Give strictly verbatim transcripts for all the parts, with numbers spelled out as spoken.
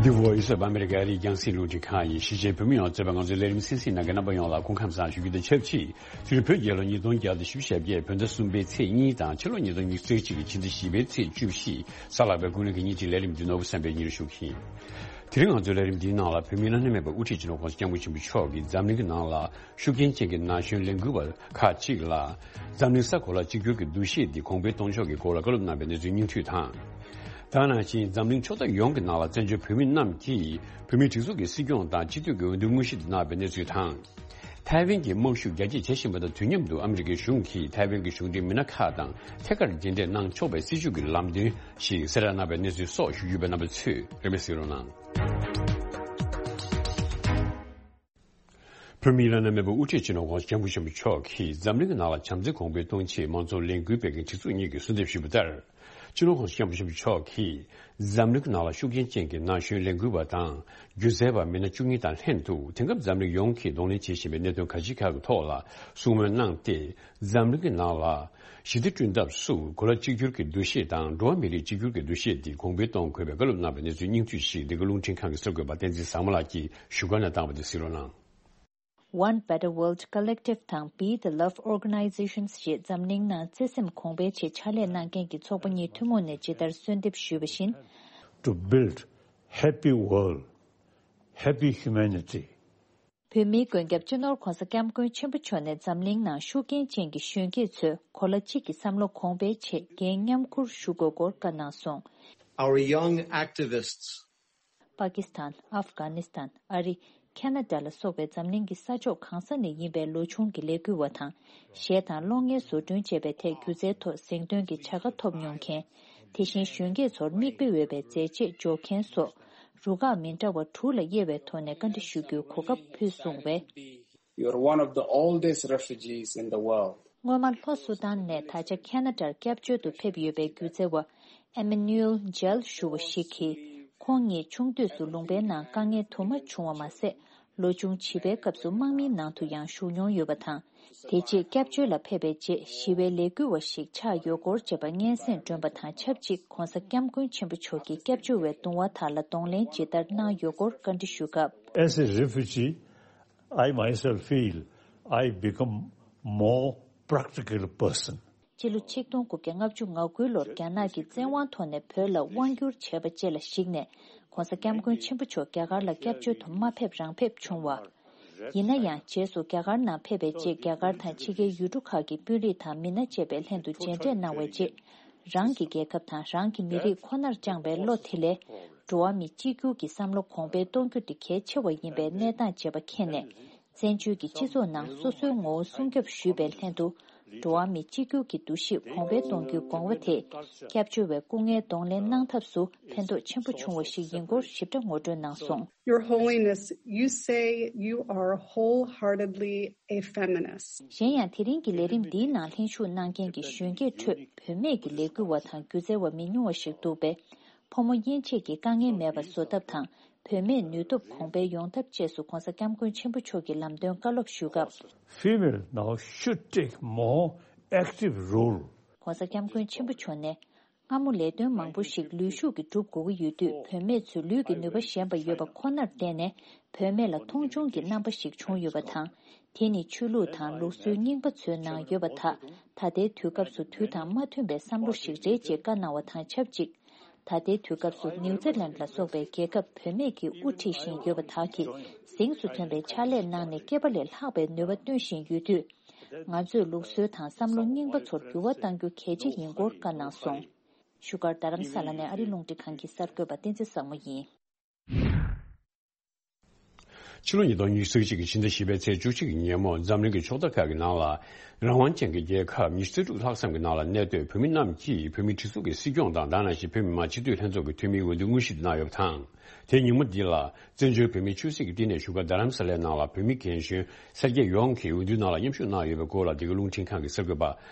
The Voice of America ཨ་རིའི་རྒྱང་སྲིང་རླུང་འཕྲིན་ཁང་ཡིན། གཞིས་བྱེས་བོད་མི་ཡོངས་གཙོས་པའི་ང་ཚོའི་ལས་རིམ་གསན་གཟིགས་གནང་མཁན་རྣམ་པ་ཡོངས་ལ་སྐུ་ཁམས་བཟང་ཞུ་རྒྱུ་དང་ཆབས་ཅིག་དེ་རིང་བོད་རྒྱལ་ལོ་ཉིས་སྟོང་བརྒྱ་དང་བཞི་བཅུ་ཞེ་བརྒྱད་བོད་ཟླ་གསུམ་པའི་ཚེས་གཉིས་དང་ཕྱི་ལོ་ཉིས་སྟོང་ཉི་ཤུ་རྩ་གཅིག་གི་ཕྱི་ཟླ་བཞི་པའི་ཚེས་བཅུ་བཞི། གཟའ་ལྷག་པའི་ཀུན་གླེང་གི་ཉིན་གཅིག་ལས་རིམ་འདི་ནོར་བུ་བསམ་འཕེལ་གཉིས་རུ་ཞུགས་ཡིན། དེ་རིང་ང་ཚོའི་ལས་རིམ་འདིའི་ནང་ལ་བོད་མིའི་བླ་ན་མེད་པའི་དབུ་ཁྲིད་སྤྱི་ནོར་༸གོང་ས་༸སྐྱབས་མགོན་ཆེན་པོ་མཆོག་གིས་འཛམ་གླིང་གི་ནང་ལ་ཤུགས་རྐྱེན་ཅན་གྱི་ན་གཞོན་ལས་འགུལ་བ་ཁག་ཅིག་ལ། འཛམ་གླིང་ས་གོ་ལ་གཅིག་གྱུར་གྱི་འདུ་ཤེས་འདི་གོང་འཕེལ་གཏོང་ཕྱོགས་ཀྱི་སྐོར་ལ་བཀའ་སློབ་གནང་བའི་གནས་ཚུལ་སྙིང་བསྡུས་དང་། ད་ནང་བཞིན་འཛམ་གླིང་ཕྱོགས་མཐའ་ཡོངས་ཀྱི་ནང་ལ་བཙན་བྱོལ་བོད་མི་རྣམས་ཀྱིས་བོད་མིའི་སྒྲིག་འཛུགས་ཀྱི་སྲིད་སྐྱོང་དང་སྤྱི་འཐུས་ཀྱི་འོས་བསྡུ་དངོས་གཞི་དུ་གནང་བའི་གནས་ཚུལ་དང་། ཐའེ་ཝན་གྱི་དམག་ཤུགས་རྒྱ་སྐྱེད་བྱེད་བཞིན་པ་དང་དུས་མཉམ་དུ་ཨ་མི་རི་ཀའི་གཞུང་གིས་ཐའེ་ཝན་གྱི་གཞུང་འབྲེལ་མི་སྣ་ཁག་དང་ཐད་ཀར་མཇལ་འཕྲད་གནང་ཆོག་པའི་སྲིད་བྱུས་ཀྱི་ལམ་སྟོན་ཞིག་གསལ་བསྒྲགས་གནང་བའི་གནས་ཚུལ་སོགས་ཞུ་རྒྱུ་ཡོད་པས་རྣམ་པ་ཚོས་རེ་སྨོན་གཟིགས་རོགས་གནང་། བོད་མིའི་བླ་ན་མེད་པའི་དབུ་ཁྲིད་སྤྱི་ནོར་༸གོང་ས་༸སྐྱབས་མགོན་ཆེན་པོ་མཆོག་གིས་འཛམ་གླིང་གི་ནང་ལ་བྱམས་བརྩེ་གོང་འཕེལ་གཏོང་ཆེད་མང་གཙོ་ལས་འགུལ་སྤེལ་མཁན་སྒྲིག་འཛུགས་གཉིས་ཀྱིས་གསོལ་འདེབས་ཞུས་པ་ལྟར། སྤྱི་ནོར་༸གོང་ས་༸སྐྱབས་མགོན་ཆེན་པོ་མཆོག་གིས་འཛམ་གླིང་གི་ནང་ལ་ཤུགས་རྐྱེན་ཅན་གྱི་ན་གཞོན་ལས་འགུལ་བ་དང་སྒྱུ་རྩལ་བ་མི་སྣ་བཅུ་གཉིས་དང་ལྷན་དུ་དེང་སྐབས་འཛམ་གླིང་ཡོངས་ཀྱིས་གདོང་ལེན་བྱེད་བཞིན་པའི་གནད་དོན་ཁག་ཅིག་ཁག་གི་ཐོག་ལ་གསུང་མོལ་གནང་སྟེ། འཛམ་གླིང་གི་ནང་ལ་ཞི་བདེ་བསྐྲུན་ཐབས་སུ་གོ་ལ་གཅིག་གྱུར་གྱི་འདུ་ཤེས་དང་འགྲོ་བ་མི་རིགས་གཅིག་གྱུར་གྱི་འདུ་ཤེས་འདི་གོང་འཕེལ་གཏོང་དགོས་པའི་བཀའ་སློབ་གནང་བའི་གནས་ཚུལ་སྙིང་བསྡུས་ཤིག་འདི་ག་རླུང་འཕྲིན་ཁང་གི་གསར་འགོད་པ་བསྟན་འཛིན་བཟང་མོ་ལགས་ཀྱིས་བཞུགས་སྒར་ནས་བཏང་བ་དེ་གཟིགས་རོགས་གནང་། One Better World Collective དང་Be the Love Organizations ཞེས་འཛམ་གླིང་ནང་བརྩེ་སེམས་གོང་འཕེལ་ཆེད་ཕྱག་ལས་གནང་མཁན་གྱི་ཚོགས་པ་གཉིས་ཐུན་མོང་ནས་ཇི་ལྟར་གསོལ་འདེབས་ཞུས་པ་བཞིན། To build happy world, happy humanity. བོད་མིའི་མགོན་སྐྱབས་སྤྱི་ནོར་༸གོང་ས་༸སྐྱབས་མགོན་ཆེན་པོ་མཆོག་ནས་འཛམ་གླིང་ནང་ཤུགས་རྐྱེན་ཅན་གྱི་གཞོན་སྐྱེས་ཚོས་གོ་ལ་གཅིག་གི་བསམ་བློ་གོང་འཕེལ་ཆེད་འགན་མཉམ་འཁུར་ཞུ་དགོས་སྐོར་བཀའ་གནང་སོང་། Our young activists པ་ཀི་སི་ཐན། ཨབ་གྷ་ནི་སི་ཐན། ཨ་རི། ཁེ་ན་ཌ་ལ་སོགས་པའི་འཛམ་གླིང་གི་ས་ཕྱོགས་གང་ས་ནས་ཡིན་པའི་ལོ་ཆུང་གི་ལས་འགུལ་བ་དང་། གཞས་དང་གློག་བརྙན་བཟོ་སྐྲུན་བཅས་པའི་ཐད་སྒྱུ་རྩལ་ཐོག་གཟེངས་ཐོན་གྱི་བྱ་དགའ་ཐོབ་མྱོང་མཁན། དེ་བཞིན་གཞོན་སྐྱེས་ཚོར་མིག་དཔེ་འོས་པའི་མཛད་རྗེས་འཇོག་མཁན་སོགས། རུ་ཁག་མི་འདྲ་བ་དྲུག་ལ་དབྱེ་བའི་ཐོག་ནས་བཀའ་འདྲི་ཞུ་རྒྱུའི་གོ་སྐབས་ཕུལ་སོང་བས། You're one of the oldest refugees in the world. སྔོན་མ་ལྷོ་སུ་དཱན་ནས་ད་ཆ་ཁེ་ན་ཌར་སྐྱབས་བཅོལ་དུ་ཕེབས་ཡོད་པའི་སྒྱུ་རྩལ་བ་ཨེ་མེ་ནུ་ཨེལ་ཇལ་ཞུ་བ་ཞིག་གིས། ཁོང་ཉིད་ཆུང་དུས་སུ་ལུང་པའི་ནང་དཀའ་ངལ་དུ་མ་བྱུང་བ་མ་ཟད། ལོ་ཆུང་བྱིས་པའི་སྐབས་སུ་དམག་མིའི་ནང་དུ་ཡང་ཞུགས་མྱོང་ཡོད་པ་དང་། དེ་རྗེས་སྐྱབས་བཅོལ་ལ་ཕེབས་པའི་རྗེས་ཞི་བའི་ལས་འགུལ་བ་ཞིག་ཆགས་ཡོད་སྐོར་བཅས་པ་སྙན་སེང་བསྒྲོན་པ་དང་ཆབས་ཅིག ༸གོང་ས་༸སྐྱབས་མགོན་ཆེན་པོ་མཆོག་གིས་སྐྱབས་བཅོལ་བའི་གདུང་བ་དག་ལ་གདོང་ལེན་ཇི་ལྟར་གནང་ཡོད་སྐོར་བཀའ་འདྲི་ཞུ་སྐབས། As a refugee, I myself feel I become more practical person. སྤྱི་ལོ་ཆིག་སྟོང་དགུ་བརྒྱ་ལྔ་བཅུ་ང་དགུ་ལོར་རྒྱ་ནག་གིས་བཙན་དབང་ཐོག་ནས་བོད་ལ་དབང་བསྒྱུར་བྱས་པ་བཅས་ལ་གཞིགས་ནས་༸གོང་ས་༸སྐྱབས་མགོན་ཆེན་པོ་མཆོག་རྒྱ་གར་ལ་སྐྱབས་བཅོལ་དུ་མ་ཕེབས་རང་ཕེབས་བྱུང་བ། ཡིན་ན་ཡང་རྗེས་སུ་རྒྱ་གར་ནང་ཕེབས་པའི་རྗེས་རྒྱ་གར་དང་ཕྱི་རྒྱལ་ཡུལ་གྲུ་ཁག་གི་དཔོན་རིགས་དང་མི་སྣ་བཅས་པའི་ལྷན་དུ་མཇལ་འཕྲད་གནང་བའི་རྗེས། རང་གི་རྒྱལ་ཁབ་དང་རང་གི་མི་རིགས་ཁོ་ནར་བཅངས་པའི་བློ་དེ་ལས། འགྲོ་བ་མི་གཅིག་གྱུར་གྱི་བསམ་བློ་གོང་འཕེལ་གཏོང་རྒྱུ་དེ་གལ་ཆེ་བ་ཡིན་པའི་གནས་སྟངས་བྱེད་པ་མཁྱེན་ནས། བཙན་བྱོལ་གྱི་སྤྱི་ཚོགས་ནང་སོ་སོའི་ངོ་བོ་སྲུང་སྐྱོབ་ཞུས་པའི་ལྷན་དུ། འགྲོ་བ་མི་གཅིག་གྱུར་གྱི་འདུ་ཤེས་གོང་འཕེལ་གཏོང་རྒྱུའི་དགོངས་པ་དེས། སྐྱབས་བཅོལ་བའི་སྐུ་ངལ་གདོང་ལེན་གནང་ཐབས་སུ་ཕན་ཐོགས་ཆེན་པོ་བྱུང་བ་ཞིག་ཡིན་སྐོར་ཞིབ་ཕྲ་ངོ་སྤྲོད་གནང་སོང་། Your Holiness, you say you are wholeheartedly a feminist. གཞན་ཡང་དེ་རིང་གི་ལས་རིམ་འདིའི་ནང་ལྷན་ཞུགས་གནང་མཁན་གྱི་གཞོན་སྐྱེས་ཁྲོད་བུད་མེད་ཀྱི་ལས་འགུལ་བ་དང་སྒྱུ་རྩལ་བ་མི་ཉུང་བ་ཞིག་འདུག་པས། ཕོ་མོ་དབྱེ་འབྱེད་ཀྱི་དཀའ་ངལ་མེད་པ་བཟོ་ཐབས་དང་། བུད་མེད་ནུས་སྟོབས་གོང་འཕེལ་ཡོང་ཐབས་བཅས་སུ་༸གོང་ས་༸སྐྱབས་མགོན་ཆེན་པོ་མཆོག་གིས་ལམ་སྟོན་བཀའ་སློབ་ཞུ་སྐབས། Female now should take more active role. ༸གོང་ས་༸སྐྱབས་མགོན་ཆེན་པོ་མཆོག་ནས། སྔ་མོ་ལས་དོན་མང་པོ་ཞིག་ལུས་ཤུགས་ཀྱིས་སྒྲུབ་དགོས་ཀྱི་ཡོད་དུས་བུད་མེད་ཚོས་ལུས་ཀྱི་ནུས་པ་ཞན་པ་ཡོད་པ་ཁོ་ནར་བརྟེན་ནས་བུད་མེད་ལ་མཐོང་ཆུང་གི་རྣམ་པ་ཞིག་བྱུང་ཡོད་པ་དང་། དེ་ནི་ཆོས་ལུགས་དང་ལུགས་སྲོལ་རྙིང་པ་ཚོའི་ནང་ཡོད་པ་དག་ད་ལྟའི་དུས་སྐབས་སུ་དུས་དང་མ་མཐུན་པའི་བསམ་བློ་ཞིག་རེད་ཅེས་བཀའ་གནང་བ་དང་ཆབས་ཅིག་ད་ལྟའི་དུས་སྐབས་སུ་ནིའུ་ཛི་ལན་ལ་སོགས་པའི་རྒྱལ་ཁབ་བུད་མེད་ཀྱིས་དབུ་ཁྲིད་བཞིན་ཡོད་པ་དག་གིས་གཟེངས་སུ་ཐོན་པའི་ཕྱག་ལས་གནང་ནས་སྐེད་པ་ལས་ལྷག་པའི་ནུས་པ་བཏོན་བཞིན་ཡོད་དུས། ང་ཚོས་ལུགས་སྲོལ་དང་བསམ་བློ་རྙིང་པ་ཚོར་འགྱུར་བ་གཏང་རྒྱུ་གལ་ཆེ་ཡིན་སྐོར་བཀའ་གནང་སོང་། བཞུགས་སྒར་རྡ་རམ་ས་ལ་ནས་ཨ་རིའི་རླུང་འཕྲིན་ཁང་གི་གསར་འགོད་པ་བསྟན་འཛིན་བཟང་མོ་ཡིན། ཕྱི་ལོ་ཉིས་སྟོང་ཉི་ཤུ་རྩ་གཅིག་གི་ཕྱི་ཟླ་བཞི་པའི་ཚེས་བཅུ་གཅིག་གི་ཉིན་མོ་འཛམ་གླིང་གི་ཕྱོགས་མཐའ་ཁག་གི་ནང་ལ་རང་དབང་ཅན་གྱི་རྒྱལ་ཁབ་ཉི་ཤུ་རྩ་དྲུག་ལྷག་ཙམ་གྱི་ནང་ལ་གནས་སྡོད་བོད་མི་རྣམས་ཀྱིས་བོད་མིའི་སྒྲིག་འཛུགས་ཀྱི་སྲིད་སྐྱོང་དང་དེ་ནང་བཞིན་བོད་མི་མང་སྤྱི་འཐུས་ལྷན་ཚོགས་ཀྱི་འཐུས་མིའི་འོས་བསྡུ་དངོས་གཞི་དུ་གནང་ཡོད་པ་དང་། དེའི་ཉིན་མོ་འདི་ལ་བཙན་བྱོལ་བོད་མིའི་ཆོས་སྲིད་ཀྱི་བསྟི་གནས་བཞུགས་སྒར་རྡ་རམ་ས་ལའི་ནང་ལ་བོད་མི་རྒན་གཞོན་སེར་སྐྱ་ཡོངས་ཀྱིས་འོས་བསྡུའི་ནང་ལ་མཉམ་ཞུགས་གནང་ཡོད་པའི་སྐོར་ལ་འདི་ག་རླུང་འཕྲིན་ཁང་གི་གསར་འགོད་པ་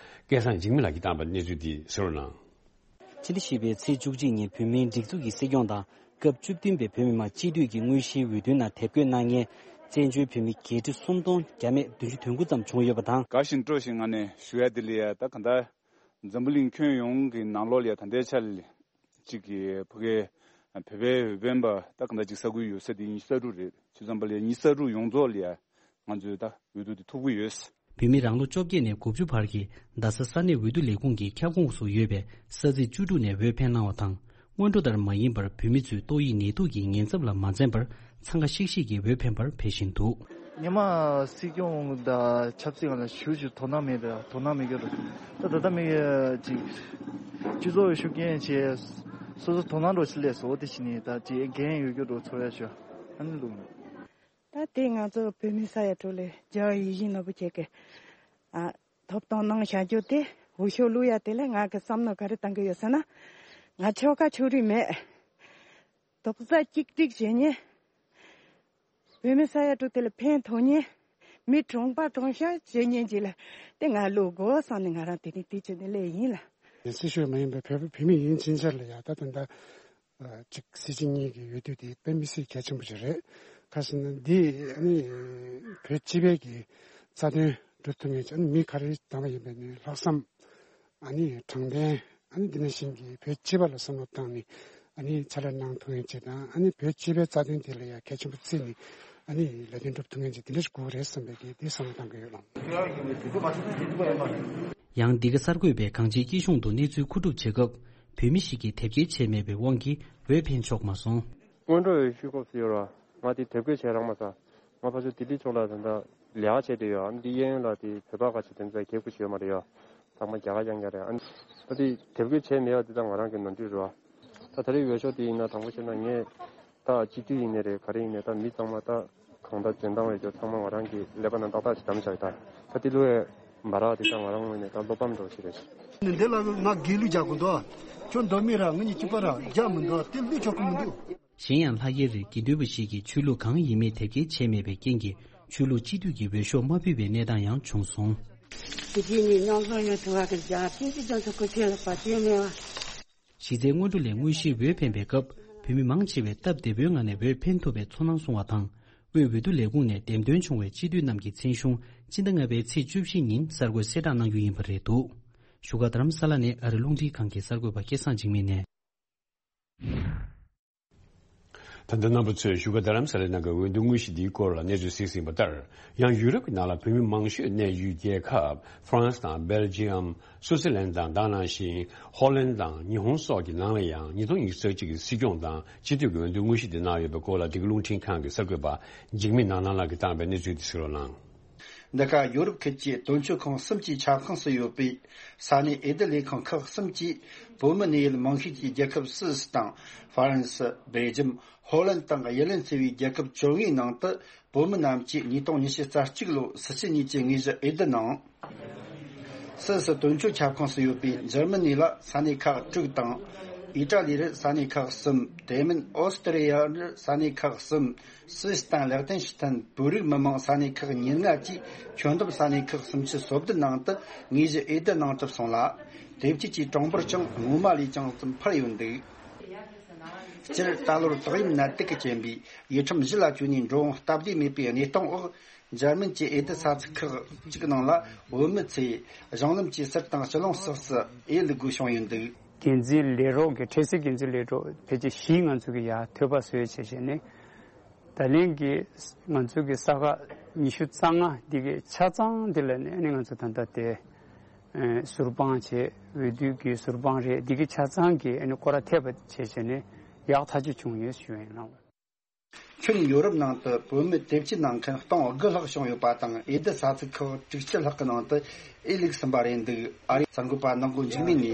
སྐལ་བཟང་འཇིགས་མེད་ལགས་ཀྱིས་བཏང་པའི་གནས་ཚུལ་འདི་གསན་རོགས་གནང་། ཕྱི་ཟླ་བཞི་པའི་ཚེས་བཅུ་གཅིག་ཉིན་བོད་མིའི་སྒྲིག་འཛུགས་ཀྱི་སྲིད་སྐྱོང་དང་སྐབས་བཅུ་བདུན་པའི་བོད་མི་མང་སྤྱི་འཐུས་ཀྱི་དངོས་གཞིའི་འོས་བསྡུའི་ནང་དེབ་སྐྱེལ་གནང་མཁན་བཙན་བྱོལ་བོད་མི་བརྒྱད་ཁྲི་སུམ་སྟོང་བརྒྱ་མེད་བདུན་ཅུ་དོན་དགུ་ཙམ་བྱུང་ཡོད་པ་དང་། དགའ་བཞིན་སྤྲོ་བཞིན་ངང་ནས་ཞུ་ཡ་དེ་ལ་ཡ་ད་ག་འདྲ་འཛམ་བུ་གླིང་ཁྱོན་ཡོངས་ཀྱི་ནང་ལོགས་ལ་ཡ་ད་ལྟའི་ཆར་ལ་གཅིག་གི་ཕ་གའི་ བོད་པའི་འོས་འཕེན་པ་ད་གང་ལྟར་ཅིག་ས་ཁུལ་ཡོད་ས་དེ་ཉི་ཤུ་རྩ་དྲུག་རེད། བྱས་ཙང་པ་ལ་ཉི་ཤུ་རྩ་དྲུག་ཡོངས་རྫོགས་ལ་ཡ་ང་ཚོས་ད་འོས་བསྡུ་དེ་ཐུབ་ཀྱི་ཡོད། བོད་མི་རང་ལོ་བཅོ་བརྒྱད་ནས་དགུ་བཅུ་བར་གྱི་རྡ་ས་ས་གནས་འོས་བསྡུ་ལས་ཁུངས་ཀྱི་ཁྱབ་ཁོངས་སུ་ཡོད་པའི་ས་ཚིགས་བཅུ་དྲུག་ནས་འོས་འཕེན་གནང་བ་དང་། སྔོན་འགྲོ་ལྟར་མ་ཡིན་པར་བོད་མི་ཚོས་ཏོག་དབྱིབས་ནད་དུག་གི་ཉེན་ཚབས་ལ་མ་འཛེམས་པར་འཚང་ཁ་ཤིག་ཤིག་གིས་འོས་འཕེན་པར་ཕེབས་བཞིན་འདུག། སྔོན་མ་སྲིད་སྐྱོང་དང་ཆབ་སྲིད་སྒང་ལ་ཞུ་ཞུ་དོ་སྣང་མེད་དེ་དོ་སྣང་མེད་ཀྱི་རེད། ད་ད་ལྟ་མི་ཅིག་སྤྱི་ཚོགས་ཤུགས་རྐྱེན་བྱས་སོ་སོ་དོ་སྣང་འགྲོ་ཆེད་ལས་སོ་དེ་ཕྱིན་ནས་ད་ཅིག་འགན་ཡོད་རྒྱུ་འགྲོ་ཚོར་ཡ་ཞུ་ཨ་ནི་ལུགས། ད་དེ་ང་ཚོ་བོད་མི་ས་ཡ་དྲུག་ལས་རྒྱ་ཡིད་བཞིན་ནོར་བུ་ཁྱེད་ཀྱི་ཨ་ཐོབ་ཐང་གནང་བཞག་རྒྱུ་དེ་འོས་ཤོག་བླུག་ཡ་དེ་ལས་ང་གི་བསམ་མནོ་ག་རེ་བཏང་གི་ཡོད་ཟེར་ན། ང་ཆོལ་ཁ་ཆོས་རིག་མེད། རྡོག་རྩ་གཅིག་སྒྲིལ་བྱེད་ཉེན། བོད་མི་ས་ཡ་དྲུག་དེ་ལ་ཕན་ཐོགས་ཉེན། མི་གྲོངས་པ་གྲོངས་ཤག་བྱེད་ཉེན་གྱི་ལ་དེ་ང་བླུག་དགོས་བསམ་ནས་ང་རང་དེ་རིང་དེ་བྱས་ནས་སླེབས་ཡིན་ལ། ཡིན་སྲིད་ཤོད་མ་ཡིན་པའི་བོད་བོད་མི་ཡིན་ཕྱིན་ཆད་ལ་ཡ་ད་ད་ད། ཅིག་སྲིད་སྤྱི་གཉིས་ཀྱི་འོས་བསྡུ་དེ་དཔེ་མི་སྲིད་གལ་ཆེན་པོ་ཞིག་རེད། ག་ཟེར་ན་འདི་ཨ་ནི་བོད་སྤྱི་པའི་གི་རྩ་དོན་སྒྲུབ་ཐུབ་མཁན་ཅིག་ཨ་ནི་མི་ག་རེ་བདམས་པ་ཡིན་པའི་ནི་ལྷག་བསམ་ཨ་ནི་དྲང་བདེན་ཨ་ནི་འདི་ནང་བཞིན་གྱི་བོད་སྤྱི་པ་ལ་བསམ་བློ་བཏང་ནས་ཨ་ནི་ཕྱག་ལས་གནང་ཐུབ་མཁན་ཅིག་དང་ཨ་ནི་བོད་སྤྱི་པའི་རྩ་དོན་དེ་ལ་ཡང་གལ་ཆེན་པོ་བརྩིས་ནས་ཨ་ནི་ལས་དོན་སྒྲུབ་ཐུབ་མཁན་ཅིག་དེ་འདྲ་ཞིག་དགོས་རེད་བསམ་པའི་གི་དེ་བསམ་བློ་བཏང་གི་ཡོད་ལགས། ཡང་འདི་ག་གསར་འགོད་པས་གང་ཅིའི་སྐྱིད་གཤོངས་དུ་གནས་ཚུལ་མཁོ་སྒྲུབ་བྱེད་སྐབས། བོད་མི་ཞིག་གིས་དེབ་སྐྱེལ་བྱས་མེད་པའི་དབང་གིས་འོས་འཕེན་ཆོག་མ་སོང་། སྔོན་འགྲོ་འོས་ཤོག་ཁོབ་སུ་ཡོད་ར། ང་དེ་དེབ་སྐྱེལ་བྱས་རག་མ་སོང་། ང་ཕར་ཚུར་ལྡི་ལི་ཕྱོགས་ལ་ད་ལྟ་ལས་ཀ་བྱས་བསྡད་ཡོད། ཨ་ནི་འདི་གཡས་གཡོན་ལ་དེ་བོད་པ་ཁ་ཤས་དེ་ཚོ་གད་སྐུ་ཞུ་ཡོད་མ་རེད་ཡ། ཚང་མ་རྒྱ་གར་རྐྱང་རྐྱང་རེད། ཨ་ནི་ད་དེ་དེབ་སྐྱེལ་བྱས་མེད་ཡ་དེ་ད་ང་རང་གི་ནོར་འཁྲུལ་རེད་བ། ད་ད་རེས་འོས་ཤོག་དེ་ཡིན་ན་དྲང་པོ་བཤད་ན་ངས་ད་སྤྱི་འཐུས་ཡིན་ནའི་རེད། ག་རེ་ཡིན་ནའི་ད་མི་ཚང་མ་ད་གང་ལྟར་འཇོན་ཐང་ཡོད་རྒྱུ་ཚང་མ་ང་རང་གི་ཀླད་པ་ནང་ཏག་ཏག་ཅིག་བསྡམས་བཞག་ད། ད་དེ་ལོ་ཡ། འབའ་རག་དེ་ད་ང་རང་ངོས་ནས་ད་བློ་ཕམ་འདྲ་བོ་ཞིག་རེད། ནི་འདི་ལ་ང་སྒེར་ལུགས་རྒྱག་དགོས་འདུག་ཁྱོད་མདོ་སྨད་ར་ང་གཉིས་གཅིག་པ་ར་རྒྱག་མི་འདུག་དེ་ལུས་ཆོག་གི་མི་འདུག་གཞན་ཡང་ལྷག་དཀར་རི་དགེ་འདུན་པ་ཞིག་གིས་ཆོས་ལུགས་གང་ཡིན་མིན་དེབ་སྐྱེལ་བྱས་མེད་པའི་རྐྱེན་གྱིས་ཆོས་ལུགས་སྤྱི་འཐུས་ཀྱི་འོས་ཤོག་མ་ཕུལ་བའི་གནས་སྟངས་ཡང་བྱུང་སོང་། དེ་རྗེས་ནས་མཉམ་འཛོམས་ཡོང་ཐུབ་པ་གི་རྒྱ་ཆེན་གྱི་རྒྱ་མཚོ་སྐུ་ཁྱེད་ལ་བ་ཅན་མེད་པ། གཞི་རྩའི་སྔོན་འགྲོ་ལས་དངོས་གཞིའི་འོས་འཕེན་པའི་སྐབས་བོད་མི་མང་ཆེ་བས་སྟབས་བདེ་པོའི་ངང་ནས་འོས་འཕེན་ཐུབ་པའི་ཚོར་སྣང་གསུངས་བ་དང་། དབུས་འོས་བསྡུ་ལས་ཁུངས་ནས་འདེམས་ཐོན་བྱུང་བའི་སྤྱི་འཐུས་རྣམས་ཀྱི་མཚན་གཞུང་སྤྱི་ཟླ་ལྔ་པའི་ཚེས་བཅུ་བཞི་ཉིན་གསར་འགོད་གསལ་བསྒྲགས་གནང་རྒྱུ་ཡིན་པ་རེད་འདུག་བཞུགས་སྒར་རྡ་རམ་ས་ལ་ནས་ཨ་རི་རླུང་འཕྲིན་ཁང་གི་གསར་འགོད་པ་སྐལ་བཟང་འཇིགས་མེད་ནས། ད་ལྟ་རྣམ་པ་ཚོས་བཞུགས་སྒར་རྡ་རམ་ས་ལའི་ནང་གི་འོས་བསྡུ་དངོས་གཞི་འདིའི་སྐོར་ལ་གནས་ཚུལ་གཟིགས་ཟིན་པ་ལྟར། ཡང་ཡུ་རོབ་ཀྱི་ནང་ལ་བོད་མི་མང་ཤོས་གནས་ཡུལ་རྒྱལ་ཁབ་ཧྥ་རན་སི་དང་སྦེལ་ཇི་ཡམ། སུའུ་ཙེར་ལན་དང་དེ་ནང་བཞིན་ཧོ་ལན་དང་ཉི་ཧོང་སོགས་ཀྱི་ནང་ལ་ཡང་ཉིས་སྟོང་ཉི་ཤུ་རྩ་གཅིག་གི་སྲིད་སྐྱོང་དང་སྤྱི་འཐུས་ཀྱི་འོས་བསྡུ་དངོས་གཞི་འདི་གནང་ཡོད་པའི་སྐོར་ལ་འདི་ག་རླུང་འཕྲིན་ཁང་གི་གསར་འགོད་པ་འཇིགས་མེད་ནགས་ནང་ལགས་ཀྱིས་བཏང་བའི་གནས་ཚུལ་འདི་གཟིགས་རོགས་གནང་། འདི་ག་ཡོ་རོབ་ཁུལ་གྱི་དོན་གཅོད་ཁང་གསུམ་གྱི་ཁྱབ་ཁོངས་སུ་ཡོད་པའི་ས་གནས་འོས་བསྡུ་ལས་ཁང་ཁག་གསུམ་གྱིས་བོད་མི་གནས་ཡུལ་མང་ཤོས་ཀྱི་རྒྱལ་ཁབ་སུད་སི་དང་ཧྥ་རན་སི། སྦེལ་ཇམ། ཧོ་ལན་དང་ཡར་ལན་ཚུད་པའི་རྒྱལ་ཁབ་བཅོ་ལྔའི་ནང་དུ། བོད་མི་རྣམས་ཀྱིས་ཉིས་སྟོང་ཉི་ཤུ་རྩ་གཅིག་ལོ་སྲིད་སྤྱི་གཉིས་ཀྱི་དངོས་གཞི་འོས་བསྡུ་གནང་། སུད་སི་དོན་གཅོད་ཁྱབ་ཁོངས་སུ་ཡོད་པའི་འཇར་མ་ནི་ལ་ས་གནས་ཁག་དྲུག་དང་། ཨི་ཏྲ་ལི་རུ་ས་གནས་ཁག་གསུམ། དེ་མིན་ཨོ་སི་ཏྲི་ཡ་རུ་ས་གནས་ཁག་གསུམ། སུད་སི་དང་ལེག་ཏེན་ཤི་ཐན་བོད་རིགས་མི་མང་ས་གནས་ཁག་ཉེར་ལྔ་བཅས་ཁྱོན་བསྡོམས་ས་གནས་ཁག་སུམ་ཅུ་སོ་བདུན་ནང་དུ་དངོས་གཞི་འོས་བསྡུ་གནང་གྲུབ་སོང་ལ། དེབ་སྐྱེལ་གྱི་གྲངས་འབོར་ཀྱང་སྔོན་མ་ལས་ཀྱང་ཙམ་འཕར་ཡོད་འདུག་སྤྱིར་ད་ལོར་ཏོག་དབྱིབས་ནད་དུག་གི་རྐྱེན་པས་ཡུལ་ཁྲིམས་གཞི་ལ་བཅོལ་ནས་འགྲོ་འོང་སྟབས་བདེ་མེད་པའི་གནས་སྟངས་འོག་འཇར་མན་གྱི་འོས་བསྡུ་ས་ཚིགས་ཁག་ཅིག་ནང་ལ་བོད་མི་ཚོས་གཞུང་ལམ་གྱི་ཟུར་དང་ཕྱི་ལོགས་སོགས་སུ་འོས་བླུག་དགོས་བྱུང་ཡོད་འདུག་འགན་འཛིན་ལས་རོགས་ཀྱི་འཕྲལ་སེལ་འགན་འཛིན་ལས་རོགས་ཕལ་ཆེར་བཞི་ང་ཚོ་གི་ཡར་ཐོད་པ་བཟོས་བྱས་བྱས་ནས་ད་ལན་གྱི་ང་ཚོ་གི་ས་ཁག་ཉི་ཤུ་རྩ་ལྔ་འདི་གི་ཆ་ཚང་འདི་ལ་ནས་ནི་ང་ཚོ་ད་ལྟ་དེ། ཨེ་ཟུར་དཔང་བྱས། འོས་བསྡུ་གི་ཟུར་དཔང་རེད། འདི་གི་ཆ་ཚང་གི་ཨ་ནི་སྐོར་ར་ཐེབས་པ་བྱས་བྱས་ནས་ཡག་ཐག་ཆོད་བྱུང་ཡོད་ཞུ་ཡིན་ལགས། ཁྱོན་ཡོ་རོབ་ནང་དུ་བོད་མི་དེབ་སྐྱེལ་གནང་མཁན་སྟོང་དགུ་ལྷག་བྱུང་ཡོད་པ་དང་འོས་བསྡུ་ས་ཚིགས་ཁག་དྲུག་ཅུ་ལྷག་གི་ནང་དུ་འོས་བླུགས་ཟིན་པ་རེད་འདུག་ཨ་རིའི་གསར་འགོད་པ་ནག་མགོ་འཇིགས་མེད་ནས།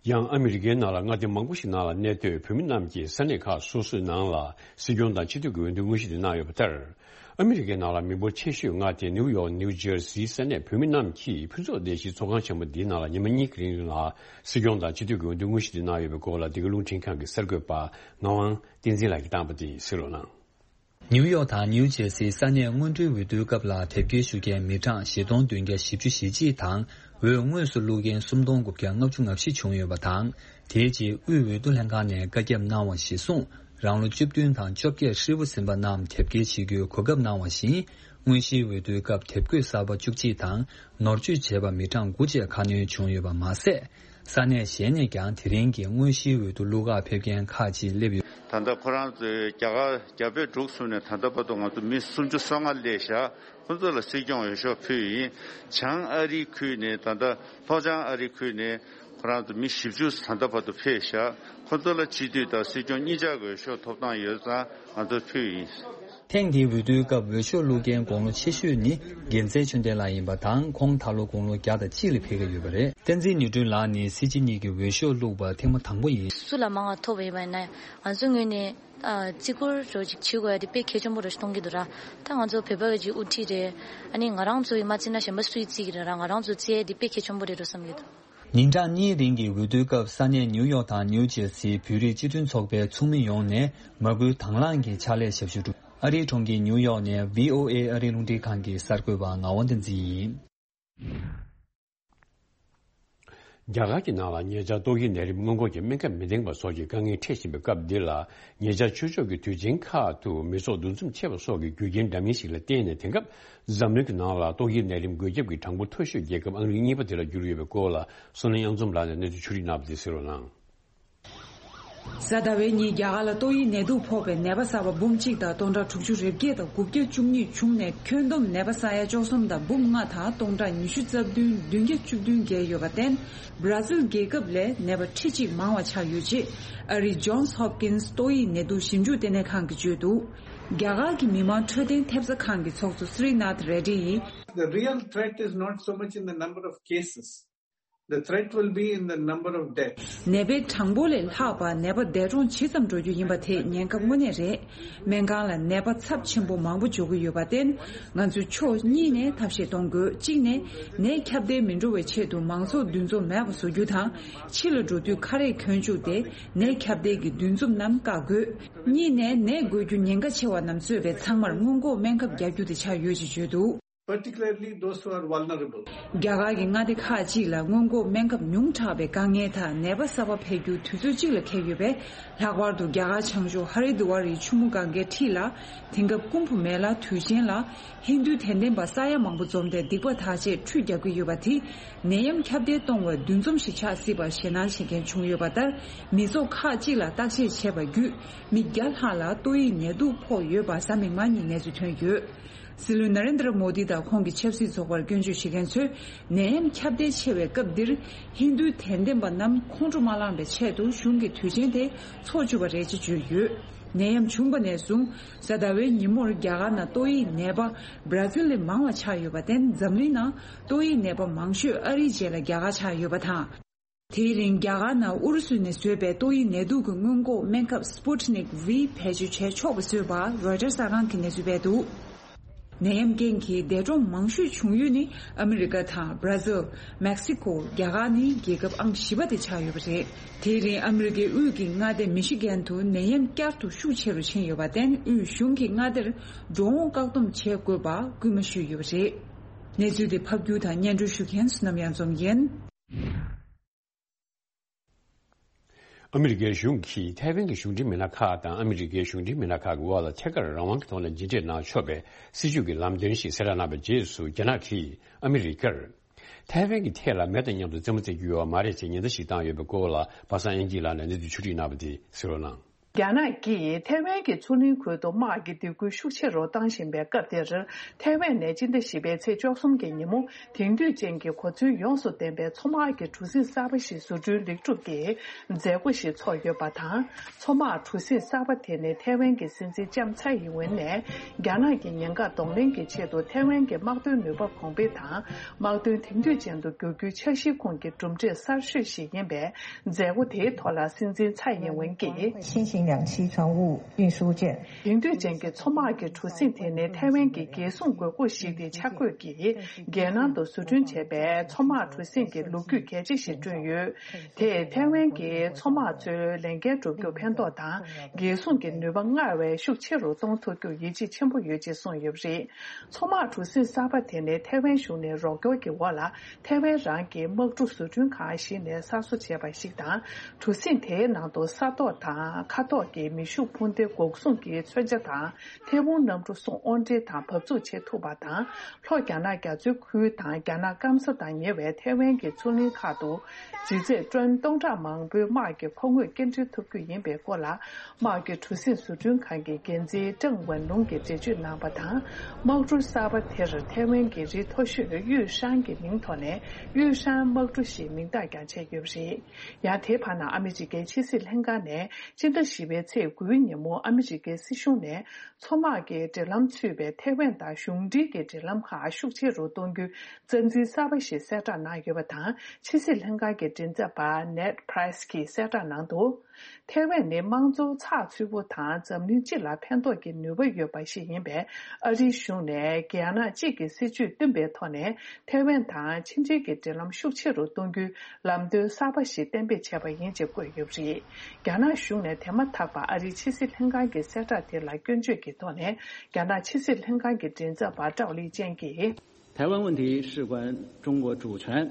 ཡང་ཨ་མི་རི་ཀའི་ནང་ལ་མངའ་སྡེ་མང་པོ་ཞིག་ནང་ལ་གནས་སྡོད་བོད་མི་རྣམས་ཀྱིས་ས་གནས་ཁག་སོ་སོའི་ནང་ལ་སྲིད་སྐྱོང་དང་སྤྱི་འཐུས་ཀྱི་འོས་བསྡུ་དངོས་གཞི་དེ་གནང་ཡོད་པ་ལྟར། ཨ་མི་རི་ཀའི་ནང་ལ་མི་འབོར་ཆེ་ཤོས་མངའ་སྡེ་ནིའུ་ཡོག་ནིའུ་ཇར་སིའི་ས་གནས་བོད་མི་རྣམས་ཀྱིས་ཕུན་ཚོགས་སྡེ་བཞིའི་ཚོགས་ཁང་ཆེན་པོ་འདིའི་ནང་ལ་ཉི་མ་གཉིས་ཀྱི་རིང་ལ་སྲིད་སྐྱོང་དང་སྤྱི་འཐུས་ཀྱི་འོས་བསྡུ་དངོས་གཞི་དེ་གནང་ཡོད་པའི་སྐོར་ལ་འདི་ག་རླུང་འཕྲིན་ཁང་གི་གསར་འགོད་པ་ངག་དབང་བསྟན་འཛིན་ལགས་ཀྱིས་བཏང་པ་དེ་གཟིགས་རོགས་གནང་། ནིའུ་ཡོག་དང་ནིའུ་ཇེར་སིའི་ས་གནས་སྔོན་འགྲོའི་འོས་བསྡུའི་སྐབས་ལ་དེབ་སྐྱེལ་ཞུ་མཁན་མི་གྲངས་བཞི་སྟོང་བདུན་བརྒྱ་བཞི་བཅུ་ཞེ་གཅིག་དང་། འོས་དངོས་སུ་བླུགས་མཁན་སུམ་སྟོང་དགུ་བརྒྱ་ལྔ་བཅུ་ང་བཞི་བྱུང་ཡོད་པ་དང་། དེའི་རྗེས་དབུས་འོས་བསྡུ་ལྷན་ཁང་ནས་བཀའ་ཁྱབ་གནང་བ་གཞིར་བཟུང་། རང་ལོ་བཅུ་བདུན་དང་བཅོ་བརྒྱད་ཧྲིལ་པོ་ཟིན་པ་རྣམས་དེབ་སྐྱེལ་བྱེད་རྒྱུའི་གོ་སྐབས་གནང་བ་བཞིན། དངོས་གཞིའི་འོས་བསྡུའི་སྐབས་དེབ་འགོད་གསར་པ་བཅུ་གཅིག་དང་། ནོར་བཅོས་བྱས་པ་མི་གྲངས་དགུ་བཅས་ཁ་སྣོན་བྱུང་ཡོད་པ་མ་ཟད། ས་གནས་གཞན་ནས་ཀྱང་དེ་རིང་གི་དངོས་གཞིའི་འོས་བསྡུ་བླུག་གར་ཕེབས་མཁན་ཁག་ཅིག་སླེབས་ཡོད། ད་ལྟ་ཁོ་རང་ཚོས་རྒྱ་གར་རྒྱ་བལ་འབྲུག་གསུམ་ནས་ད་ལྟ་བར་དུ་ང་ཚོ་མི་སུམ་ཅུ་སོ་ལྔ་སླེབས་ཤག་ཁོ་ཚོ་ལ་སྲིད་སྐྱོང་འོས་ཤོག་ཕུལ་ཡིན། བྱང་ཨ་རིའི་ཁུལ་ནས་ད་ལྟ་ལྷོ་བྱང་ཨ་རིའི་ཁུལ་ནས་ཁོ་རང་ཚོ་མི་བཞི་བཅུ་ད་ལྟ་བར་དུ་ཕེབས་ཤག་ཁོ་ཚོ་ལ་སྤྱི་འཐུས་དང་སྲིད་སྐྱོང་གཉིས་ཆར་གྱི་འོས་ཤོག་ཐོབ་ཐང་ཡོད་ཙང་ང་ཚོ་ཕུལ་ཡིན། ཐེངས་འདིའི་འོས་བསྡུའི་སྐབས་འོས་ཤོག་བླུག་མཁན་དགུང་ལོ་ཆེ་ཤོས་ནི་རྒྱལ་མཚན་ཆོས་ལྡན་ལགས་ཡིན་པ་དང་། ཁོང་ད་ལོ་དགུང་ལོ་བརྒྱ་དང་གཅིག་ལ་ཕེབས་ཀྱི་ཡོད་པ་རེད། བསྟན་འཛིན་ནོར་སྒྲོན་ལགས་ནི་སྲིད་སྤྱི་གཉིས་ཀྱི་འོས་ཤོག་བླུགས་པ་ཐེངས་མ་དང་པོ་ཡིན། སུ་ལ་མང་བ་ཐོབ་པ་ཡིན་པ་ཡིན་ན་ང་ཚོའི་ངོས་ནས་ཨ་བརྩི་བཀུར་རོ་ཅིག་བྱེད་དགོས་ཡ་དེ་དཔེ་གལ་ཆེན་པོ་རེད་མཐོང་གི་འདུག་ར། ད་ང་ཚོ་བོད་པ་གི་ཅིག་དབུ་ཁྲིད་རེད། ཨ་ནི་ང་རང་ཚོ་ཡིས་མ་བརྩིས་ན་གཞན་པ་སུ་ཡིས་བརྩི་གི་རེད་ར། ང་རང་ཚོ་བརྩི་ཡ་དེ་དཔེ་གལ་ཆེན་པོ་རེད་འགྲོ་བསམ་གྱི་འདུག་ཉིན་གྲངས་གཉིས་རིང་གི་འོས་བསྡུའི་སྐབས་ས་གནས་ནིའུ་ཡོག་དང་ནིའུ་ཇེར་སིའི་བོད་རིགས་སྤྱི་མཐུན་ཚོགས་པའི་ཚོགས་མི་ཡོངས་ནས་མ་བསྐུལ་དང་བླངས་ཀྱི་ཕྱག་ལས་ཞབས་ཞུ་བསྒྲུབས། ཨ་རིའི་གྲོང་ཁྱེར་ནིའུ་ཡོག་ནས་བྷི་ཨོ་ཨེ་ཨ་རིའི་རླུང་འཕྲིན་ཁང་གི་གསར་འགོད་པ་ངག་དབང་བསྟན་འཛིན་ཡིན། རྒྱ་གར་གྱི་ནང་ལ་ཉེ་ཆར་ཏོག་དབྱིབས་ནད་རིམས་སྔོན་འགོག་གི་སྨན་ཁབ་མི་ལྡན་པ་སོགས་ཀྱི་དཀའ་ངལ་འཕྲད་བཞིན་པའི་སྐབས་འདི་ལ། ཉེ་ཆར་ཆོས་ཕྱོགས་ཀྱི་དུས་ཆེན་ཁག་ཏུ་མི་ཚོགས་འདུ་འཛོམས་ཆེ་བ་སོགས་ཀྱི་རྒྱུ་རྐྱེན་འདྲ་མིན་ཞིག་ལ་བརྟེན་ནས། དེང་སྐབས་འཛམ་གླིང་གི་ནང་ལ་ཏོག་དབྱིབས་ནད་རིམས་འགོས་ཁྱབ་ཀྱི་གྲངས་འབོར་མཐོ་ཤོས་རྒྱལ་ཁབ་ཨ་མི་རི་ཀ་གཉིས་པ་དེ་ལ་གྱུར་ཡོད་པའི་སྐོར་ལ། བསོད་ནམས་གཡང་འཛོམས་ལགས་ནས་གནས་ཚུལ་ཕྱོགས་སྒྲིག་གནང་བ་དེ་གསན་རོགས་གནང་། གཟའ་ཟླ་བའི་ཉིན་རྒྱ་གར་ལ་ཏོག་དབྱིབས་ནད་དུག་ཕོག་པའི་ནད་པ་གསར་པ་འབུམ་གཅིག་དང་སྟོང་ཕྲག་དྲུག་ཅུ་རེ་བརྒྱད་དང་དགུ་བརྒྱ་བཅུ་གཉིས་བྱུང་ནས། ཁྱོན་བསྡོམས་ནད་པ་ས་ཡ་བཅུ་གསུམ་དང་འབུམ་ལྔ་དང་སྟོང་ཕྲག་ཉི་ཤུ་རྩ་བདུན་བདུན་བརྒྱ་བཅུ་བདུན་བརྒལ་ཡོད་པར་བརྟེན། སྦ་ར་ཟིལ་རྒྱལ་ཁབ་ལས་ནད་པ་ཁྲི་གཅིག་མང་བ་ཆགས་ཡོད་ཅེས་ཨ་རིའི་ཇོན་སི་ཧོབ་ཀིན་སི་ཏོག་དབྱིབས་ནད་དུག་ཞིབ་འཇུག་ལྟེ་གནས་ཁང་གིས་བརྗོད་འདུག་རྒྱ་གར་གྱི་མི་དམངས་འཕྲོད་བསྟེན་ཐེབས་རྩ་ཁང་གི་ཚོགས་གཙོ་སི་རི་ནཱཐ་རེ་ཌི་ཡིས། The real threat is not so much in the number of cases. The threat will be in the number of deaths. ནད་པའི་གྲངས་འབོར་ལས་ལྷག་པ་ནད་པ་འདས་གྲོངས་ཇི་ཙམ་འགྲོ་རྒྱུ་ཡིན་པ་དེ་ཉེན་ཁ་དངོས་གནས་རེད། སྨན་ཁང་ལ་ནད་པ་ཚབས་ཆེན་པོ་མང་པོ་འབྱོར་གྱི་ཡོད་པར་བརྟེན། ང་ཚོས་ཕྱོགས་གཉིས་ནས་ཐབས་ཤེས་གཏོང་དགོས། གཅིག་ནས་ནད་ཁྱབ་གདལ་མི་འགྲོ་བའི་ཆེད་དུ་མང་ཚོགས་འདུ་འཛོམས་མེད་པ་བཟོ་རྒྱུ་དང་། ཕྱི་ལ་འགྲོ་དུས་ཁ་རས་གྱོན་བཅུག་སྟེ་ནད་ཁྱབ་གདལ་གྱི་འདུ་འཛོམས་རྣམས་བཀག་དགོས། གཉིས་ནས་ནད་འགོས་རྒྱུ་ཉེན་ཁ་ཆེ་བ་རྣམས་གཙོས་པའི་ཚང་མར་སྔོན་འགོག་སྨན་ཁབ་རྒྱག་རྒྱུ་དེ་ཆགས་ཡོད་ཅེས་བརྗོད་འདུག Particularly those who are vulnerable. རྒྱ་གར་གྱི་མངའ་སྡེ་ཁག་ཅིག་ལ་སྔོན་འགོག་སྨན་ཁབ་ཉུང་དྲགས་པའི་དཀའ་ངལ་དང་ནད་པ་གསར་པ་འཕེལ་རྒྱུ་དུས་ཚོད་གཅིག་ལ་འཁེལ་ཡོད་པས། ལྷག་པར་དུ་རྒྱ་གར་བྱང་ཕྱོགས་ཧ་རི་དུ་ཝཱ་རིའི་ཆུ་མོ་གངྒཱའི་འཁྲིས་ལ། དེང་སྐབས་ཀུམ་བྷ་མེ་ལ་དུས་ཆེན་ལ་ཧིན་རྡུའི་དད་ལྡན་པ་ས་ཡ་མང་པོ་འཛོམས་ཏེ་སྡིག་པ་དག་ཆེད་ཁྲུས་རྒྱག་གི་ཡོད་པ་དེ། ནད་ཡམས་ཁྱབ་གདལ་གཏོང་བའི་འདུ་འཛོམས་ཤིག་ཆགས་སྲིད་པར་ཞེད་སྣང་བྱེད་མཁན་བྱུང་ཡོད་པ་ལྟར། མི་ཚོགས་ཁག་ཅིག་ལ་བརྟག་དཔྱད་བྱས་པ་བརྒྱུད། མི་བརྒྱ་ལྷག་ལ་ཏོག་དབྱིབས་ནད་དུག་ཕོག་ཡོད་པ་གཟའ་མིག་དམར་ཉིན་གནས་ཚུལ་ཐོན་ཡོད། སྲིད་བློན་ན་རེན་དྲ་མོ་དི་དང་ཁོང་གི་ཆབ་སྲིད་ཚོགས་པར་སྐྱོན་བརྗོད་བྱེད་མཁན་ཚོས། ནད་ཡམས་ཁྱབ་གདལ་ཆེ་བའི་སྐབས་འདིར་ཧིན་རྡུའི་དད་ལྡན་པ་རྣམས་ཁོང་ཁྲོ་མ་ལངས་པའི་ཆེད་དུ་གཞུང་གིས་དུས་ཆེན་དེ་འཚོགས་བཅུག་པ་རེད་ཅེས་བརྗོད་ཡོད། ནད་ཡམས་བྱུང་བ་ནས་བཟུང་གཟའ་ཟླ་བའི་ཉིན་མོར་རྒྱ་གར་ནང་ཏོག་དབྱིབས་ནད་པ་སྦ་ར་ཟིལ་ལས་མང་བ་ཆགས་ཡོད་པར་བརྟེན། འཛམ་གླིང་ནང་ཏོག་དབྱིབས་ནད་པ་མང་ཤོས་ཨ་རིའི་རྗེས་ལ་རྒྱ་གར་ཆགས་ཡོད་པ་དང་། དེའི་རིང་རྒྱ་གར་ནང་ཨུ་རུ་སུ་ནས་བཟོས་པའི་ཏོག་དབྱིབས་ནད་དུག་གི་སྔོན་འགོག་སྨན་ཁབ་Sputnik V བེད་སྤྱོད་བྱས་ཆོག་པ་བཟོས་པ་རོའི་ཊར་གསར་ཁང་གིས་གནས་ཚུལ་སྤེལ་འདུག་ནད་ཡམས་རྐྱེན་གྱིས་འདས་གྲོངས་མང་ཤོས་བྱུང་ཡུལ་ནི་ཨ་མི་རི་ཀ་དང་སྦ་ར་ཟིལ། མེག་སི་ཀོ། རྒྱ་གར་ནི་རྒྱལ་ཁབ་ཨང་བཞི་པ་དེ་ཆགས་ཡོད་པ་རེད། དེའི་རིང་ཨ་མི་རི་ཀའི་དབུས་ཀྱི་མངའ་སྡེ་མི་ཤི་གན་དུ་ནད་ཡམས་བསྐྱར་དུ་ཤུགས་ཆེ་རུ་ཕྱིན་ཡོད་པར་བརྟེན། དབུས་གཞུང་གིས་མངའ་སྡེར་འགྲོ་འོང་བཀག་སྡོམ་བྱེད་དགོས་པ་སྐུལ་མ་ཞུས་ཡོད་པ་རེད། གནས་ཚུལ་དེ་ཕབ་སྒྱུར་དང་སྙན་སྒྲོན་ཞུ་མཁན་བསོད་ནམས་གཡང་འཛོམས་ཡིན། ཨ་མི་རི་ཀའི་གཞུང་གིས་ཐའེ་ཝན་གྱི་གཞུང་འབྲེལ་མི་སྣ་ཁག་དང་ཨ་མི་རི་ཀའི་གཞུང་འབྲེལ་མི་སྣ་ཁག་གི་དབར་ལ་ཐད་ཀར་རང་དབང་གི་ཐོག་ནས་མཇལ་འཕྲད་གནང་ཆོག་པའི་སྲིད་ཇུས་ཀྱི་ལམ་སྟོན་ཞིག་གསལ་བསྒྲགས་གནང་བའི་རྗེས་སུ། རྒྱ་ནག་གིས་ཨ་མི་རི་ཀར་ཐའེ་ཝན་གྱི་ཐད་ལ་མེ་དང་མཉམ་དུ་རྩེད་མོ་རྩེ་རྒྱུ་ཡོད་པ་མ་རེད་ཅེས་ཉེན་བརྡ་ཞིག་བཏང་ཡོད་པའི་སྐོར་ལ། པ་སངས་དབྱངས་སྐྱིད་ལགས་ནས་གནས་ཚུལ་ཕྱོགས་སྒྲིག་གནང་བ་དེ་གསན་རོགས་གནང་། རྒྱ་ནག་གིས་ཐའེ་ཝན་གྱི་མཚོ་གླིང་ཁུལ་དུ་དམག་གི་སྡིགས་སྐུལ་ཤུགས་ཆེ་རུ་བཏང་བཞིན་པའི་སྐབས་འདིར། ཐའེ་ཝན་ནས་སྤྱི་ཟླ་བཞི་པའི་ཚེས་བཅུ་གསུམ་གྱི་ཉིན་མོ། དེང་དུས་ཅན་གྱི་གོ་མཚོན་ཡོངས་སུ་ལྡན་པའི་མཚོ་དམག་གི་གྲུ་གཟིངས་གསར་པ་ཞིག་བཟོ་སྐྲུན་ལེགས་གྲུབ་ཀྱིས་མཛད་སྒོ་ཞིག་ཚོགས་ཡོད་པ་དང་། མཚོ་དམག་གྲུ་གཟིངས་གསར་པ་དེ་ནི་ཐའེ་ཝན་གྱི་སྲིད་འཛིན་ལྕམ་ཚའེ་ཡིན་ཝེན་ནས། རྒྱ་ནག་གི་ཉེན་ཁ་གདོང་ལེན་གྱི་ཆེད་དུ་ཐའེ་ཝན་གྱི་དམག་དོན་ནུས་པ་གོང་འཕེལ་དང་། དམག་དོན་དེང་དུས་ཅན་དུ་བསྒྱུར་རྒྱུའི་འཆར་གཞིའི་ཁོངས་ཀྱི་གྲུབ་འབྲས་གསར་ཤོས་ཤིག་ཡིན་པས། མཛད་སྒོ་དེའི་ཐོག་ལ་སྲིད་འཛིན་ཚའེ་ཡིན་ཝེན་གྱིས། 新型两栖船坞运输舰། དེང་དུས་ཅན་གྱི་མཚོ་དམག་གི་གྲུ་གཟིངས་དེ་ནི་ཐའེ་ཝན་གྱི་རྒྱལ་སྲུང་དགོས་མཁོ་ཞིག་སྟེ། འཆར་འགོད་ཀྱིས་རྒྱལ་ནང་དུ་བཟོ་སྐྲུན་བྱས་པའི་མཚོ་དམག་གྲུ་གཟིངས་ཀྱི་ལོ་རྒྱུས་གལ་ཆེ་ཞིག་བསྐྲུན་ཡོད། དེས་ཐའེ་ཝན་གྱི་མཚོ་དམག་ཚོའི་ལས་འགན་སྒྲུབ་རྒྱུར་ཕན་ཐོགས་དང་། རྒྱལ་སྲུང་གི་ནུས་པ་སྔར་བས་ཤུགས་ཆེ་རུ་གཏོང་ཐུབ་རྒྱུར་ཡིད་ཆེས་ཆེན་པོ་ཡོད་ཅེས་གསུངས་ཡོད་པ་རེད། མཚོ་དམག་གྲུ་གཟིངས་གསར་པ་དེ་ནི་ཐའེ་ཝན་གཞུང་ནས་རོགས་སྐྱོར་གྱི་འོག་ལ། ཐའེ་ཝན་རང་གི་དམག་གྲུ་བཟོ་སྐྲུན་ཁང་ཞིག་ནས་གསར་བཟོ་བྱས་པ་ཞིག་དང་། གྲུ་གཟིངས་དེའི་ནང་དུ་ས་ཐོག་དང་མཁའ་ཐོག་ཐོག་གི་མེ་ཤུགས་འཕུར་མདེལ་འགོག་སྲུང་གི་མཚོན་ཆ་དང་། ཐེ་ཝུན་གནམ་གྲུ་སོགས་དབོར་འདྲེན་དང་བབས་ཚུགས་བྱེད་ཐུབ་པ་དང་། ལྷོ་རྒྱ་ནག་རྒྱ་མཚོའི་ཁུལ་དང་རྒྱ་ནག་སྐམ་ས་དང་ཉེ་བའི་ཐེ་ཝན་གྱི་མཚོ་གླིང་ཁག་ཏུ་ལྗིད་ཚད་ཊོན་སྟོང་ཕྲག་མང་པོའི་དམག་གི་མཁོ་དངོས་སྐྱེལ་འདྲེན་ཐུབ་རྒྱུ་ཡིན་པའི་སྐོར་ལ། དམག་གི་གྲུ་གཟིངས་བཟོ་སྐྲུན་ཁང་གི་འགན་འཛིན་ཀྲང་ཝན་ལུང་གིས་འགྲེལ་བརྗོད་གནང་བ་དང་། དམག་གྲུ་གསར་པ་དེར་ཐེ་ཝན་གྱི་རི་མཐོ་ཤོས་དབྱུས་ཧྲང་གི་མིང་ཐོག་ནས་དབྱུས་ཧྲང་དམག་གྲུ་ཞེས་མིང་བཏགས་ཀྱང་བྱས་ཡོད་པ་རེད། ཡང་དེའི་བར་ན་ཨ་མི་རི་ཀའི་ཕྱི་སྲིད་ལྷན་ཁང་ནས་སྤྱི་ཟླ་བཞི་པའི་ཚེས་དགུའི་ཉིན་མོ་ཨ་མི་རི་ཀའི་སྲིད་གཞུང་ནས་མཚོ་དམག་གི་འབྲེལ་ལམ་ཚུད་པའི་ཐེ་ཝན་དང་གཞུང་འབྲེལ་གྱི་འབྲེལ་ལམ་ཁག་ཤུགས་ཆེ་རུ་གཏོང་རྒྱུའི་རྩ་འཛིན་གསར་པ་ཞིག་གསལ་བསྒྲགས་གནང་ཡོད་པ་དང་། ཕྱི་སྲིད་ལྷན་ཁང་གི་མགྲིན་ཚབ་པ་ནེད་པྲེས་ཀྱིས་གསལ་བསྒྲགས་གནང་འདུག་ཐེ་ཝན་ནི་དམངས་གཙོ་ཚགས་ཚུད་པོ་དང་འཛམ་གླིང་སྤྱི་ལ་ཕན་ཐོགས་ཀྱི་ནུས་པ་ཡོད་པ་ཞིག་ཡིན་པས། ཨ་རིའི་གཞུང་ནས་རྒྱ་ནག་གཅིག་གི་སྲིད་ཇུས་བསྟུན་པའི་ཐོག་ནས་ཐེ་ཝན་དང་ཕྱི་འབྲེལ་གྱི་འབྲེལ་ལམ་ཤུགས་ཆེ་རུ་གཏོང་རྒྱུའི་ལམ་སྟོན་གསར་པ་ཞིག་གཏན་འབེབས་བྱས་པ་ཡིན་ཅེས་བཀོད་ཡོད་པ་རེད། རྒྱ་ནག་གཞུང་ནས་དེ་མ་ཐག་པར་ཨ་རིའི་ཕྱི་སྲིད་ལྷན་ཁང་གི་གསལ་བསྒྲགས་དེ་ལ་སྐྱོན་བརྗོད་ཀྱི་ཐོག་ནས། རྒྱ་ནག་ཕྱི་སྲིད་ལྷན་ཁང་གི་མགྲིན་ཚབ་པ་ཀྲའོ་ལི་ཅན་གྱིས། 台湾问题事关中国主权。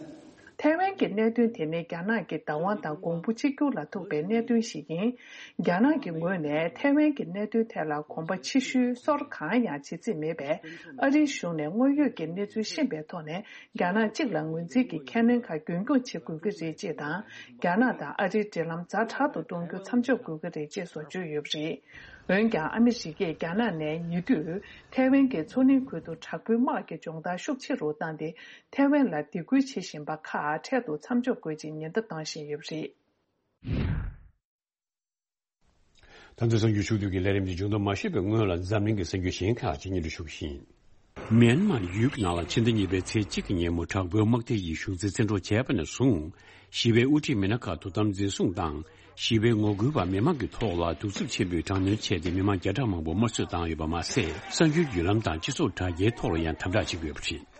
ཐའེ་ཝན་གྱི་གནད་དོན་དེ་ནི་རྒྱ་ནག་གི་བདག་དབང་དང་གོང་བུ་གཅིག་གྱུར་ལ་ཐུག་པའི་གནད་དོན་ཞིག་ཡིན། རྒྱ་ནག་གི་ངོས་ནས་ཐའེ་ཝན་གྱི་གནད་དོན་ཐད་ལ་གོམ་པ་ཕྱི་བཤོལ་སོར་གང་ཡང་བྱེད་རྩིས་མེད་པས། ཨ་རིའི་གཞུང་ནས་དངོས་ཡོད་ཀྱི་གནས་ཚུལ་ཤེས་པའི་ཐོག་ནས། རྒྱ་ནག་གཅིག་ལ་ངོས་འཛིན་གྱི་ཁས་ལེན་ཁག་རྒྱུན་འཁྱོངས་བྱེད་དགོས་ཀྱི་རེད་ཅེས་དང་། རྒྱ་ནག་དང་ཨ་རིའི་འབྲེལ་ལམ་ཛ་དྲག་ཏུ་གཏོང་རྒྱུ་མཚམས་འཇོག་དགོས་ཀྱི་རེད་ཅེས་སོགས་བརྗོད་ཡོད་པ་རེད། འོན་ཀྱང་ཨ་མི་རི་ཀས་རྒྱ་ནག་ནས་ཉེ་དུས་ཐའེ་ཝན་གྱི་མཚོ་གླིང་ཁུལ་དུ་དྲག་པོའི་དམག་གི་སྦྱོང་བརྡར་ཤུགས་ཆེ་རུ་བཏང་སྟེ། ཐའེ་ཝན་ལ་སྡིགས་སྐུལ་བྱེད་བཞིན་པ་ཁག་འཕྲལ་དུ་མཚམས་འཇོག་དགོས་ཅེས་ཉེན་བརྡ་བཏང་བཞིན་ཡོད་པ་རེད། ད་ཚོའི་གསར་འགྱུར་ཕྱོགས་བསྡུས་ཀྱི་ལས་རིམ་འདི་མཇུག་བསྡོམས་མ་ཞུས་པའི་སྔོན་ལ་འཛམ་གླིང་གི་གསར་འགྱུར་གཞན་ཁག་ཅིག་སྙན་སྒྲོན་ཞུ་གི་ཡིན། མིའན་མར་ཡུལ་གྱི་ནང་ལ་ཕྱི་ཟླ་གཉིས་པའི་ཚེས་གཅིག་གི་ཉིན་མོ་དྲག་པོའི་དམག་སྡེ་ཡིས་གཞུང་འཛིན་བཙན་འཕྲོག་བྱས་པ་ནས་བཟུང་། ཞི་བའི་དབུ་ཁྲིད་མི་སྣ་ཁག་ཐོབ་ཐང་འཛིན་བཟུང་དང་། ཞི་བའི་ངོ་རྒོལ་བ་མི་མང་གི་ཐོག་ལ་གདུག་རྩུབ་ཆེན་པོས་དྲག་གནོན་བྱས་ཏེ། མི་མང་བརྒྱ་ཕྲག་མང་པོ་དམར་གསོད་བཏང་ཡོད་པ་མ་ཟད། གསར་འགྱུར་བརྒྱུད་ལམ་དང་སྤྱི་ཚོགས་དྲ་རྒྱའི་ཐོག་ལ་ཡང་དམ་དྲག་བྱེད་ཀྱི་ཡོད་པ་རེད།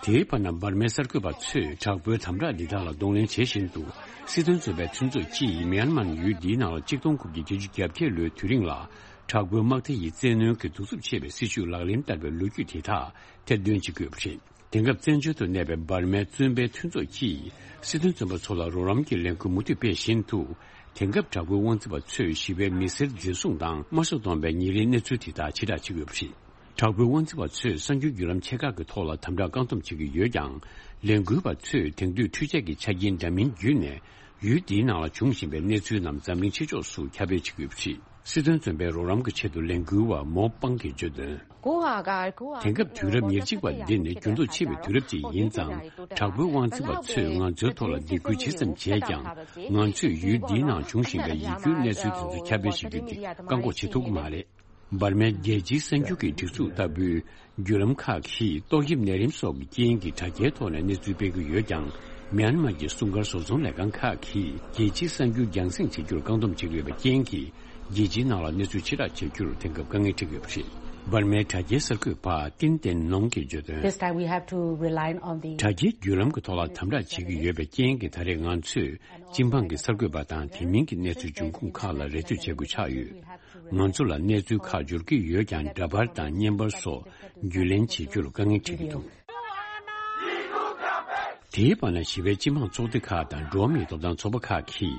དེའི་བར་ན་འབར་མའི་གསར་འགོད་པ་ཚོས་དྲག་པོའི་དམ་དྲག་འདི་དག་ལ་གདོང་ལེན་བྱེད་བཞིན་དུ། སྲིད་དོན་བཙོན་པའི་མཐུན་ཚོགས་ཀྱིས་མིའན་མར་ཡུལ་འདིའི་ནང་ལ་ཆིག་སྟོང་དགུ་བརྒྱ་བརྒྱད་ཅུ་གྱ་བརྒྱད་ལོའི་དུས་རིང་ལ། དྲག་པོའི་དམག་སྡེ་ཡིས་བཙན་གནོན་གྱི་གདུག་རྩུབ་ཆེ་བའི་སྲིད་བྱུས་ལག་ལེན་བསྟར་བའི་ལོ་རྒྱུས་དེ་དག་ཐེར་འདོན་བྱེད་ཀྱི་ཡོད་པ་རེད། དེང་སྐབས་བཙན་བྱོལ་དུ་གནས་པའི་འབར་མའི་བཙོན་པའི་མཐུན་ཚོགས་ཀྱིས་སྲིད་དོན་བཙོན་པ་ཚོ་ལ་རོགས་རམ་གྱི་ལས་འགུལ་མུ་མཐུད་སྤེལ་བཞིན་དུ། དེང་སྐབས་དྲག་པོའི་དབང་འཛིན་པ་ཚོས་ཞི་བའི་མི་སེར་འཛིན་བཟུང་དང་དམར་གསོད་གཏོང་བའི་ཉིན་རེའི་གནས་ཚུལ་དེ་དག་ཕྱིར་བསྒྲགས་བྱེད་ཀྱི་ཡོད་པ་རེད། དྲག་པོའི་དབང་འཛིན་པ་ཚོས་གསར་འགྱུར་བརྒྱུད་ལམ་ཆེ་ཁག་གི་ཐོག་ལ་དམ་དྲག་བཀག་སྡོམ་བྱེད་ཀྱི་ཡོད་ཀྱང་། ལས་འགུལ་བ་ཚོས་དེང་དུས་འཕྲུལ་ཆས་ཀྱི་ཆ་རྐྱེན་འདྲ་མིན་བརྒྱུད་ནས་ཡུལ་འདིའི་ནང་ལ་འབྱུང་བཞིན་པའི་གནས་ཚུལ་རྣམས་འཛམ་གླིང་ཕྱི་ཕྱོགས་སུ་ཁྱབ་སྤེལ་བྱེད་ཀྱི་ཡོད་པ་རེད། སྲིད་དོན་བཙོན་པའི་རོགས་རམ་གྱི་ཆེད་དུ་ལས་འགུལ་བ་མོ་པང་གིས་བརྗོད་དོན། དེང་སྐབས་དུས་རབས་ཉེར་གཅིག་པ་འདི་ནི་འགྱུར་ལྡོག་ཆེ་བའི་དུས་རབས་ཅིག་ཡིན་ཙང་། དྲག་པོའི་དབང་འཛིན་པ་ཚོས་ང་ཚོའི་ཐོག་ལ་སྡིགས་སྐུལ་ཇི་ཙམ་བྱས་ཀྱང་། ང་ཚོས་ཡུལ་འདིའི་ནང་འབྱུང་བཞིན་པའི་ཡིད་སྐྱོའི་གནས་ཚུལ་དེ་ཚོ་ཁྱབ་སྤེལ་བྱེད་རྒྱུ་དེ་བཀག་འགོག་བྱེད་ཐུབ་ཀྱི་མ་རེད། འབར་མའི་རྒྱལ་སྤྱིའི་གསར་འགྱུར་གྱི་སྒྲིག་འཛུགས་ལྟ་བུའི་བརྒྱུད་ལམ་ཁག་གིས་ཏོག་དབྱིབས་ནད་རིམས་སོགས་ཀྱི་རྐྱེན་གྱིས་དྲ་རྒྱའི་ཐོག་ནས་གནས་ཚུལ་སྤེལ་གྱི་ཡོད་ཀྱང་། མིའན་མར་གྱི་སྲུང་སྐར་བཟོ་ཚོང་ལས་ཁང་ཁག་གིས་རྒྱལ་སྤྱིའི་གསར་འགྱུར་རྒྱང་སྲིང་བྱེད་རྒྱུར་བཀག་སྡོམ་བྱེད་ཀྱི་ཡོད་པའི་རྐྱེན་གྱིས། རྒྱལ་སྤྱིའི་ནང་ལ་གནས་ཚུལ་ཕྱིར་བསྒྲགས་བྱེད་རྒྱུར་དེང་སྐབས་དཀའ་ངལ་འཕྲད་ཀྱི་ཡོད་པ་རེད། འབར་མའི་དྲ་རྒྱའི་གསར་འགོད་པ་ཏིན་ཏེན་ནོང་གིས་བརྗོད་དོན། This time we have to rely on the དྲ་རྒྱའི་བརྒྱུད་ལམ་གྱི་ཐོག་ལ་དམ་དྲག་བྱེད་ཀྱི་ཡོད་པའི་རྐྱེན་གྱིས། ད་རེས་ང་ཚོས་སྤྱི་འབངས་ཀྱི་གསར་འགོད་པ་དང་དེ་མིན་གྱི་གནས་ཚུལ་འབྱུང་ཁུངས་ཁག་ལ་རེ་ལྟོས་བྱེད་དགོས་ཆགས་ཡོད། ང་ཚོ་ལ་གནས་ཚུལ་ཁག་འབྱོར་གྱི་ཡོད་ཀྱང་། འདྲ་པར་དང་བརྙན་པར་སོགས་བརྒྱུད་ལེན་བྱེད་རྒྱུར་དཀའ་ངལ་འཕྲད་ཀྱི་འདུག་དེའི་བར་ན་ཞི་བའི་སྤྱི་འབངས་ཚོགས་སྡེ་ཁག་དང་འགྲོ་བ་མིའི་ཐོབ་ཐང་ཚོགས་པ་ཁག་གིས་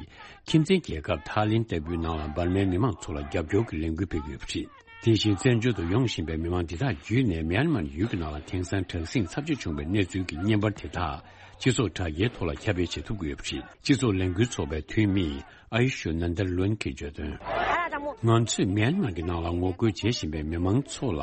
ཁྱིམ་མཚེས་རྒྱལ་ཁབ་ཐའི་ལེན་ལྟ་བུའི་ནང་ལ་འབར་མའི་མི་མང་ཚོ་ལ་རྒྱབ་སྐྱོར་གྱི་ལས་འགུལ་སྤེལ་གྱི་ཡོད་པ་རེད། དེ་བཞིན་བཙན་བྱོལ་དུ་ཡོང་བཞིན་པའི་མི་མང་འདི་དག་བརྒྱུད་ནས་མིའན་མར་ཡུལ་གྱི་ནང་ལ་དེང་སང་དྲག་ཟིང་ཚབས་ཆེ་བྱུང་བའི་གནས་ཚུལ་གྱི་བརྙན་པར་དེ་དག་སྤྱི་ཚོགས་དྲ་རྒྱའི་ཐོག་ལ་ཁྱབ་སྤེལ་བྱེད་ཐུབ་ཀྱི་ཡོད་པ་རེད། སྤྱི་ཚོགས་ལས་འགུལ་ཚོགས་པའི་འཐུས་མི་ཨ་ཡུ་ཤུ་ནན་དར་ལོན་གྱིས་བརྗོད་དོན། ང་ཚོས་མིའན་མར་གྱི་ནང་ལ་ངོ་རྒོལ་བྱེད་བཞིན་པའི་མི་མང་ཚོ་ལ་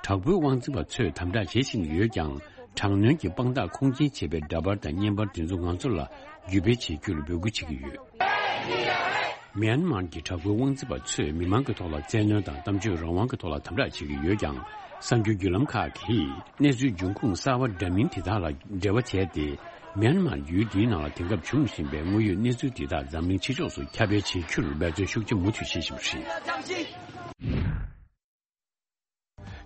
དྲག་པོའི་དབང་འཛིན་པ་ཚོས་དམ་དྲག་བྱེད་བཞིན་ཡོད་ཀྱང་། དྲག་གནོན་གྱི་དཔང་རྟགས་ཁུངས་སྐྱེལ་བྱེད་པའི་འདྲ་པར་དང་བརྙན་པར་དེ་ཚོ་ང་ཚོ་ལ་བརྒྱུད་སྤེལ་བྱེད་རྒྱུར་འབོད་སྐུལ་བྱེད་ཀྱི་ཡོད། མིའན་མར་གྱི་དྲག་པོའི་དབང་འཛིན་པ་ཚོས་མི་མང་གི་ཐོག་ལ་བཙན་གནོན་དང་གཏམ་བརྗོད་རང་དབང་གི་ཐོག་ལ་དམ་དྲག་བྱེད་ཀྱི་ཡོད་ཀྱང་། གསར་འགྱུར་བརྒྱུད་ལམ་ཁག་གིས་གནས་ཚུལ་འབྱུང་ཁུངས་གསར་བ་འདྲ་མིན་དེ་དག་ལ་འབྲེལ་བ་བྱས་ཏེ། མིའན་མར་ཡུལ་འདིའི་ནང་ལ་དེང་སྐབས་འབྱུང་བཞིན་པའི་དངོས་ཡོད་གནས་ཚུལ་དེ་དག་འཛམ་གླིང་ཕྱི་ཕྱོགས་སུ་ཁྱབ་སྤེལ་བྱེད་རྒྱུར་འབད་བརྩོན་ཤུགས་ཆེ་མུ་མཐུད་བྱེད་བཞིན་པ་རེད། དེ་དང་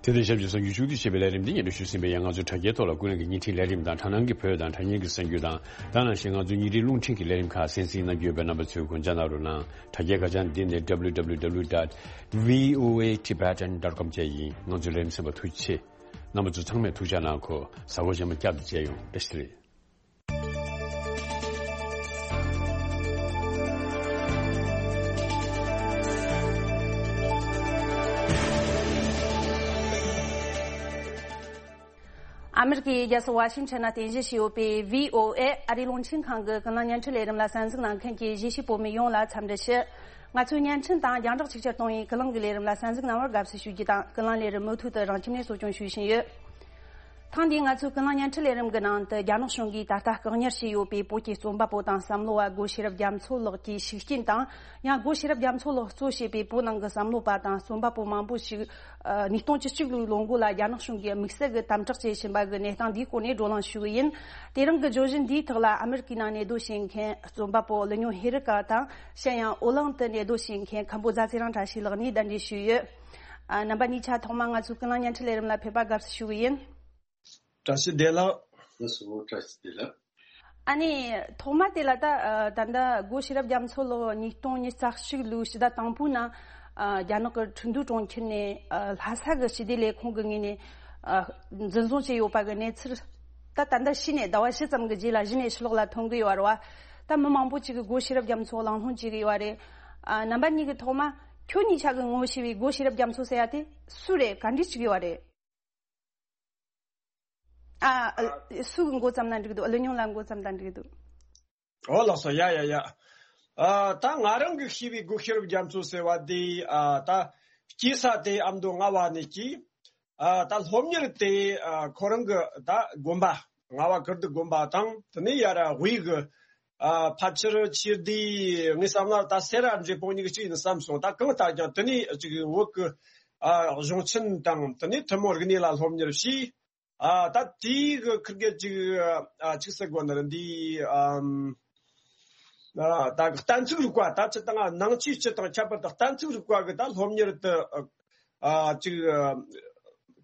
ཆབས་ཅིག་གསར་འགྱུར་ཕྱོགས་བསྡུས་བྱས་པའི་ལས་རིམ་འདི་སྙན་སྒྲོན་ཞུས་ཟིན་པའི་ཡང་། ང་ཚོའི་དྲ་རྒྱའི་ཐོག་ལ་ཀུན་གླེང་གི་བརྙན་འཕྲིན་ལས་རིམ་དང་། དྲ་སྣང་གི་བོད་དང་དྲ་བརྙན་གྱི་གསར་འགྱུར་དང་། ད་ནང་བཞིན་ང་ཚོའི་ཉིན་རེའི་རླུང་འཕྲིན་གྱི་ལས་རིམ་ཁག་གསན་གཟིགས་གནང་རྒྱུ་ཡོད་པས། རྣམ་པ་ཚོས་སྐུ་མཁྱེན་གནང་རོགས་གནང་། དྲ་རྒྱའི་ཁ་བྱང་འདི་ནི་W W W dot V O A Tibetan dot com བཅས་ཡིན། ང་ཚོའི་ལས་རིམ་གསན་པར་ཐུགས་རྗེ་ཆེ། རྣམ་པ་ཚོ་ཚང་མས་ཐུགས་ཅག་གནང་གོ། གཟའ་འཁོར་རྗེས་མ་བསྐྱར་དུ་མཇལ་ཡོང་། བཀྲ་ཤིས་བདེ་ལེགས། ཨ་མེ་རི་ཀའི་རྒྱལ་ས་ཝ་ཤིང་ཊོན་ནང་རྟེན་གཞི་བྱས་ཡོད་པའི་བྷི་ཨོ་ཨེ་ཨ་རིའི་རླུང་འཕྲིན་ཁང་གི་ཀུན་གླེང་བརྙན་འཕྲིན་ལས་རིམ་ལ་གསན་གཟིགས་གནང་མཁན་གྱི་གཞིས་བྱེས་བོད་མི་ཡོངས་ལ་འཚམས་འདྲི་ཞུ། ང་ཚོའི་བརྙན་འཕྲིན་དང་རྒྱང་བསྒྲགས་ཆིག་ཆར་གཏོང་བའི་ཀུན་གླེང་གི་ལས་རིམ་ལ་གསན་གཟིགས་གནང་བར་དགའ་བསུ་ཞུ་རྒྱུ་དང་། ཀུན་གླེང་ལས་རིམ་མུ་མཐུད་དུ་རང་ཁྱིམ་ནས་གསོ་སྐྱོང་ཞུ་བཞིན་ཡོད། ཐེངས་འདིའི་ང་ཚོའི་ཀུན་གླེང་བརྙན་འཕྲིན་ལས་རིམ་གྱི་ནང་དུ། རྒྱ་ནག་གཞུང་གིས་ད་ལྟ་བཀག་ཉར་བྱས་ཡོད་པའི་བོད་ཀྱི་རྩོམ་པ་པོ་དང་བསམ་བློ་བ་སྒོ་ཤེས་རབ་རྒྱ་མཚོ་ལགས་ཀྱི་ཤུགས་རྐྱེན་དང་། ཡང་སྒོ་ཤེས་རབ་རྒྱ་མཚོ་ལགས་གཙོ་བྱས་པའི་བོད་ནང་གི་བསམ་བློ་བ་དང་རྩོམ་པ་པོ་མང་པོ་ཞིག་ཨ། ཉིས་སྟོང་བཅུ་གཅིག་ལོའི་ལོ་འགོ་ལ་རྒྱ་ནག་གཞུང་གིས་དམིགས་བསལ་གྱི་དམ་དྲག་བྱེད་བཞིན་པ་གི་གནས་སྟངས་འདིའི་སྐོར་ནས་བགྲོ་གླེང་ཞུ་གི་ཡིན། དེ་རིང་གི་བརྗོད་གཞི་འདིའི་ཐོག་ལ་ཨ་མེ་རི་ཀའི་ནང་གནས་སྡོད་བྱེད་མཁན་རྩོམ་པ་པོ་ཀླུ་སྨྱོན་ཧེ་རི་ཀ་དང་། གཞན་ཡང་ཨོ་གླིང་དུ་གནས་སྡོད་བྱེད་མཁན་མཁན་པོ་རྫ་ཚེ་རིང་བཀྲ་ཤིས་ལགས་གཉིས་གདན་འདྲེན་ཞུས་ཡོད། ཨ། རྣམ་པ་གཉིས་ཆ་ཐོག་མར་ང་ཚོའི་ཀུན་གླེང་བརྙན་འཕྲིན་ལས་རིམ་ལ་ཕེབས་པ་དགའ་བསུ་ཞུ་གི་ཡིན། བཀྲ་ཤིས་བདེ་ལེགས། ལགས་སོ། བཀྲ་ཤིས་བདེ་ལེགས། ཨ་ནི་ཐོག་མ་དེ་ལ་ད། ཨ། ད་ལྟ་སྒོ་ཤེས་རབ་རྒྱ་མཚོ་ལགས་ཉིས་སྟོང་ཉི་ཤུ་རྩ་གཅིག་ལོའི་ཕྱི་ཟླ་དང་པོའི་ནང་། ཨ། རྒྱ་ནག་གི་ཁྲིན་ཏུའུ་གྲོང་ཁྱེར་ནས། ཨ། ལྷ་ས་གི་སྤྱི་བདེ་ལས་ཁུངས་ཀྱི་ངོས་ནས། ཨ། འཛིན་བཟུང་བྱས་ཡོད་པ་གི་གནས་ཚུལ། ད་ད་ལྟ་གཞི་ནས་ཟླ་བ་བཞི་ཙམ་གྱི་རྗེས་ལ་གཞི་ནས་ཕྱི་ལོགས་ལ་ཐོན་གྱི་ཡོད་རེད་བ། ད་མི་མང་པོ་ཅིག་གིས་སྒོ་ཤེས་རབ་རྒྱ་མཚོ་གླེང་སློང་བྱེད་ཀྱི་ཡོད་རེད། ཨ། རྣམ་པ་གཉིས་ཀྱིས་ཐོག་མ་ཁྱོད་གཉིས་ཆ་གིས་ངོ་ཤེས་པའི་སྒོ་ཤེས་རབ་རྒྱ་མཚོ་ཟེར་ཡ་དེ་སུ་རེད། ག་འདྲས་ཅིག་ཡོད་རེད། ཨ། ཨ། སུ་གི་མགོ་བརྩམས་ན་འགྲིག་འདུག་ཀླུ་སྨྱོན་ལགས་མགོ་བརྩམས་ན་འགྲིག་འདུག་ཨོ་ལགས་སོ། ཡ་ཡ་ཡ། ཨ། ད་ང་རང་གིས་ཤེས་པའི་སྒོ་ཤེས་རབ་རྒྱ་མཚོ་ཟེར་བ་དེ། ཨ། ད་སྐྱེས་ས་དེ་ཨ་མདོ་རྔ་བ་ནས་སྐྱེས། ཨ། ད་སློབ་གཉེར་དེ། ཨ། ཁོ་རང་གི་ད་དགོན་པ། རྔ་བ་ཀིརྟི་དགོན་པ་དང་། དེ་ནས་ཡར་དབུས་གི། ཨ། ཕལ་ཆེར་ཆོས་སྡེ། ངའི་བསམ་ན་ད་སེ་ར་འབྲས་སྤུངས་གཉིས་ཀྱི་གཅིག་ཡིན་བསམ་སོང་། ད་གང་ལྟར་ཀྱང་དེ་ནས་ཅིག་བོད་ཀྱི། ཨ། གཞུང་ཆེན་དང་དེ་ནས་ཐུན་མོང་རིག་གནས་ལ་སློབ་གཉེར་བྱས། ཨ། ད་དེའི་གི་ཁིར་གེ་ཅིག། ཨ། ཅིག་ཟེར་དགོས་ན་འདི། ཨམ། ཨ། ད་གི་གཏན་ཚིགས་རིག་པ། ད་སྤྱིར་བཏང་ནང་ཆོས་སྤྱི་དང་ཁྱད་པར་དུ་གཏན་ཚིགས་རིག་པ་གི་ད་སློབ་གཉེར་དུ། ཨ། ཅིག། ཨ།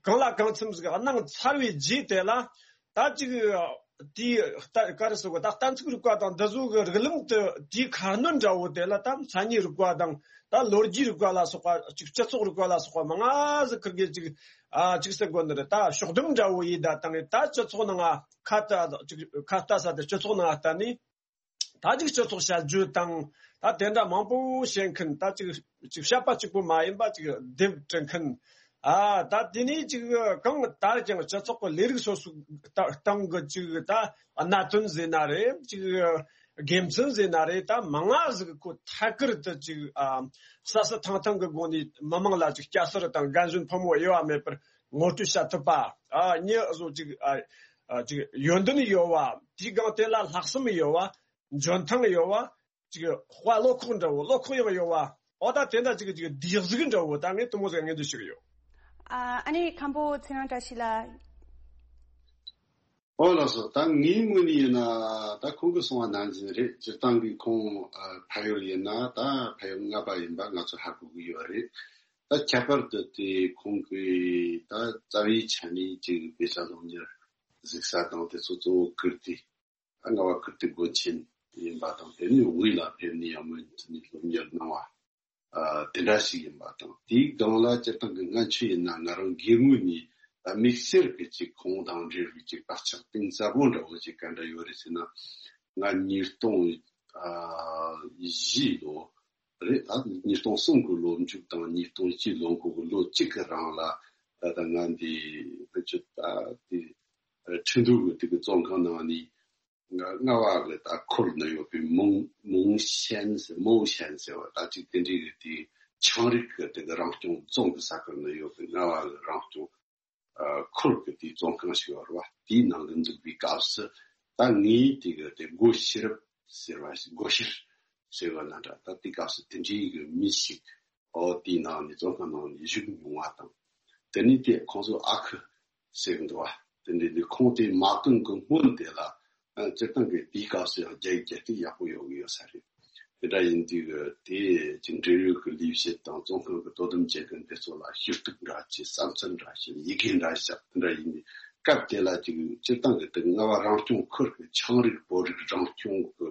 གང་ལ་གང་འཚམ་ཟིག་གནང་ཚར་བའི་རྗེས་དེ་ལ། ད་ཅིག་དེའི་ད་ག་རེ་ཟེར་དགོས། ད་གཏན་ཚིགས་རིག་པ་དང་འདི་ཚོ་གི་རིགས་ལམ་དུ་དེའི་ཁ་སྣོན་འདྲ་བོ་དེ་ལ། ད་མཚན་ཉིད་རིག་པ་དང་། ད་ལོ་རྒྱུས་རིག་པ་ལ་སོགས་པ། ཅིག་སྤྱི་ཚོགས་རིག་པ་ལ་སོགས་པ་མང་ང་ཟིག་ཁིར་གེ་ཅིག། ཨ། ཅིག་ཟེར་དགོས་ནི་རེད། ད་ཕྱོགས་བསྡོམས་འདྲ་བོ་ཡིན་ད་བཏང་ངས། ད་སྤྱི་ཚོགས་ནང་ང་ཁ་ལྟ། ཅིག་ཁ་ལྟ་ས་དེ་སྤྱི་ཚོགས་ནང་ང་ལྟ་ནས། ད་ཅིག་སྤྱི་ཚོགས་བྱ་སྤྱོད་དང་། ད་དེ་འདྲ་མང་པོ་བཤད་མཁན། ད་ཅིག་ཅིག་བཤད་པ་གཅིག་པུ་མ་ཡིན་པ་ཅིག་དེབ་འབྲི་མཁན། ཨ། ད་དེ་ནས་ཅིག་གང་ལྟར་ཀྱང་སྤྱི་ཚོགས་ཀྱི་ལས་རིགས་སོ་སོའི་ད་སྟེང་གི་ཅིག་ད་གནད་དོན་ཟེར་ན་རེད། ཅིག་དགེ་མཚན་ཟེར་ན་རེད། ད་མང་ང་ཟིག་ཁོ་ཐད་ཀར་དུ་ཅིག། ཨ། སྲ་སྲ་ཐང་ཐང་གི་སྒོ་ནས་མི་མང་ལ་ཅིག་སྐྱ་སེར་དང་རྒན་གཞོན་ཕོ་མོ་དབྱེ་བ་མེད་པར་ངོ་སྤྲོད་བྱ་ཐུབ་པ། ཨ། མྱི་བཟོ་ཅིག། ཨ། ཨ། ཅིག་ཡོན་ཏན་ཡོད་པ། དེའི་སྒང་དེ་ལ་ལྷག་བསམ་ཡོད་པ། འཇོན་ཐང་ཡོད་པ། ཅིག་དཔའ་བློ་ཁོག་འདྲ་བོ། བློ་ཁོག་ཡང་ཡོད་པ། འོ་ད་དེ་འདྲ་ཅིག་ཅིག་སྡེ་གཟུགས་འདྲ་བོ་ད་ངས་དེ་མོ་ཟིག་ངས་འདོད་ཞུ་གི་ཡོད། ཨ། ཨ་ནི་མཁན་པོ་ཚེ་རིང་བཀྲ་ཤིས་ལགས། ཨོ་ལགས་སོ། ད་ངའི་ངོས་ནས་ཡིན་ན། ད་ཁོང་གིས་གསུངས་པ་ནང་བཞིན་རེད། སྤྱིར་བཏང་གི་ཁོང་ཨ་ཕ་ཡུལ་ཡིན་ན་ད་ཕ་ཡུལ་རྔ་པ་ཡིན་པ་ང་ཚོ་ཧ་གོ་གི་ཡོད་རེད། ད་ཁྱད་པར་དུ་དེ་ཁོང་གིས་ད་རྩ་བའི་ཆ་ནས་ཅིག་དཔེ་ཆ་སློབ་གཉེར་གཟིགས་ས་དང་དེ་ཚོ་གཙོ་བོ་ཀིརྟི། ད་རྔ་བ་ཀིརྟི་དགོན་ཆེན་ཡིན་པ་དང་། དེ་ནས་དབུས་ལ་ཕེབས་ནས་ཡང་མོས་མཐུན་ནས་སློབ་གཉེར་གནང་བ། ཨ། དེ་འདྲ་ཞིག་ཡིན་པ་དང་། དེའི་སྒང་ལ་སྤྱིར་བཏང་གི་སྔ་ཕྱི་ཡིན་ན་ང་རང་སྒེར་ངོས་ནས་ད་དམིགས་བསལ་གྱི་ཅིག་ཁོང་དང་འབྲེལ་བའི་ཅིག་བག་ཆགས་གཏིང་ཟབ་པོ་འདྲ་བོ་ཅིག་ག་འདྲ་ཡོད་རེད་ཟེར་ན། ང་ཉིས་སྟོང་། ཨ། བཞི་ལོ་རེད། ད་ཉིས་སྟོང་གསུམ་གི་ལོ་མཇུག་དང་ཉིས་སྟོང་བཞི་ལོ་འགོ་གི་ལོ་གཅིག་གི་རིང་ལ། ད་ད་ང་འདི་ཕན་ཆད་ད་དེ་ཁྲིན་ཏུའུ་གི་དེ་གི་བཙོན་ཁང་ནང་ནས། རྔ་བ་གི་ད་ཁུལ་ན་ཡོད་པའི་མོང་མོང་ཤན་ཟེར། མོང་ཤན་ཟེར་བ་ད་ཅིག་དེ་འདྲའི་གི་དེ་ཆའང་རིགས་གི་དེ་གི་རང་སྐྱོང་རྫོང་གི་ས་ཁུལ་ན་ཡོད་པའི་རྔ་བ་གི་རང་སྐྱོང་ཨ་ཁུལ་གི་དེའི་བཙོན་ཁང་ཞིག་ཡོད་རེད་བ། དེའི་ནང་གི་འཛུལ་བའི་སྐབས་སུ་ད་ངས་དེ་གི་དེ་སྒོ་ཤེས་རབ་ཟེར་བ་ཞིག། སྒོ་ཤེར་ཟེར་བ་ན་འདྲ། ད་དེ་སྐབས་སུ་དེ་འདྲའི་གི་མི་ཞིག་ཨོ་དེའི་ནང་ནས་བཙོན་ཁང་ནང་ནས་བཞུགས་མྱོང་བ་དང་། དེ་ནས་དེ་ཁོང་ཚོ་ཨ་ཁུ་ཟེར་གི་འདུག་བ། དེ་འདྲའི་འདི་ཁོང་དེ་མ་བཏོན་གི་སྔོན་དེ་ལ། ཨ། སྤྱིར་བཏང་གི་དེའི་སྐབས་སུ་ཡང་རྒྱ་ཡིག་རྒྱ་སྐད་ཡག་པོ་ཡོད་གི་ཡོད་ས་རེད། དེ་འདྲ་ཡིན་དུས་གི་དེ་ཅིག་འབྲེལ་ཡོད་གི་ལས་བྱེད་དང་བཙོན་ཁང་གི་དོ་དམ་བྱེད་མཁན་དེ་ཚོ་ལ་ཞུ་གཏུག་འདྲ་བྱས། བསམ་ཚུལ་འདྲ་བཤད། ཡི་གེ་འདྲ་བཤད། དེ་འདྲ་ཡིན་དུས་སྐབས་དེ་ལ་ཅིག་སྤྱིར་བཏང་གི་དེ་རྔ་བ་རང་སྐྱོང་ཁུལ་གི་ཆའང་རིགས་བོད་རིགས་རང་སྐྱོང་གི་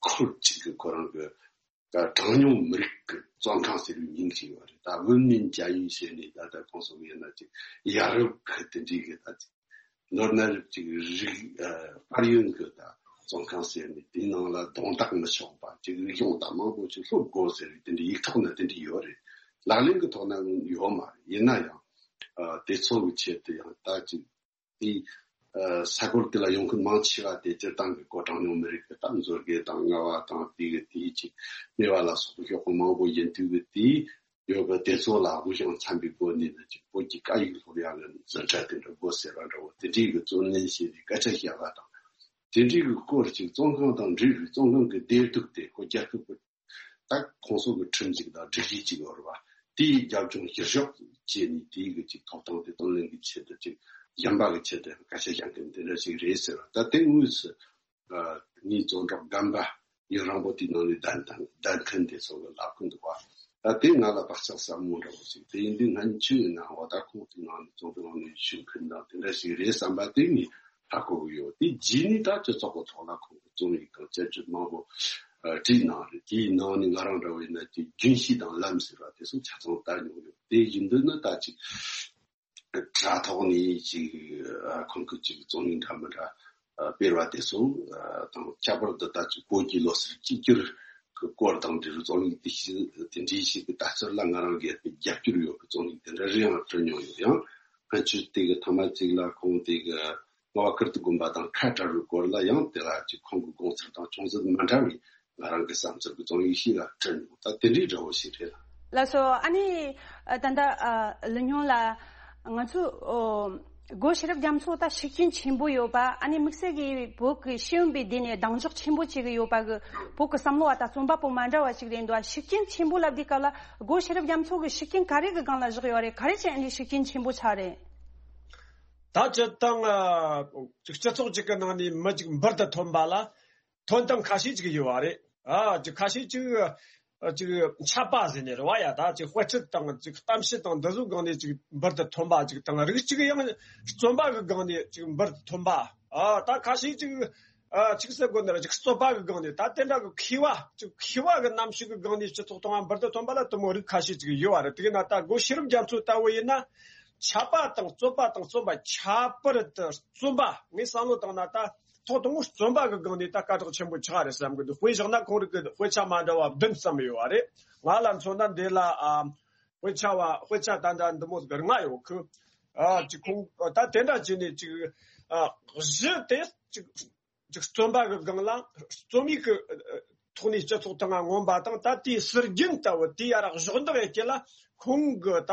ཁུལ་གཅིག་གི་ཁོ་རང་གི་གྲངས་ཉུང་མི་རིགས་ཀྱི་བཙོན་ཁང་ཟེར་བའི་མིང་ཞིག་ཡོད་རེད། ད་文民监狱ཟེར་ནས་ད་ལྟ་ཁོང་ཚོ་ཡིན་ན་ཅིག་ཡ་རབས་ཀྱི་དེ་འདྲའི་གི་ད་ཅིག་ནོར་ན་རབས་ཅིག་རིགས་ཨ་དཔལ་ཡོན་གྱི་ད་བཙོན་ཁང་ཟེར་ནས། དེའི་ནང་ལ་རྡུང་རྡེག་མི་ཆོག་པ། ཅིག་རིག་གཞུང་དང་མང་པོ་ཅིག་སློབ་དགོས་ཟེར་བའི་དེ་འདྲའི་ཡིག་ཐོག་ན་དེ་འདྲའི་ཡོད་རེད། ལག་ལེན་གྱི་ཐོག་ན་ཡོད་མ་རེད། ཡིན་ན་ཡང་ཨ་དེ་ཚོ་གི་ཆེད་དུ་ཡང་ད་ཅིག་དེ་ས་གོ་དེ་ལ་ཡོང་མཁན་མང་ཆེ་བ་དེ་སྤྱིར་བཏང་གི་བོད་གྲངས་ཉུང་མི་རིགས་ཀྱི་ད་མཛོད་དགེ་དང་རྔ་བ་དང་དེ་གི་དེའི་ཅིག་སྨེ་བ་ལ་སོགས་པའི་ཤོག་ཁག་མང་པོ་ཡིན་དུས་ཀྱི་དེའི་ཡོད་པའི་དེ་ཚོ་ལ་དབུགས་ཞང་འཚམ་པའི་སྒོ་ནས་ནི་ཅིག་བོད་ཀྱི་སྐད་ཡིག་སློབ་ཡག་གི་འཛིན་གྲྭ་དེ་འདྲ་དགོས་ཟེར་བ་འདྲ་བོ་དེ་འདྲའི་གི་བརྩོན་ལེན་བྱས་ནས་སྐད་ཆ་བཤད་པ་དང་། དེ་འདྲའི་གི་སྐོར་ཅིག་བཙོན་ཁང་དང་འབྲེལ་བའི་བཙོན་ཁང་གི་བདེ་སྡུག་དེ་ཁོ་རྒྱལ་ཁབ་ཀྱི་ད་ཁོང་ཚོ་གི་ཁྲིམས་ཅིག་དང་སྒྲིག་གཞི་ཅིག་ཡོད་རེད་བ། དེའི་རྒྱབ་ལྗོངས་གཞིར་བཞག་བྱས་ནས་དེའི་གི་ཅིག་ཐོབ་ཐང་དེ་དོན་ལེན་གྱི་ཆེད་དུ་ཅིག་གཞན་པ་གི་ཆེད་དུ་སྐད་ཆ་བཤད་མཁན་དེ་འདྲ་ཞིག་རེད་ཟེར་བ། ད་དེ་དངོས་སུ་ངའི་བཙོན་གྲོགས་རྒན་པ་ཡུན་རིང་པོ་དེའི་ནང་ནས་བསྡད་བསྡད་མཁན་དེ་ཚོ་གི་ལབ་གི་འདུག་བ། ད་དེ་ང་ལ་བག་ཆགས་ཟབ་མོ་འདྲ་བོ་ཞིག་དེ་ཡིན་དུས་སྔོན་ཆད་ཡིན་ན་འོ་ད་ཁོང་དེའི་ནང་ནས་བཙོན་ཁང་ནང་ནས་བཞུགས་མཁན་དང་དེ་འདྲ་ཞིག་རེད་བསམ་པ་དེ་ངས་ཧ་གོ་གི་ཡོད། དེ་རྗེས་ནས་ད་སྤྱི་ཚོགས་ཀྱི་ཐོག་ལ་ཁོང་གི་རྩོམ་ཡིག་དང་དཔྱད་བརྗོད་མང་པོ་ཨ་བྲིས་གནང་རེད། དེའི་ནང་ནས་ང་རང་འདྲ་བོ་ཡིན་ན་དེ་རྒྱུན་ཤེས་དང་ལམ་ཟེར་བ་དེ་ཚོ་ཆ་ཚང་ལྟ་མྱོང་ཡོད། དེ་བཞིན་དུ་ནི་ད་ཅིག་དྲ་ཐོག་ནས་ཅིག་ཨ་ཁོང་གི་ཅིག་རྩོམ་ཡིག་འདྲ་མི་འདྲ་ཨ་སྤེལ་བ་དེ་ཚོ་ཨ་དང་ཁྱད་པར་དུ་ད་ཅིག་བོད་ཀྱི་ལོ་གསར་གཅིག་གྱུར་གྱི་སྐོར་དང་འབྲེལ་བའི་རྩོམ་ཡིག་དེ་ཞིག་དེ་འདྲའི་ཞིག་གི་ལྟ་ཚུལ་ལ་ང་རང་སྒེར་གྱི་རྒྱབ་སྐྱོར་ཡོད་པའི་རྩོམ་ཡིག་དེ་འདྲ་རེ་ཡང་བྲིས་མྱོང་ཡོད། ཡང་སྔོན་ཆད་དེ་གི་ཐ་མ་གཅིག་ལ་ཁོང་དེ་གི་རྔ་བ་ཀིརྟི་དགོན་པ་དང་ཁ་བྲལ་བའི་སྐོར་ལ་ཡང་དེ་ལ་ཅིག་ཁོང་གི་དགོངས་ཚུལ་དང་ཅུང་ཟད་མ་འདྲ་བའི་ང་རང་གི་བསམ་ཚུལ་གྱི་རྩོམ་ཡིག་ཞིག་ལ་བྲིས་མྱོང་། ད་དེ་འདྲའི་འདྲ་བོ་ཞིག་རེད། ལགས་སོ། ཨ་ནི་ད་ལྟ་ལི་སྨྱོན་ལགས། ང་ཚོ་སྒོ་ཤེས་རབ་རྒྱ་མཚོ་ད་ཤུགས་རྐྱེན་ཆེན་པོ་ཡོད་པ། ཨ་ནི་དམིགས་བསལ་གྱི་བོད་ཀྱི་ཤེས་ཡོན་པའི་སྡེ་ནས་གདེང་འཇོག་ཆེན་པོ་བྱེད་ཀྱི་ཡོད་པ་གི་བོད་ཀྱི་བསམ་བློ་བ་དང་རྩོམ་པ་པོ་མ་འདྲ་བ་ཞིག་རེད་འདུག་ཤུགས་རྐྱེན་ཆེན་པོ་ལབ་དུས་སྐབས་ལ་སྒོ་ཤེས་རབ་རྒྱ་མཚོ་གི་ཤུགས་རྐྱེན་ག་རེ་གི་སྒང་ལ་བཞག་ཡོད་རེད། ག་རེ་བྱས་ཨ་ནི་ཤུགས་རྐྱེན་ཆེན་པོ་ཆགས་རེད། ད་སྤྱིར་བཏང་ཅིག་སྤྱི་ཚོགས་ཅིག་གི་ནང་ནས་མི་ཅིག་འབུར་དུ་ཐོན་པ་ལ། ཐོན་སྟངས་ཁ་ཤས་ཅིག་ཡོད་པ་རེད། ཨ་ཅིག་ཁ་ཤས་ཅིག་ཅིག་ཆབ་པ་ཟེར་ནས་རེད་བ་ཡ། ད་ཅིག་དཔེ་ཁྲིད་དང་ཅིག་གཏམ་བཤད་དང་འདི་ཚོའི་སྒང་ནས་ཅིག་འབུར་དུ་ཐོན་པ་ཅིག་དང་། རིགས་ཅིག་ཡང་རྩོམ་པ་གི་སྒང་ནས་ཅིག་འབུར་དུ་ཐོན་པ། ཨ་ད་ཁ་ཤས་ཅིག་ཨ་ཅིག་ཟེར་དགོས་ན་ར་ཅིག་རྩོད་པ་གི་སྒང་ནས། ད་དེ་འདྲ་གི་མཁས་པ་ཅིག་མཁས་པ་གི་རྣམ་དཔྱོད་གི་སྒང་ནས་སྤྱི་ཚོགས་སྟེང་ང་འབུར་དུ་ཐོན་པ་ལ་དེ་མོ་རིགས་ཁ་ཤས་ཅིག་ཡོད་པ་རེད། དེ་ན་ད་སྒོ་ཤེས་རབ་རྒྱ་མཚོ་ལྟ་བུ་ཡིན་ན་ཆབ་པ་དང་རྩོད་པ་དང་རྩོམ་པ། ཁྱད་པར་དུ་རྩོམ་པ། ངས་བསམ་བློ་བཏང་ན་ད། ཐོག་དང་པོ་རྩོམ་པ་གི་སྒང་ནས་ད་སྐད་གྲགས་ཆེན་པོ་ཆགས་རེད་བསམ་གི་འདུག་དཔེ་བཞག་ན་ཁོང་རིགས་ཀྱི་དཔེ་ཆ་མ་འདྲ་བ་བདུན་ཙམ་ཡོད་པ་རེད། ང་ལ་མཚོན་ན་འདི་ལ་ཨ་དཔེ་ཆ་བ་དཔེ་ཆ་ད་ལྟ་འདི་མོ་ཟིག་ལྔ་ཡོད་གི། ཨ་ཅིག་ཁོང་ད་དེ་འདྲ་བྱས་ནས་ཅིག་ཨ་གཞི་དེ་ཅིག་ཅིག་རྩོམ་པ་གི་སྒང་ལ་རྩོམ་ཡིག་གི་ཐོག་ནས་སྤྱི་ཚོགས་སྟེང་ང་མངོན་པ་དང་། ད་དེའི་ཟུར་རྒྱན་ལྟ་བུ་དེ་ཡ་ར་གཞོགས་འདེགས་ཡེད་རྒྱུ་ལ། ཁོང་གི་ད་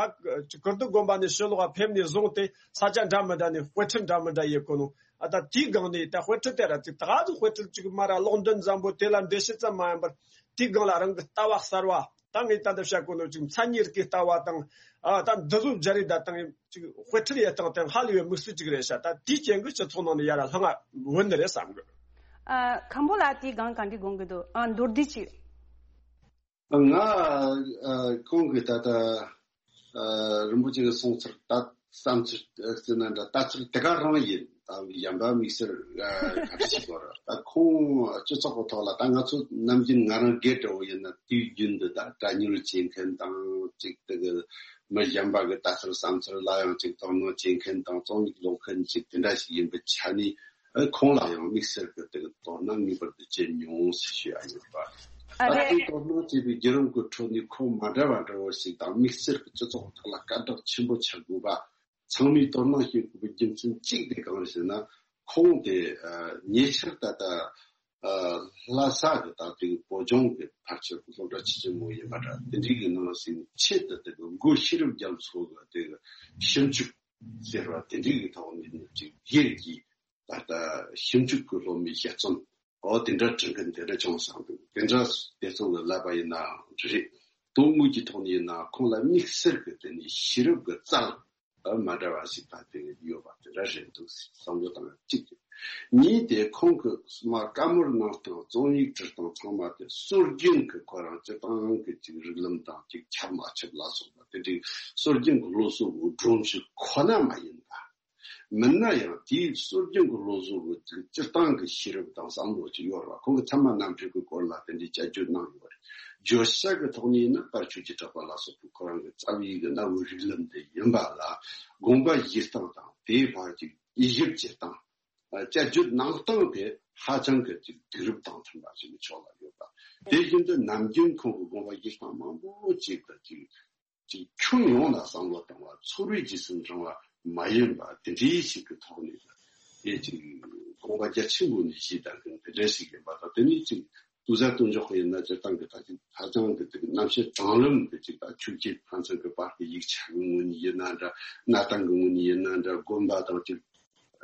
ཀིརྟི་དགོན་པ་ནས་ཕྱི་ལོགས་ཕེབས་ནས་བཟུང་སྟེ་ས་ཆ་འདྲ་མི་འདྲ་ནས་དཔེ་ཁྲིད་འདྲ་མི་འདྲ་ཡེད་གོ་ནོ། ཨ་ད་དེའི་སྒང་ནས་ད་དཔེ་ཁྲིད་དེ་ར་ཅིག་ད་ག་ཟུག་དཔེ་ཁྲིད་ཅིག་མ་ར་ཀློག་འདོན་བཟང་པོ་དེ་ལ་འགྲེལ་བཤད་ཙམ་མ་ཡིན་པར་དེའི་སྒང་ལ་རང་གི་ལྟ་བ་གསར་བ། ད་ངས་ད་ལྟ་བཤད་གོ་ནོ་ཅིག་མཚན་ཉིད་རིག་གི་ལྟ་བ་དང་། ཨ་ད་འདི་ཚོ་སྦྱར་རེས་ད་དང་ཅིག་དཔེ་ཁྲིད་ཡེད་སྟངས་དེ་ཧ་ལས་པའི་དམིགས་བསལ་ཅིག་རེད་ཤག་ད་དེའི་རྐྱེན་གྱིས་སྤྱི་ཚོགས་ནང་ནས་ཡ་ར་ལྷང་ང་བུད་ནི་རེད་བསམ་གི། ཨ་མཁན་པོ་ལགས་དེའི་སྒང་ག་འདྲ་དགོངས་ཀྱི་འདུག་ཨ་མདོར་བསྡུས་ཅིག་ང་ཨ་ཁོང་གིས་ད་ལྟ་ཨ་རིན་པོ་ཆེ་གིས་གསུངས་ཚུལ་ད་བསམ་ཚུལ་ཟེར་ན་འདྲ། ལྟ་ཚུལ་དེ་ག་རང་ཡིན། ད་གཞན་པ་དམིགས་བསལ་ཨ་ག་འདྲ་ཞིག་དགོས་རེད། ད་ཁོང་སྤྱི་ཚོགས་ཀྱི་ཐོག་ལ་ད་ང་ཚོ་ནམ་རྒྱུན་ང་རང་སྒེར་འདྲ་བོ་ཡིན་ན་དུས་རྒྱུན་དུ་ད་དྲ་བརྙན་བྱེད་མཁན་དང་ཅིག་དེ་གི་མི་གཞན་པ་གི་ལྟ་ཚུལ་བསམ་ཚུལ་ལ་ཡང་ཅིག་དོ་སྣང་བྱེད་མཁན་དང་རྩོམ་ཡིག་ཀློག་མཁན་ཅིག་དེ་འདྲ་ཞིག་ཡིན་པའི་ཆ་ནས། ཨ་ཁོང་ལ་ཡང་དམིགས་བསལ་གྱི་དེ་གི་དོ་སྣང་ངེས་པར་དུ་བྱེད་མྱོང་ཟེར་ཞུ་ཡ་ཡོད་པ། ཨ་ད་རེད། དེ་དོ་སྣང་བྱེད་པའི་བརྒྱུད་རིམ་གྱི་ཁྲོད་ནས་ཁོང་མ་འདྲ་བ་འདྲ་བོ་ཞིག་དང་དམིགས་བསལ་གྱི་སྤྱི་ཚོགས་ཐོག་ལ་སྐད་གྲགས་ཆེན་པོ་ཆགས་དགོས་པ། ཚང་མས་དོ་སྣང་བྱེད་དགོས་པའི་རྒྱུ་མཚན་གཅིག་དེ་གང་རེད་ཟེར་ན། ཁོང་དེ་ཨ་ཉེ་ཆར་ད་ལྟ་ཨ་ལྷ་ས་གི་ད་དེ་གི་བོད་ལྗོངས་ཀྱི་ཕལ་ཆེར་སློབ་གྲྭ་ཆེ་ཆེན་མོ་ཡིན་པ་འདྲ། དེ་འདྲའི་གི་ནང་ཟིན་ཆེད་དུ་དེ་གི་སྒོ་ཤེས་རབ་རྒྱ་མཚོ་གི་དེ་གི་ཞིབ་འཇུག་ཟེར་བ་དེ་འདྲའི་གི་ཐོག་ནས་ནི་ཅིག་སྒེར་གྱི་ད་ལྟ་ཞིབ་འཇུག་གི་སློབ་མའི་དཔྱད་རྩོམ་འོ་དེ་འདྲ་བྲིས་མཁན་དེ་འདྲ་བྱུང་སོང་འདུག་དེ་འདྲ་དེ་ཚོ་གི་ལབ་པ་ཡིན་ནའང་རེད། དོན་དངོས་ཀྱི་ཐོག་ནས་ཡིན་ན་ཁོང་ལ་དམིགས་བསལ་གྱི་དེ་ནས་ཤེས་རབ་ཀྱི་རྩལ་མ་འདྲ་བ་ཞིག་ད་དེ་ཡོད་པ་དེ་འདྲ་རེད་འདུག་བསམ་བློ་བཏང་ཡ་གཅིག་རེད། གཉིས་དེ་ཁོང་གི་མ་བཀའ་མོལ་གནང་སྟངས། རྩོམ་ཡིག་བྲིས་སྟངས་ཚང་མ་དེ་སྲོལ་རྒྱུན་གྱི་ཁོ་རང་སྤྱིར་བཏང་གི་ཅིག་རིགས་ལམ་དང་ཅིག་ཁྱབ་མ་ཁྱབ་ལ་སོགས་པ་དེ་འདྲའི་སྲོལ་རྒྱུན་གྱི་སློབ་གསོ་གི་སྒྲོམ་གཞི་ཁོ་ན་མ་ཡིན་པ། མིན་ན་ཡང་དེའི་སྲོལ་རྒྱུན་གྱི་སློབ་གསོ་གི་སྤྱིར་བཏང་གི་ཤེས་རབ་དང་བསམ་བློ་ཅིག་ཡོད་རེད་བ། ཁོང་གི་ཚད་མ་རྣམ་འཕྲུལ་གྱི་སྐོར་ལ་དེ་འདྲའི་དཔྱད་བརྗོད་གནང་ཡོད་རེད། བརྗོད་བྱ་གི་ཐོག་ནས་ཡིན་ན་དཔལ་ཆོས་ཀྱི་གྲགས་པ་ལ་སོགས་པའི་ཁོ་རང་གི་རྩ་བའི་གི་གནའ་བོའི་རིགས་ལམ་དེ་ཡིན་པ་ལ། དགོངས་པ་བཞེས་སྟངས་དང་དེའི་བར་གྱི་དབྱེ་ཞིབ་བྱེད་སྟངས། དཔྱད་བརྗོད་གནང་སྟངས་དེ་ཧ་ཅང་གི་ཅིག་དུས་རབས་དང་མཐུན་པ་ཞིག་གི་ཕྱོགས་ལ་ཡོད་པ། དེ་བཞིན་དུ་ནམ་རྒྱུན་ཁོང་གི་དགོངས་པ་བཞེས་སྟངས་མང་པོ་ཅིག་གི་ཅིག་ཅིག་ཁྱོན་ཡོངས་ལ་བསམ་བློ་བཏང་བ། ཚོར་བའི་རྗེས་སུ་འབྲང་བ། མ་ཡིན་པ་དེ་འདྲའི་ཞིག་གི་ཐོག་ནས་དེ་ཅིག་དགོངས་པ་རྒྱ་ཆེན་པོ་ནས་བཞེས་བསྡད་མཁན་དེ་འདྲ་ཞིག་ཡིན་པ་དང་། དེ་ནས་ཅིག་ཏུའུ་ཧྥང་ཏུང་ཅོག་ཡིན་ན་སྤྱིར་བཏང་གི་ད་ཅིག་ཧ་ཅང་གི་དེ་གི་རྣམ་བཤད་དྲང་ལམ་དེ་ཅིག་ད་ཆོས་བརྒྱུད་ཕན་ཚུན་གི་བར་གི་ཡིག་ཆ་གི་ངོས་ནས་ཡིན་ན་འདྲ། གནའ་དེང་གི་ངོས་ནས་ཡིན་ན་འདྲ། དགོན་པ་དང་ཅིག་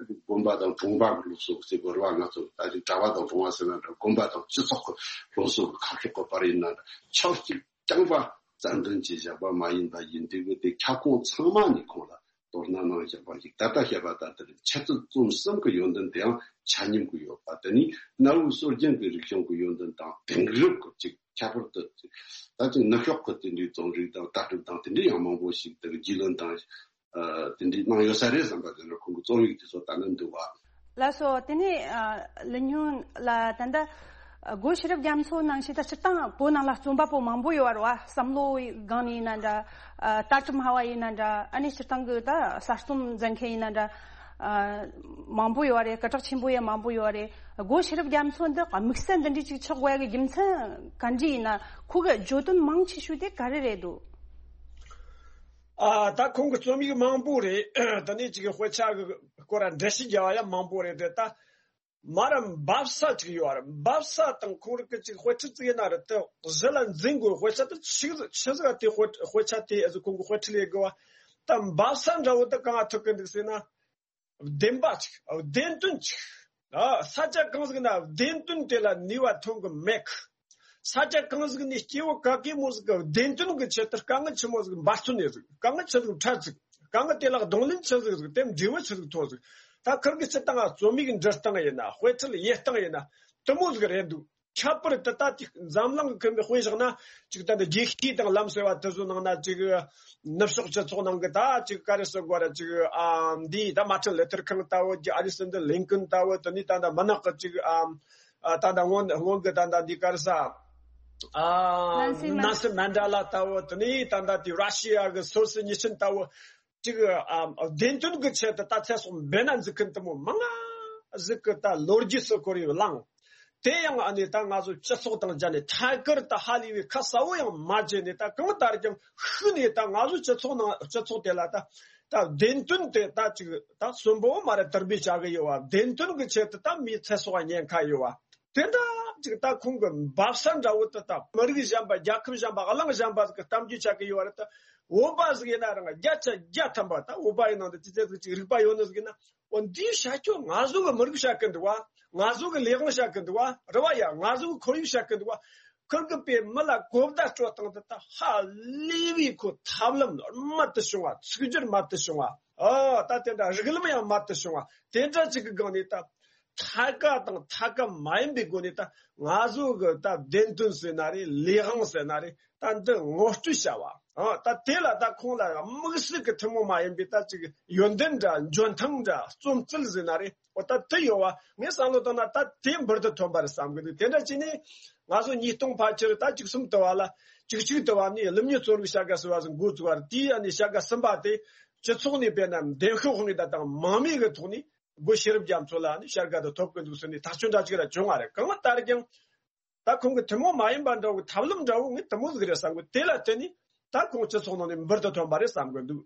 དགོན་པ་དང་གྲོང་པ་གི་སློབ་གསོ་ཟེར་དགོས་རེད་བ། ང་ཚོ་ད་ཅིག་གྲྭ་པ་དང་གྲོང་པ་ཟེར་ན་འདྲ། དགོན་པ་དང་སྤྱི་ཚོགས་ཀྱི་སློབ་གསོ་གི་ཁ་ཕྱོགས་ཀྱི་བར་ཡིན་ན་འདྲ། ཕྱོགས་གཅིག་རྐྱང་པ་རྩ་འཛིན་བྱས་བཞག་པ་མ་ཡིན་པ་ཡིན་དུས་གི་དེ་ཁྱབ་ཁོངས་ཚང་མ་ནས་ཁོང་ལ་དོ་སྣང་གནང་བཞག་པ་ཞིག་ད་ལྟ་བཤད་པ་ལྟར་དེར་འཆད་རྩོད་རྩོམ་གསུམ་གྱི་ཡོན་ཏན་དེའང་ཆ་མཉམ་གྱི་ཡོད་པ། དེ་ནི་གནའ་བོའི་སྲོལ་རྒྱུན་གྱི་རིག་གཞུང་གི་ཡོན་ཏན་དང་དེང་རབས་ཀྱི་ཅིག་ཁྱད་པར་དུ་ད་ཅིག་ནུབ་ཕྱོགས་ཀྱི་དེ་འདྲའི་རྩོམ་རིག་དང་ལྟ་གྲུབ་དང་དེ་འདྲའི་ཡང་མང་པོ་ཞིག་དེར་རྒྱུས་ལོན་དང་། ཨ། དེ་འདྲའི་གནང་ཡོད་ས་རེད་བསམ་པ་དེ་འདྲ་ཁོང་གི་རྩོམ་ཡིག་དེ་ཚོ་ལྟ་ན་འདུག་བ། ལགས་སོ། དེ་ནས་ཨ། ལི་ཉུང་ལ་ད་ལྟ་སྒོ་ཤེས་རབ་རྒྱ་མཚོ་ནང་བཞིན་ད་སྤྱིར་བཏང་བོད་ནང་ལ་རྩོམ་པ་པོ་མང་པོ་ཡོད་རེད་བ། བསམ་བློའི་སྒང་ནས་ཡིན་ན་འདྲ། ཨ། ལྟ་གྲུབ་སྨྲ་བ་ཡིན་ན་འདྲ། ཨ་ནི་སྤྱིར་བཏང་གི་ད་གསར་རྩོམ་མཛད་མཁན་ཡིན་ན་འདྲ། ཨ། མང་པོ་ཡོད་རེད། སྐད་གྲགས་ཆེན་པོ་ཡང་མང་པོ་ཡོད་རེད། སྒོ་ཤེས་རབ་རྒྱ་མཚོ་འདི་དམིགས་བསལ་འདི་འདྲའི་ཅིག་ཆགས་དགོས་ཡ་གི་རྒྱུ་མཚན་ག་འདྲ་ཡིན་ན། ཁོ་གི་བརྗོད་དོན་མང་ཆེ་ཤོས་དེ་ག་རེ་རེད་འདུག་ཨ། ད་ཁོང་གི་རྩོམ་ཡིག་མང་པོ་རེད། དེ་ནས་ཅིག་གི་དཔེ་ཆ་གི་སྐོར་ལ་འགྲེལ་བཤད་རྒྱག་པ་ཡང་མང་པོ་རེད་དེ། ད་མར་འབབ་ས་ཅིག་ཡོད་རེད། འབབ་ས་དང་ཁོང་རང་གི་ཅིག་དཔེ་ཁྲིད་ཅིག་ཡིན་ན་རེད། དེ་གཞི་ལ་འཛིན་དགོས། དཔེ་ཆ་དེ་ཆི་ཆི་ཟིག་དེ་དཔེ་དཔེ་ཆ་དེ་ཨ་ཟིག་ཁོང་གི་དཔེ་ཁྲིད་ལས་དགོས་པ། ད་འབབ་ས་འདྲ་བོ་དེ་གང་ཐུག་གི་འདུག་ཟེར་ན། བདེན་པ་ཅིག་བདེན་དོན་ཅིག་ཨ། ས་ཆ་གང་ཟིག་ན་བདེན་དོན་དེ་ལ་ནུས་པ་ཐོན་གི་མེད་གི། ས་ཆ་གང་ཟིག་ནས་སྐྱེ་བོ་ག་གེ་མོ་ཟིག་གི་བདེན་དོན་གི་ཆེད་དུ་དཀའ་ངལ་ཆི་མོ་ཟིག་འབད་བརྩོན་ཡེ་ཟིག་དཀའ་ངལ་ཆི་ཟིག་འཕྲད་ཟིག་དཀའ་ངལ་དེ་ལ་གདོང་ལེན་ཆི་ཟིག་ཟིག་དེ་འབྲས་བུ་ཆི་ཟིག་ཐོབ་ཟིག་ད་ཁིར་གི་སྤྱིར་བཏང་རྩོམ་ཡིག་འབྲི་སྟངས་ཡིན་ན། དཔེ་ཁྲིད་ཡེ་སྟངས་ཡིན་ན། དེ་མོ་ཟིག་རེད་འདུག་ཁྱད་པར་དུ་ད་ཅིག་འཛམ་གླིང་གི་ཁེ་ཕན་དཔེ་བཞག་ན། ཅིག་ད་འདི་རྒྱལ་སྤྱིའི་དང་ལམ་ཟེར་བ་དེ་ཚོ་ནང་ན། ཅིག་ནུབ་ཕྱོགས་སྤྱི་ཚོགས་ནང་གི་ད་ཅིག་ག་རེ་ཟེར་དགོས་རེད། ཅིག་ཨ་འདི་ད་མར་ཊིན་ལུ་ཐར་ཁིང་ལྟ་བུ། ཨ་རི་སན་ཌར་ལིན་ཀོན་ལྟ་བུ། དེ་ནས་ད་ད་མུན་ནག་གི་ཅིག་ཨ་ད་ད་སྔོན་སྔོན་གི་ད་ད་འདི་ག་རེ་ཟ། ཨ་ནན་སི་མན་ནན་སི་མན་ཌེ་ལ་ལྟ་བུ། དེ་ནས་ད་ད་དེ་ར་ཤི་ཡ་གི་སོ་སི་ཉི་ཆིན་ལྟ་བུ། ཅིག་ཨ་བདེན་དོན་གྱི་ཆེད་དུ་ད་ཚེ་སྲོག་འབེན་ན་འཛུགས་མཁན་དེ་མོ་མང་ང་ཟིག་གི་ད་ལོ་རྒྱུས་སུ་བཀོད་ཡོད་ལང་། དེ་ཡང་ཨ་ནི་ད་ང་ཚོ་སྤྱི་ཚོགས་དང་སྦྱར་ནས་ཐད་ཀར་ད་ཧ་ལས་པའི་ཁ་གསལ་བོ་ཡང་མ་བྱས་ནས། ད་གང་ལྟར་ཀྱང་ཤུགས་ནས་ད་ང་ཚོ་སྤྱི་ཚོགས་ནང་སྤྱི་ཚོགས་དེ་ལ་ད་ད་བདེན་དོན་དེ་ད་ཅིག་ད་གསོན་པོ་མ་རེད། དར་སྤེལ་བྱ་གི་ཡོད་བ། བདེན་དོན་གྱི་ཆེད་དུ་ད་མིའི་ཚེ་སྲོག་ཉེན་ཁ་ཡོད་བ། དེ་འདྲ་ཅིག་ད་ཁོང་གི་འབབ་ས་འདྲ་བོ་དེ་ད་མི་རིགས་གཞན་པ། རྒྱལ་ཁབ་གཞན་པ། གླིང་གཞན་པ་ཟིག་གི་གཏམ་རྒྱུད་ཆགས་ཀྱི་ཡོད་རེད། ད་བོད་པ་ཟིག་ཡིན་ན་རང་བརྒྱ་ཆ་བརྒྱ་ཐམ་པ་ད་བོད་པ་ཡི་ནང་དུ་ཅི་ཚད་ཟིག་ཅིག་རིག་པ་ཡོད་ནི་ཟིག་ཡིན་ན། འོ་འདིའི་བྱ་སྤྱོད་ང་ཚོ་གི་མི་རིགས་བྱ་གི་འདུག་བ། ང་ཚོ་གི་ལས་དབང་བྱ་གི་འདུག་བ། རེད་བ་ཡ། ང་ཚོ་གི་ཁོར་ཡུག་བྱ་གི་འདུག་བ། ཁིར་གི་པའི་མི་ལ་གོ་བརྡ་སྤྲོད་སྟངས་དེ་ད་ཧ་ལས་པའི་ཁོ་ཐབས་ལམ་རྨད་དུ་བྱུང་བ། ཚིག་སྦྱོར་རྨད་དུ་བྱུང་བ། ཨ་ད་དེ་འདྲ་རིགས་ལམ་ཡང་རྨད་དུ་བྱུང་བ། དེ་འདྲ་ཅིག་གི་སྒང་ནས་ད། ཐད་ཀ་དང་ཐད་ཀ་མ་ཡིན་པའི་སྒོ་ནས་ད་ང་ཚོ་གི་ད་བདེན་དོན་ཟེར་ན་རེད། ལས་དབང་ཟེར་ན་རེད། ད་འདི་ངོ་སྤྲོད་བྱ་བ། ཨ་ད་དེ་ལ་ད་ཁོང་ལ་དམིགས་བསལ་གྱི་ཐུན་མོང་མ་ཡིན་པའི་ད་ཅིག་ཡོན་ཏན་འདྲ། འཇོན་ཐང་འདྲ། རྩོམ་རྩལ་ཟེར་ན་རེད། འོ་ད་དེ་ཡོད་བ། ངས་བསམ་བློ་བཏང་ན་ད་དེ་འབུར་དུ་ཐོན་པ་རེད་བསམ་གི་འདུག་དེ་འདྲ་བྱས་ནས་ང་ཚོ་ཉིས་སྟོང་ཕལ་ཆེར་ད་བཅུ་གསུམ་དུ་བ་ལ། བཅུ་གཅིག་དུ་བ་ནས་ཀླུ་མྱི་གཙོ་བོའི་བྱ་དགའ་ཟེར་བ་ཟིག་འགོ་བཙུགས་པ་རེད། དེའི་ཨ་ནི་བྱ་དགའ་གསུམ་པ་དེ་སྤྱི་ཚོགས་ནས་དཔེར་ན་འདེམས་ཤོག་དབང་གིས་ད་དང་མང་མོས་ཀྱི་ཐོག་ནས། སྒོ་ཤེས་རབ་རྒྱ་མཚོ་ལ་ནི་བྱ་དགའ་དེ་ཐོབ་ཀྱི་འདུག་ཟེར་ནས་ཐག་གཅོད་འདྲ་ཅིག་ར་བྱུང་བ་རེད། གང་ལྟར་ཀྱང་ད་ཁོང་གི་ཐུན་མོང་མ་ཡིན་པ་འདྲ་བོ་གི་ཐབས་ལམ་འདྲ་བོ་ངས་དེ་མོ་ཟིག་རེད་བསམ་གི། དེ་ལ་བརྟེན་ནས་ད་ཁོང་སྤྱི་ཚོགས་ནང་ནས་འབུར་དུ་ཐོན་པ་རེད་བསམ་གི་འདུག་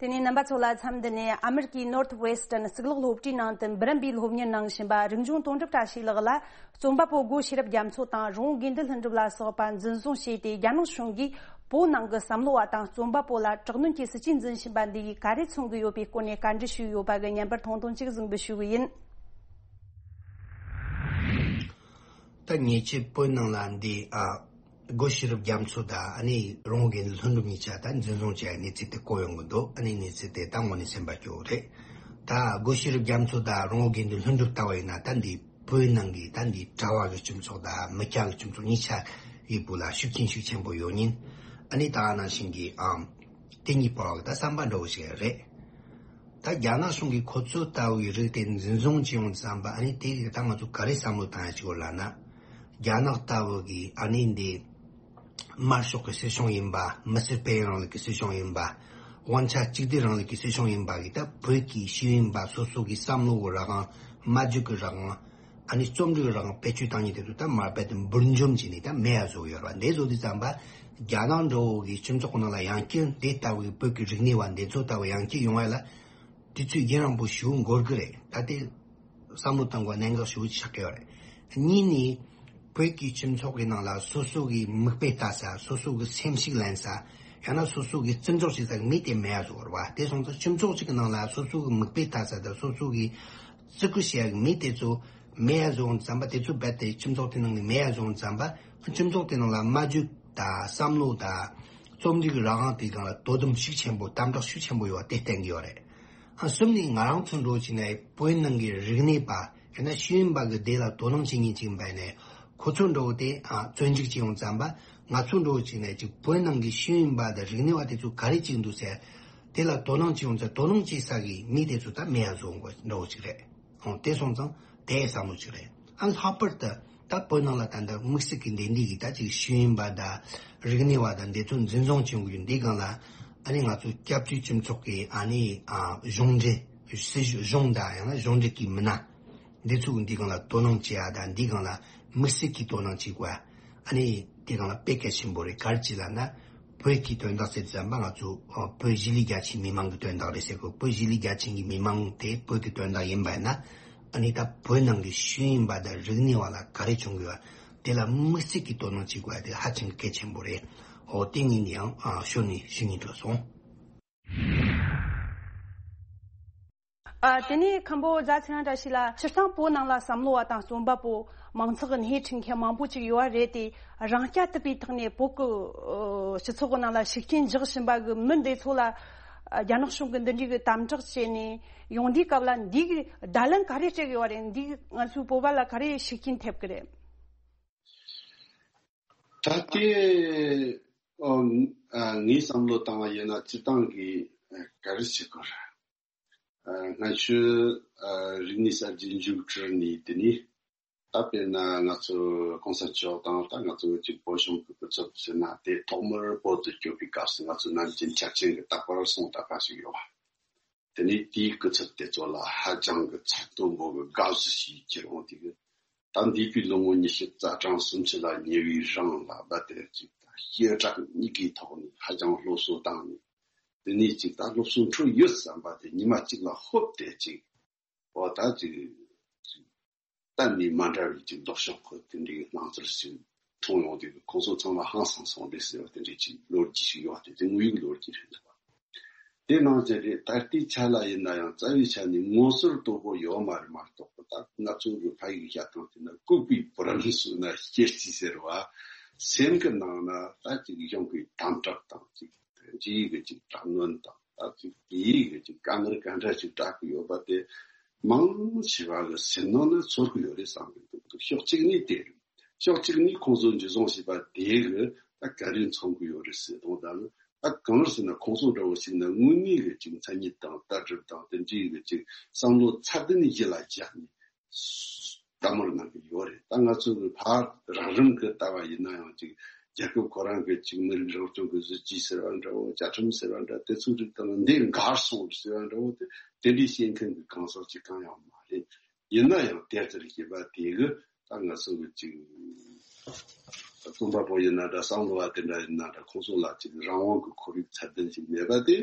དེ་ནས་རྣམ་པ་ཚོ་ལ་མཚམས་འདི་ནས་ཨ་མེ་རི་ཀའི་Northwestern་གཙུག་ལག་སློབ་གྲྭའི་ནང་དུ་འབུམ་རམས་པའི་སློབ་གཉེར་གནང་བཞིན་པ་རིག་འབྱུང་དོན་གྲུབ་བཀྲ་ཤིས་ལགས་ལ། རྩོམ་པ་པོ་སྒོ་ཤེས་རབ་རྒྱ་མཚོ་དང་རོང་བོ་དགེ་འདུན་ལྷུན་གྲུབ་ལ་སོགས་པ་འཛིན་བཟུང་བྱས་ཏེ། རྒྱ་ནག་གཞུང་གིས་བོད་ནང་གི་བསམ་བློ་བ་དང་རྩོམ་པ་པོ་ལ་དྲག་གནོན་གྱི་སྲིད་ཇུས་འཛིན་བཞིན་པ་འདི་ཡིས་ག་རེ་མཚོན་གྱི་ཡོད་པའི་སྐོར་ནས་བཀའ་འདྲི་ཞུས་ཡོད་པ་གི་བརྙན་པར་ཐུང་ཐུང་ཅིག་གཟིགས་འབུལ་ཞུ་གི་ཡིན། ད་ཉེ་ཆར་བོད་ནང་ལ་འདི་ཨ་སྒོ་ཤེས་རབ་རྒྱ་མཚོ་དང་ཨ་ནི་རོང་བོ་དགེ་འདུན་ལྷུན་གྲུབ་གཉིས་ཆ་ད་འཛིན་བཟུང་བྱས་གནས་ཚུལ་དེ་གོ་ཡོང་གི་འདུག་ཨ་ནི་གནས་ཚུལ་དེ་ད་དངོས་གནས་སེམས་པ་སྐྱོ་བོ་རེད། ད་སྒོ་ཤེས་རབ་རྒྱ་མཚོ་དང་རོང་བོ་དགེ་འདུན་ལྷུན་གྲུབ་ལྟ་བུ་ཡིན་ན། ད་འདི་བོད་ནང་གི་ད་འདི་གྲྭ་བ་གི་སྤྱི་ཚོགས་དང་མི་སྐྱ་གི་སྤྱི་ཚོགས་གཉིས་ཆ་ཡི་བུ་ལ་ཤུགས་རྐྱེན་ཤུགས་ཆེན་པོ་ཡོད་ཉིན། ཨ་ནི་ད་ནང་བཞིན་གྱི་ཨམ་དེ་གཉིས་བར་གྱི་ད་བསམ་པ་འདྲ་བོ་ཞིག་རེད། ད་རྒྱ་ནག་གཞུང་གིས་ཁོ་ཚོ་ལྟ་བུའི་རིགས་དེ་འཛིན་བཟུང་བྱེད་ཡོང་བསམ་པ། ཨ་ནི་དེ་གི་ད་ང་ཚོ་ག་རེ་བསམ་བློ་བཏང་ཡ་ཞིག་ཡོད་ལབ་ན། རྒྱ་ནག་ལྟ་བུ་གི་ཨ་ནི་འདི་དམར་ཤོག་གི་སྲིད་གཞུང་ཡིན་པ། མི་སེར་སྤེལ་ཡུན་རིང་ལུགས་ཀྱི་སྲིད་གཞུང་ཡིན་པ། དབང་ཆ་གཅིག་སྡུད་རིང་ལུགས་ཀྱི་སྲིད་གཞུང་ཡིན་པ་གི་ད་བོད་ཀྱི་ཤེས་ཡོན་པ་སོ་སོ་གི་བསམ་བློ་གི་རང་དབང་། སྨྲ་བརྗོད་ཀྱི་རང་དབང་ ཨ་ནི་རྩོམ་རིག་རང་བེད་སྤྱོད་བཏང་མཁན་དེ་ཚོ་ད་མར་རྦད་དེ་འབུར་འཇོམས་བྱས་ནས་ད་མེད་ཡ་བཟོ་ཡོད་རེད་བ། འདི་བཟོ་དུས་ཙམ་པ་རྒྱ་ནག་འདྲ་བོ་གི་སྤྱི་ཚོགས་ནང་ལ་ཡང་བསྐྱར་འདི་ལྟ་བུའི་བོད་ཀྱི་རིག་གནས་བ་འདི་ཚོ་ལྟ་བུ་ཡང་བསྐྱར་ཡོང་བ་ལ་དུས་ཚོད་རྒྱུན་རིང་པོ་ཞིག་འགོར་གི་རེད། ད་དེ་བསམ་བློ་བཏང་དགོས་གནད་འགག་ཞིག་ཆགས་ཀྱི་ཡོད་རེད། གཉིས་ནི། བོད་ཀྱི་སྤྱི་ཚོགས་ཀྱི་ནང་ལ་སོ་སོ་གི་མིག་དཔེ་ལྟ་ས། སོ་སོ་གི་སེམས་ཤུགས་ལེན་ས། ཡང་ན་སོ་སོ་གི་བརྩི་འཇོག་བྱེད་ས་གི་མི་དེ་མེད་ཡ་བཟོ་བ་རེད་བ། དེ་སོང་ཙང་སྤྱི་ཚོགས་གཅིག་གི་ནང་ལ་སོ་སོ་གི་མིག་དཔེ་ལྟ་ས་དང་སོ་སོ་གི་བརྩི་བཀུར་བྱེད་ཡ་གི་མི་དེ་ཚོ་མེད་ཡ་བཟོ་འོང་ཙམ་པ། དེ་ཚོ་རྦད་དེ་སྤྱི་ཚོགས་དེ་ནང་ནས་མེད་ཡ་བཟོ་འོང་ཙམ་པ། སྤྱི་ཚོགས་དེ་ནང་ལ་སྨྲ་བརྗོད་དང་བསམ་བློ་དང་རྩོམ་རིག་གི་རང་དབང་དེ་སྒང་ལ་དོ་དམ་ཤུགས་ཆེན་པོ། དམ་དྲག་ཤུགས་ཆེན་པོ་ཡོད་པ་དེ་བསྟན་གྱི་ཡོད་རེད། ཨ། གསུམ་ནི་ང་རང་ཚོ་འདྲ་བོ་བྱས་ནས་བོད་ནང་གི་རིག་གནས་པ་ཡང་ན་ཤེས་ཡོན་པ་གི་སྡེ་ལ་དོ་སྣང་བྱེད་མཁན་ཅིག་ཡིན་པ་ཡིན་ནའི་ཁོ་ཚོ་འདྲ་བོ་དེ། ཨ། བཙོན་འཇུག་བྱས་ཡོང་ཙམ་པ། ང་ཚོ་འདྲ་བོ་བྱས་ནས་ཅིག་བོད་ནང་གི་ཤེས་ཡོན་པ་དང་རིག་གནས་པ་དེ་ཚོ་ག་རེ་བྱེད་ཀྱི་འདུག་ཟེར། དེ་ལ་དོ་སྣང་བྱེད་ཡོང་ཙང་དོ་སྣང་བྱེད་ས་གི་མི་དེ་ཚོ་ད་མེད་ཡ་བཟོ་འོང་དགོས་འདྲ་བོ་ཅིག་རེད། ཨོ། དེ་སོང་ཙང་དེ་བསམ་བློ་ཅིག་རེད། ཨ། ལྷག་པར་དུ་ད་བོད་ནང་ལ་ད་ལྟ་དམིགས་བསལ་གྱི་འདི་འདྲའི་གི་ད་ཅིག་ཤེས་ཡོན་པ་དང་རིག་གནས་པ་དང་འདི་ཚོ་འཛིན་བཟུང་བྱེད་དགོས་ཀྱི་འདི་སྒང་ལ། ཨ་ནི་ང་ཚོ་སྐྱབས་བཅོལ་སྤྱི་ཚོགས་ཀྱི། ཨ་ནི། ཨ། གཞུང་འབྲེལ། སྲིད་གཞུང་དང་ཡང་ན་གཞུང་འབྲེལ་གྱི་མི་སྣ་འདི་ཚོ་གི་འདི་སྒང་ལ་དོ་སྣང་བྱེད་ཡ་དང་འདི་སྒང་ལ་དམིགས་བསལ་གྱི་དོ་སྣང་བྱེད་དགོས། ཨ་ནི་དེ་སྒང་ལ་དཔེ་གལ་ཆེན་པོ་རེད། ག་རེ་བྱས་ལབ་ན། བོད་ཀྱི་དོན་དག་ཟེར་ཙམ་པ་ང་ཚོ། ཨ། བོད་གཞིས་ལུས་རྒྱ་ཆེའི་མི་མང་གི་དོན་དག་རེད་ཟེར་གོ། བོད་གཞིས་ལུས་རྒྱ་ཆེ་གི་མི་མང་དེ་བོད་ཀྱི་དོན་དག་ཡིན་པ་ཡིན་ན། ཨ་ནི་ད་བོད་ནང་གི་ཤེས་ཡོན་པ་དང་རིག་གནས་པ་ལ་ག་རེ་བྱུང་གི་ཡོད། དེ་ལ་དམིགས་བསལ་གྱི་དོ་སྣང་བྱེད་དགོས་ཡ་དེ་ཧ་ཅང་གལ་ཆེན་པོ་རེད། འོ། དེ་གཉིས་ནི་ཡང་། ཨ། ཞོར་ནས་ཞུ་སྙིང་འདོད་སོང་། ཨ། དེ་ནས་མཁན་པོ་རྫ་ཚེ་རིང་བཀྲ་ཤིས་ལགས། སྤྱིར་བཏང་བོད་ནང་ལ་བསམ་བློ་བ་དང་རྩོམ་པ་པོ། མང་ཚོགས་ཀྱི་སྣེ་ཁྲིད་མཁན་མང་པོ་ཅིག་ཡོད་པ་རེད་དེ། རང་སྐྱ་དུ་བའི་ཐོག་ནས་བོད་ཀྱི། ཨོ། སྤྱི་ཚོགས་ཀྱི་ནང་ལ་ཤུགས་རྐྱེན་འཇོག་བཞིན་པ་གི་མི་འདི་ཚོ་ལ། ཨ། རྒྱ་ནག་གཞུང་གིས་འདི་འདྲའི་གི་དམ་དྲག་བྱས་ནས་ཡོང་དུས་སྐབས་ལ་འདི་གི་བརྡ་ལན་ག་རེ་སྤྲད་ཀྱི་ཡོད་རེད། འདི་ང་ཚོའི་བོད་པ་ལ་ག་རེ་ཤུགས་རྐྱེན་ཐེབས་ཀྱི་རེད། ད་ལྟའི། ཨོ། ཨ། ངའི་བསམ་བློ་བཏང་བ་ཡིན་ན་སྤྱིར་བཏང་གི། ཨ། ག་རེ་ཞིག་གོ། ཨ། སྔ་ཕྱི། ཨ། རིག་གནས་གསར་བརྗེ་མཇུག་གྲིལ་ནས། དེ་ནས་ད་དཔེར་ན་ང་ཚོ་གོང་ས་མཆོག་དང་ད་ང་ཚོ་གཅིག་བོད་གཞུང་གི་སྐུ་ཚབ་ཟེར་ན། དེ་ཐོག་མར་བོད་དུ་བསྐྱོད་པའི་སྐབས་སུ་ང་ཚོ་ནམ་རྒྱུན་འཆར་ཅན་གྱི་རྟག་པར་སོང་ད་པ་ཞིག་ཡོད་པ། དེ་ནས་དེའི་སྐུ་ཚབ་དེ་ཚོ་ལ་ཧ་ཅང་གི་ཚད་མཐོན་པོ་གི་དགའ་བསུ་ཞིག་ཁྱེར་འོང་དུས། ད་འདས་པའི་ལོ་ངོ་ཉི་ཤུ་རྩ་གྲངས་སུམ་ཅུ་ལ་ཉེ་བའི་རིང་ལ་བ་དེར་ཅིག་ད་སྐད་གྲགས་གཉིས་ཀའི་ཐོག་ནས་ཧ་ཅང་སློབ་གསོ་བཏང་ནས། དེ་ནས་ཅིག་ད་སློབ་གསོ་འཕྲོད་ཡོད་བསམ་པ་དེ་ཉི་མ་གཅིག་ལ་ཧོབ་སྟེ་ཅིག་འོ། ད་ཅིག་གཏན་ནས་མ་འདྲ་བའི་ཅིག་ལྡོག་ཕྱོགས་ཀྱི་དེ་འདྲའི་སྣང་ཚུལ་ཞིག་མཐོང་ཡོང་དུས། ཁོང་ཚོ་ཚང་མ་ཧང་སང་སོང་སྟེ་ཟེར་བ་དེ་འདྲའི་ཅིག་ལོ་རྒྱུས་ཤིག་ཡོད་པ་དེ། དེ་དངོས་ཡོད་ལོ་རྒྱུས་རེད་འདུག་པ། དེ་ནང་བཞིན་རེད། ད་ལྟའི་ཆ་ལ་ཡིན་ན་ཡང་རྩ་བའི་ཆ་ནས་ངོ་སོར་དོད་པོ་ཡོད་མ་རེད་མ་གཏོགས་པ། ད་ང་ཚོ་གི་ཕ་ཡིག་བཤད་སྟངས་དེ་ན། ལྐུགས་པའི་བུ་རམ་ཟོས་ན་སྐྱེར་སྐྱིད་ཟེར་བ། སེམས་ཀྱི་ནང་ན་ད་ཅིག་གཞུང་གི་དམ་དྲག་དང་། ཅིག་འདྲེ་གི་ཅིག་དྲག་གནོན་དང་། ད་ཅིག་དེ་ཡི་གི་ཅིག་དཀའ་ངལ་ག་འདྲ་ཅིག་འཕྲད་ཀྱི་ཡོད་པ་དེ་མང་ཆེ་བ་གི་སེམས་ནང་ན་ཚོར་གི་ཡོད་རེད་བསམ་གི་འདུག་ཕྱོགས་གཅིག་ནས་དེ་རེད། ཕྱོགས་གཅིག་ནས་ཁོང་ཚོ་འཇུ་བཟུང་བྱས་པ་དེ་གི་ད་ག་རེ་མཚོན་གི་ཡོད་རེད་ཟེར་དང་། ད་ནི་ད་གང་ཟེར་ན་ཁོང་ཚོ་འདྲ་བོ་ཞིག་ན་དངོས་གནས་གི་ཅིག་མཚན་ཉིད་དང་ལྟ་གྲུབ་དང་དེ་འདྲའི་གི་ཅིག་བསམ་བློ་ཚད་ལྡན་གཞི་ལ་བཞག་ནས། ལྟ་མོལ་གནང་གི་ཡོད་རེད། ད་ང་ཚོ་གི་ཕར་རགས་རིམ་གི་ལྟ་བ་ཡིན་ན་ཡང་ཅིག་རྒྱལ་ཁབ་ཁོ་རང་གི་ཅིག་མི་རིགས་རང་སྐྱོང་གི་སྲིད་ཇུས་ཟེར་བ་འདྲ་བོ། བཅའ་ཁྲིམས་ཟེར་བ་འདྲ། དེ་ཚོའི་རིགས་དང་འདི་འགལ་སོང་ཟེར་བ་འདྲ་བོ་དེ། དེ་འདྲའི་བཤད་མཁན་གི་གང་ཟག་ཅིག་གང་ཡང་མ་རེད། ཡིན་ན་ཡང་དེ་ལྟར་བྱས་པ་དེ་གི་ད་ང་ཚོ་གི་ཅིག་རྩོམ་པ་པོ་ཡིན་ན་འདྲ། བསམ་བློ་བ་དེ་འདྲ་ཡིན་ན་འདྲ། ཁོང་ཚོ་ལ་ཅིག་རང་དབང་གི་ཁོར་ཡུག་ཚད་ལྡན་ཞིག་མེད་པ་དེ་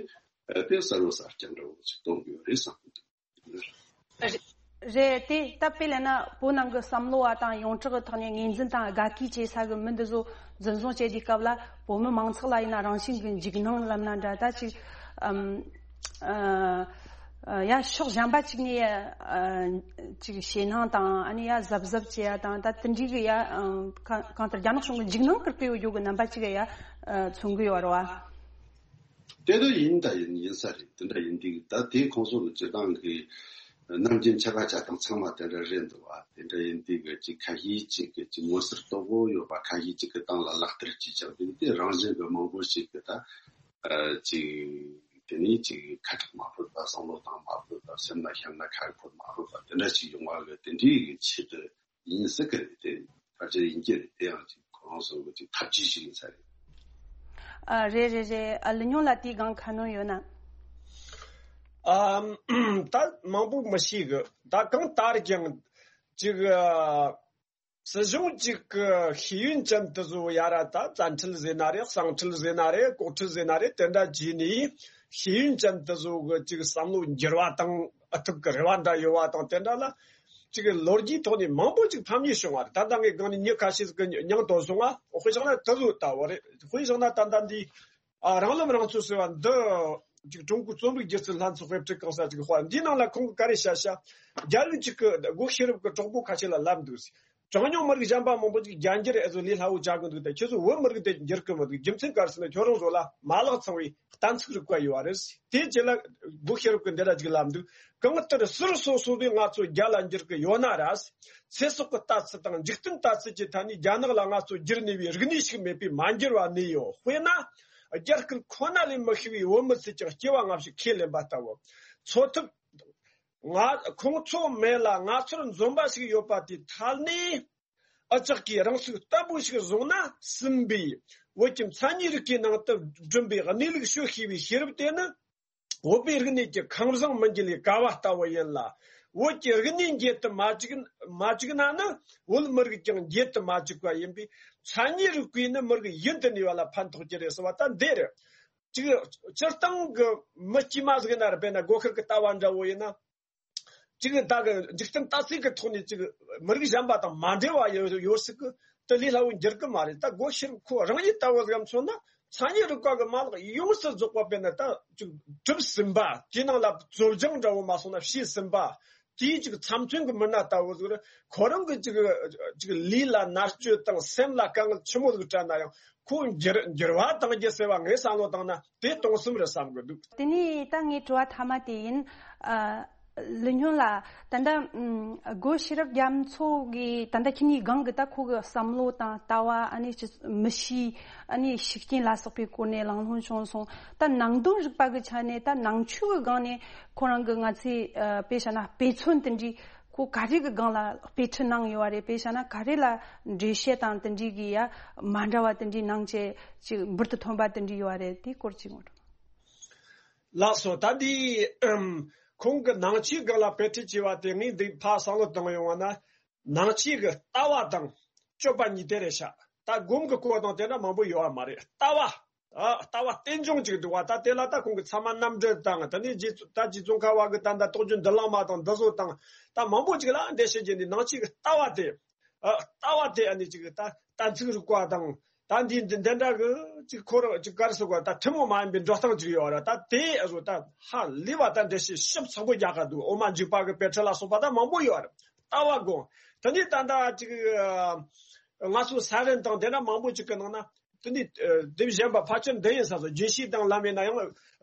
དཔེ་གསལ་བོ་གསལ་རྐྱང་འདྲ་བོ་ཅིག་སྟོན་གི་ཡོད་རེད་བསམ་གི་འདུག། རེད། རེད་དེ། ད་དཔེ་ལབ་ན་བོད་ནང་གི་བསམ་བློ་བ་དང་ཡོངས་གྲགས་ཀྱི་ཐོག་ནས་ངོས་འཛིན་དང་དགའ་གུས་བྱེད་ས་གི་མི་འདི་ཚོ་འཛིན་བཟུང་བྱེད་དུས་སྐབས་ལ། བོད་མི་མང་ཚོགས་ལ་ཡིན་ན་རང་བཞིན་གྱི་འཇིགས་སྣང་ལབ་ན་འདྲ། ད་ཅིག་ཨམ། ཨ། ཡ་ཕྱོགས་གཞན་པ་ཅིག་ནས། ཨ། ཅིག་ཞེད་སྣང་དང་། ཨ་ནི་ཡ་གཟབ་གཟབ་བྱེད་ཡ་དང་། ད་དེ་འདྲའི་གི་ཡ། ཨ། གང་གང་ལྟར་རྒྱ་ནག་གཞུང་གི་འཇིགས་སྣང་སྐུལ་གི་ཡོད་རྒྱུ་གི་རྣམ་པ་ཅིག་ཡ། ཨ། མཚོན་གི་ཡོད་རེད་བ། དེ་འདྲ་ཡིན། ད་ཡིན་ཡིན་ས་རེད། དེ་འདྲ་ཡིན་དུས་ད་དེ་ཁོང་ཚོ་གི་སྤྱིར་བཏང་གི་ནམ་རྒྱུན་ཆད་པ་བཅད་སྟངས་ཚང་མ་དེ་འདྲ་རེད་འདུག་བ། དེ་འདྲ་ཡིན་དུས་གི་ཅིག་ཁ་ཤས་ཅིག་གི་ཅིག་ངོ་སོར་དོད་པོ་ཡོད་པ། ཁ་ཤས་ཅིག་གི་སྟེང་ལ་ལག་བསྟར་བྱེད་ཀྱང་དེ་དེ་རང་བཞིན་གི་མང་པོ་ཞིག་གི་ད། ཨ། ཅིག་དེ་ནས་ཅིག་ཁ་གྲག་མ་ཕོད་པ། བསམ་བློ་བཏང་མ་ཕོད་པ། སེམས་ལ་བཤམས་ན་ཁ་འཁོར་མ་ཕོད་པ། དེ་འདྲ་ཞིག་ཡོང་བ་གི་དེ་འདྲའི་གི་ཆེད་དུ་ཡིན་སྲིད་གི་རེད། དེ་ཕལ་ཆེར་ཡིན་གྱི་རེད། དེ་ཡང་ཅིག་ཁོ་རང་ཚོ་གི་ཅིག་ཐབས་ཇུས་ཤིག་ཡིན་ས་རེད། ཨ། རེད་རེད་རེད། ཨ། ལི་ཉུང་ལ་དེའི་སྒང་ཁ་སྣོན་ཡོད་ན། ཨམ། ད་མང་པོ་མི་ཤེས་གི། ད་གང་ལྟར་ཀྱང་ ཅིག་ཨ། སྲིད་གཞུང་གཅིག་གི་ཤེས་ཡོན་ཅན་དེ་ཚོ་ཡ་ར་ད་བཙན་ཁྲིད་ཟེར་ན་རེད། གསང་ཁྲིད་ཟེར་ན་རེད། ལྐོག་ཁྲིད་ཟེར་ན་རེད། དེ་འདྲ་བྱས་ནས་ཤེས་ཡོན་ཅན་དེ་ཚོ་གི་ཅིག་བསམ་བློ་འགྱུར་བ་དང་ཨུ་ཐུག་གི་རེ་བ་འདྲ་ཡོད་བ་དང་དེ་འདྲ་ལ་ཅིག་ལོ་རྒྱུས་ཐོག་ནས་མང་པོ་ཅིག་ཕམ་ཉེས་བྱུང་བ་རེད། ད་ལྟ་ངས་སྒང་ནས་མྱི་ཁ་ཤས་ཀྱི་མྱིང་ཐོན་སོང་ང་། དཔེ་བཞག་ན་དེ་ཚོ་ལྟ་བུ་རེད། དཔེ་བཞག་ན་ད་ལྟ་འདི། ཨ། རང་ལམ་རང་ཚོད་ཟེར་བ་འདི། ཅིག་ཀྲུང་གོའི་རྩོམ་རིག་སྒྱུ་རྩལ་ལྷན་ཚོགས་དཔེ་ཁྲིད་གང་ས་ཅིག་དཔར་འདིའི་ནང་ལ་ཁོང་གིས་ག་རེ་བཤད་བཤད། རྒྱ་རིགས་ཅིག་གི་སྒོ་ཤེས་རབ་ཀྱི་གྲོགས་པོ་ཁ་ཤས་ལ་ལབ་འདུག་ཟེར། གྲངས་ཉུང་མི་རིགས་གཞན་པ་མང་པོ་ཅིག་རྒྱ་འགྱུར་ཨེ་ཟོ་ལས་སླ་བོ་བྱ་གི་འདུག་དེ་ཁྱེད་ཚོ་བོད་མི་རིགས་དེ་འགྱུར་གི་མི་འདུག་རྒྱུ་མཚན་ག་རེ་ཟེར་ན་ཁྱོད་རང་ཚོ་ལ་མ་ལག་ཚང་བའི་གཏན་ཚིགས་རིག་པ་ཡོད་བ་རེད། དེ་རྗེས་ལ་སྒོ་ཤེས་རབ་ཀྱི་འདི་ར་ཅིག་ལབ་འདུག་གང་ལྟར་ཟུར་སོ་སོ་བས་ང་ཚོ་རྒྱ་ལ་འགྱུར་གི་ཡོད་ན་ར། ཚེ་སྲོག་གི་ལྟ་ཚུལ་དང་འཇིག་རྟེན་ལྟ་ཚུལ་གྱི་ཐད་ནས་རྒྱ་ནག་ལ་ང་ཚོ་འགྱུར་ནུས་པའི་རིག་གནས་ཤིག་མེད་པས་མ་འགྱུར་བ་གནས་ཡོད། དཔེར་ན། རྒྱ་སྐད་ཁོ་ན་ལས་མི་ཤེས་པའི་བོད་མི་ཚོས་ཀྱང་སྐྱེ་བ་སྔ་ཕྱི་ཁས་ལེན་པ་ལྟ་བུ། འཚོ་ཐབས། ང་ཁོང་ཚོ་མེད་ལ་ང་ཚོར་འཛོམས་པ་ཞིག་ཡོད་པ་དེའི་ཐད་ནས། ཨ་ཅག་གིས་རང་ཚུགས་བརྟན་པོ་ཞིག་བཟུང་ན་ཟིན་པའི་བོད་ཀྱི་མཚན་ཉིད་རིག་པའི་ནང་དུ་བསྒྲིམས་པའི་གནས་ལུགས་ཤོད་ཤེས་པའི་ཤེས་རབ་དེ་ནི། བོད་པའི་རིག་གནས་ཀྱི་ཁང་བཟང་མི་འགྱེལ་བའི་ཀ་བ་ལྟ་བུ་ཡིན་ལ། བོད་ཀྱི་རིག་གནས་འགྱེལ་དུ་མ་བཅུག་མ་བཅུག་ན་ནི་བོད་མི་རིགས་ཀྱང་འགྱེལ་དུ་མ་བཅུག་པ་ཡིན་པས། མཚན་ཉིད་རིག་པས་ནི་མི་རིགས་ཡུན་དུ་གནས་པ་ལ་ཕན་ཐོགས་ཀྱི་རེད་ཟེར་བ་ད་འདི་རེད། ཅིག་སྤྱིར་བཏང་གི་མི་དཀྱུས་མ་ཟིག་ན་ར་དཔེར་ན་སྒོ་ཤེར་གྱི་ལྟ་བ་འདྲ་བོ་ཡིན་ན། ཅིག་ད་གི་འཇིག་རྟེན་ལྟ་ཚུལ་གྱི་ཐོག་ནས་ཅིག་མི་རིགས་གཞན་པ་དང་མ་འབྲེལ་བ་ཡོད་ཡོད་སྲིད་གི་དེ་ལས་སླ་བོ་འགྱུར་གི་མ་རེད། ད་སྒོ་ཤེར་ཁོ་རང་ཉིད་ལྟ་བུ་ལ་མཚོན་ན་མཚན་ཉིད་རིག་པ་གི་མ་ལག་ཡོངས་སུ་རྫོགས་པ་དཔེར་ན་ད་ཅིག་གྲུབ་ཟིན་པ། དེའི་ནང་ལ་རྩོལ་སྦྱོང་འདྲ་བོ་མ་སོང་ན་བྱས་ཟིན་པ། དེའི་ཅིག་ཚབ་མཚོན་གི་མི་སྣ་ལྟ་བུ་ཟིག་རེད། ཁོ་རང་གི་ཅིག་ཅིག་ལུས་ལ་མནར་གཅོད་དང་སེམས་ལ་དཀའ་ངལ་ཆེན་མོ་ཟིག་སྤྲད་ན་ཡང་ཁོ་འགྱུར་འགྱུར་བ་གཏང་རྒྱུ་ཟེར་བ་ངས་བསམ་བློ་བཏང་ན་དེ་གཏོང་སེམས་རེད་བསམ་གི་འདུག་དེ་ནས་ད་ངའི་དྲི་བ་མཐའ་མ་དེ་ཡིན། ཨ། ལི་སྨྱོན་ལགས། ད་ལྟ་ཨམ། སྒོ་ཤེས་རབ་རྒྱ་མཚོ་གིས་ད་ལྟ་ཁྱེད་གཉིས་སྒང་གི་ད་ཁོ་གི་བསམ་བློ་དང་ལྟ་བ། ཨ་ནི་ཅི་མི་གཤིས། ཨ་ནི་ཤུགས་རྐྱེན་ལ་སོགས་པའི་སྐོར་ནས་གླེང་སློང་བྱུང་སོང་། ད་ནང་དོན་རིག་པ་གི་ཆ་ནས་ད་ནང་ཆོས་གི་སྒང་ནས་ཁོ་རང་གི་ང་ཚོས་ཨ། དཔེ་བྱས་ན་དཔེ་མཚོན་དེ་འདྲའི་ཁོ་ག་རེ་གི་སྒང་ལ་དཔེ་ཁྲིད་གནང་ཡོད་པ་རེད། དཔེ་བྱས་ན་ག་རེ་ལ་འགྲེལ་བཤད་དང་དེ་འདྲའི་གི་ཡ་མ་འདྲ་བ་དེ་འདྲའི་གནང་བྱས་ཅིག་འབུར་དུ་ཐོན་པ་དེ་འདྲའི་ཡོད་པ་རེད། དེའི་སྐོར་ཅིག་ངོ་སྤྲོད། ལགས་སོ། ད་འདི་ཨམ། ཁོང་གི་ནང་ཆོས་སྒང་ལ་དཔེ་ཁྲིད་བྱས་པ་དེ་ངས་འདི་ཕར་བསམ་བློ་བཏང་ཡོང་བ་ན། ནང་ཆོས་ཀྱི་ལྟ་བ་དང་སྤྱོད་པ་གཉིས་དེ་རེད་ཤག་ད་སྒོམ་གྱི་སྐོར་དང་དེ་འདྲ་མང་པོ་ཡོད་པ་མ་རེད། ལྟ་བ། ཨ། ལྟ་བ་རྟེན་འབྱུང་ཅིག་འདུག་བ། ད་དེ་ལ་ད་ཁོང་གི་ཚད་མ་རྣམ་འགྲེལ་དང་། དེ་ནས་རྗེ་ད་རྗེ་ཙོང་ཁ་པ་གི་ད་ད་རྟོགས་བརྗོད་མདུན་ལམ་མ་དང་འདི་ཚོ་དང་། ད་མང་པོ་ཅིག་ལ་འགྲེལ་བཤད་བརྒྱབ་ནས་ནང་ཆོས་ཀྱི་ལྟ་བ་དེ། ཨ། ལྟ་བ་དེ་ཨ་ནི་ཅིག་ད་གཏན་ཚིགས་རིག་པ་དང་། ད་འདི་འདི་འདི་འདྲ་གི་ཅིག་ཁོ་རང་ཅིག་ག་རེ་ཟེར་དགོས། ད་ཐུན་མོང་མ་ཡིན་པའི་འགྲོ་སྟངས་ཅིག་ཡོད་རེད། ད་དེ་ཨ་ཟོ་ད་ཧ་ལས་པ་ད་འགྲེལ་བཤད་ཞིབ་ཚགས་པོ་རྒྱག་ག་འདུག་འོ་མ་འཇུག་པ་གི་དཔེ་ཁྲིད་ལ་སོགས་པ་ད་མང་པོ་ཡོད་རེད། ལྟ་བ་དགོངས། དེ་ནས་ད་ལྟ་ཅིག་ང་ཚོ་ས་རན་དང་དེ་འདྲ་མང་པོ་ཅིག་གི་ནང་ན་དེ་ནས་དེབ་གཞན་པ་ཕལ་ཆེར་འདི་ཡིན་ས་སོ། རྒྱུན་ཤེས་དང་ལམ་ཡིན་ན་ཡང་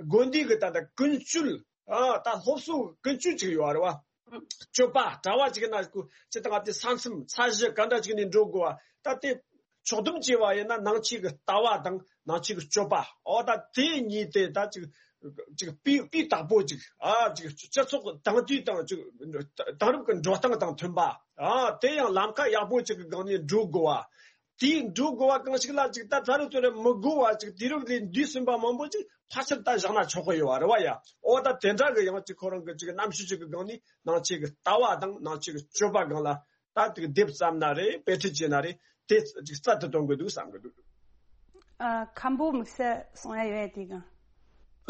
དགོན་སྡེ་གི་ད་ལྟ་ཀུན་སྤྱོད། ཨ། ད་སློབ་གསོ་ཀུན་སྤྱོད་ཅིག་ཡོད་རེད་བ། སྤྱོད་པ་གྲྭ་བ་ཅིག་ན་ཅི་ད་ང་དེ་ས་མཚམས་ས་གཞི་ག་འདྲ་ཅིག་ནས་འགྲོ་དགོས་བ། ད་དེ་ཕྱོགས་བསྡོམས་བྱས་པ་ཡིན་ན་ནང་ཆོས་ཀྱི་ལྟ་བ་དང་ནང་ཆོས་ཀྱི་སྤྱོད་པ། ཨོ་ད་དེ་གཉིས་དེ་ད་ཅིག་ཅིག་སྤུས་སྤུས་དག་པོ་ཅིག་ཨ། ཅིག་སྤྱི་ཚོགས་དེང་དུས་དང་ཅིག་དེང་རབས་ཀྱི་འགྲོ་སྟངས་དང་མཐུན་པ། ཨ། དེ་ཡང་ལམ་ཁ་ཡག་པོ་ཅིག་གི་སྒང་ནས་འགྲོ་དགོས་བ། དེའི་འགྲོ་དགོས་པ་གང་ཞིག་ལ་ཅིག་ད་ད་རུང་དེ་རུ་མི་དགོས་པ་ཅིག་དུས་རབས་ལས་འདས་ཟིན་པ་མང་པོ་ཅིག་ཕལ་ཆེར་ད་བཞག་ན་ཆོག་གི་ཡོད་རེད་བ་ཡ། ཨོ་ད་དེ་འདྲ་གི་ཡང་ཅིག་ཁོ་རང་གི་ཅིག་རྣམ་དཔྱོད་ཅིག་གི་སྒང་ནས་ནང་ཆོས་ཀྱི་ལྟ་བ་དང་ནང་ཆོས་ཀྱི་སྤྱོད་པ་སྒང་ལ་ད་ཅིག་དེབ་བརྩམས་ན་རེད། དཔེ་ཁྲིད་བྱས་ན་རེད། དེ་ཅིག་རྩལ་དུ་གཏོང་དགོས་འདུག་བསམ་གི་འདུག་ཨ། མཁན་པོ་དམིགས་བསལ་གསུང་ཡ་ཡོད་ཡ་དེ་གང་།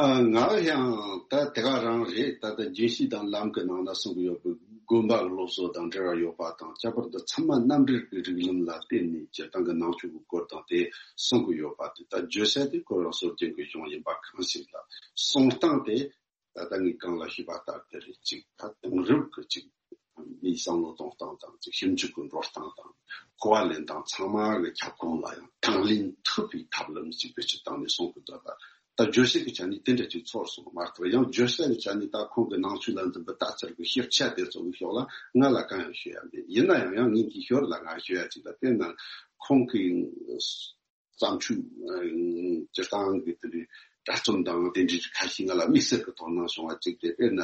ཨ། ང་ཡང་ད་དེ་ག་རང་རེད། ད་ལྟ་རྒྱུན་ཤེས་དང་ལམ་གྱི་ནང་ན་གསུང་གི་ཡོད་པའི་དགོན་པ་གི་སློབ་གསོ་དང་འབྲེལ་བ་ཡོད་པ་དང་། ཁྱད་པར་དུ་ཚད་མ་རྣམ་འགྲེལ་གྱི་རིགས་ལམ་ལ་བརྟེན་ནས་སྤྱིར་བཏང་གི་ནང་ཆོས་ཀྱི་སྐོར་དང་དེ་གསུང་གི་ཡོད་པ་དེ། ད་བརྗོད་བྱ་དེ་ཁོ་རང་སྲོལ་རྒྱུན་གྱི་གཞུང་ཡིན་པ་གང་ཞིག་ལ། གསུང་སྟངས་དེ་ད་ལྟ་ངས་གོང་ལ་ཞུས་པ་ལྟར་དེ་རེད། གཅིག་ད་དེང་རབས་ཀྱི་གཅིག་མིའི་བསམ་བློ་གཏོང་སྟངས་དང་། ཅིག་ཞིབ་འཇུག་གི་འགྲོ་སྟངས་དང་། གོ་བ་ལེན་སྟངས་ཚང་མ་གི་ཁྱབ་ཁོངས་ལ་ཡང་དང་ལེན་ཐུབ་པའི་ཐབས་ལམ་ཅིག་བེད་སྤྱོད་བཏང་ནས་གསུང་གི་འདུག་པ། ད་བརྗོད་བྱ་གི་ཆ་ནས་དེ་འདྲ་ཅིག་ཚོར་སོང་བ་མ་གཏོགས། ཡང་བརྗོད་བྱ་གི་ཆ་ནས་ད་ཁོང་གི་ནང་ཆོས་ལ་འཛིན་པའི་ལྟ་ཚུལ་གྱི་ཤེས་བྱ་དེ་ཚོ་གི་ཕྱོགས་ལ་ང་ལ་གང་ཡང་ཤོད་ཡ་མེད། ཡིན་ན་ཡང་ཡང་ངེད་ཀྱི་ཞོར་ལ་ང་ཤོད་ཡ་ཅིག་ལ། དཔེར་ན་ཁོང་གི་བརྩམས་ཆོས་སྤྱིར་བཏང་གི་དེ་འདྲའི་དྲ་རྩོམ་དང་དེ་འདྲའི་ཁ་ཤས་ང་ལ་དམིགས་བསལ་གྱི་དོ་སྣང་བྱུང་བ་གཅིག་རེད། དཔེར་ན་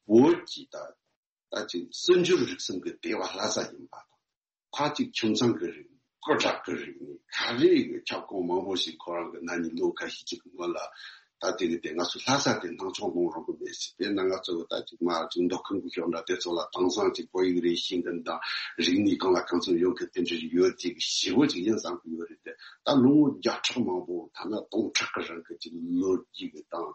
བོད་ཀྱི་ད་ད་ཅིག་སྲིད་འབྱོར་རིག་གསུམ་གྱི་དེ་བ་ལྷ་ས་ཡིན་པ་དང་། ཁ་ཅིག་ཁྱིམ་ཚང་གི་རིག་གནས། སྐུ་དྲག་གི་རིག་གནས། ག་རེ་གི་ཁྱབ་ཁོངས་མང་པོ་ཞིག་ཁོ་རང་གི་ན་ནིང་ལོ་ཁ་ཤས་ཅིག་གི་སྔོན་ལ་ ད་དེ་གི་དེ་ང་ཚོ་ལྷ་ས་དེ་སྣང་ཆུང་ལུང་རོང་གི་མེད་ཟེར། དེ་ན་ང་ཚོ་གི་ད་ཅིག་མ་ཅིག་མདོ་ཁམས་གི་ཤོག་འདྲ་དེ་ཚོ་ལ་དེང་སང་ཅིག་བོད་ཡིག་རེད་ཤེས་མཁན་དང་རིག་གནས་གང་ལ་གང་འཚམ་ཡོད་མཁན་དེ་འདྲ་ཡོད་ཅིག་ཞེ་པོ་ཅིག་ཡིན་བསམ་གི་ཡོད་རེད་དེ། ད་ལོ་ངོ་བརྒྱ་ཕྲག་མང་པོ་ཐ་ན་སྟོང་ཕྲག་གི་རིང་གི་ཅིག་ལོ་རྒྱུས་གི་དང་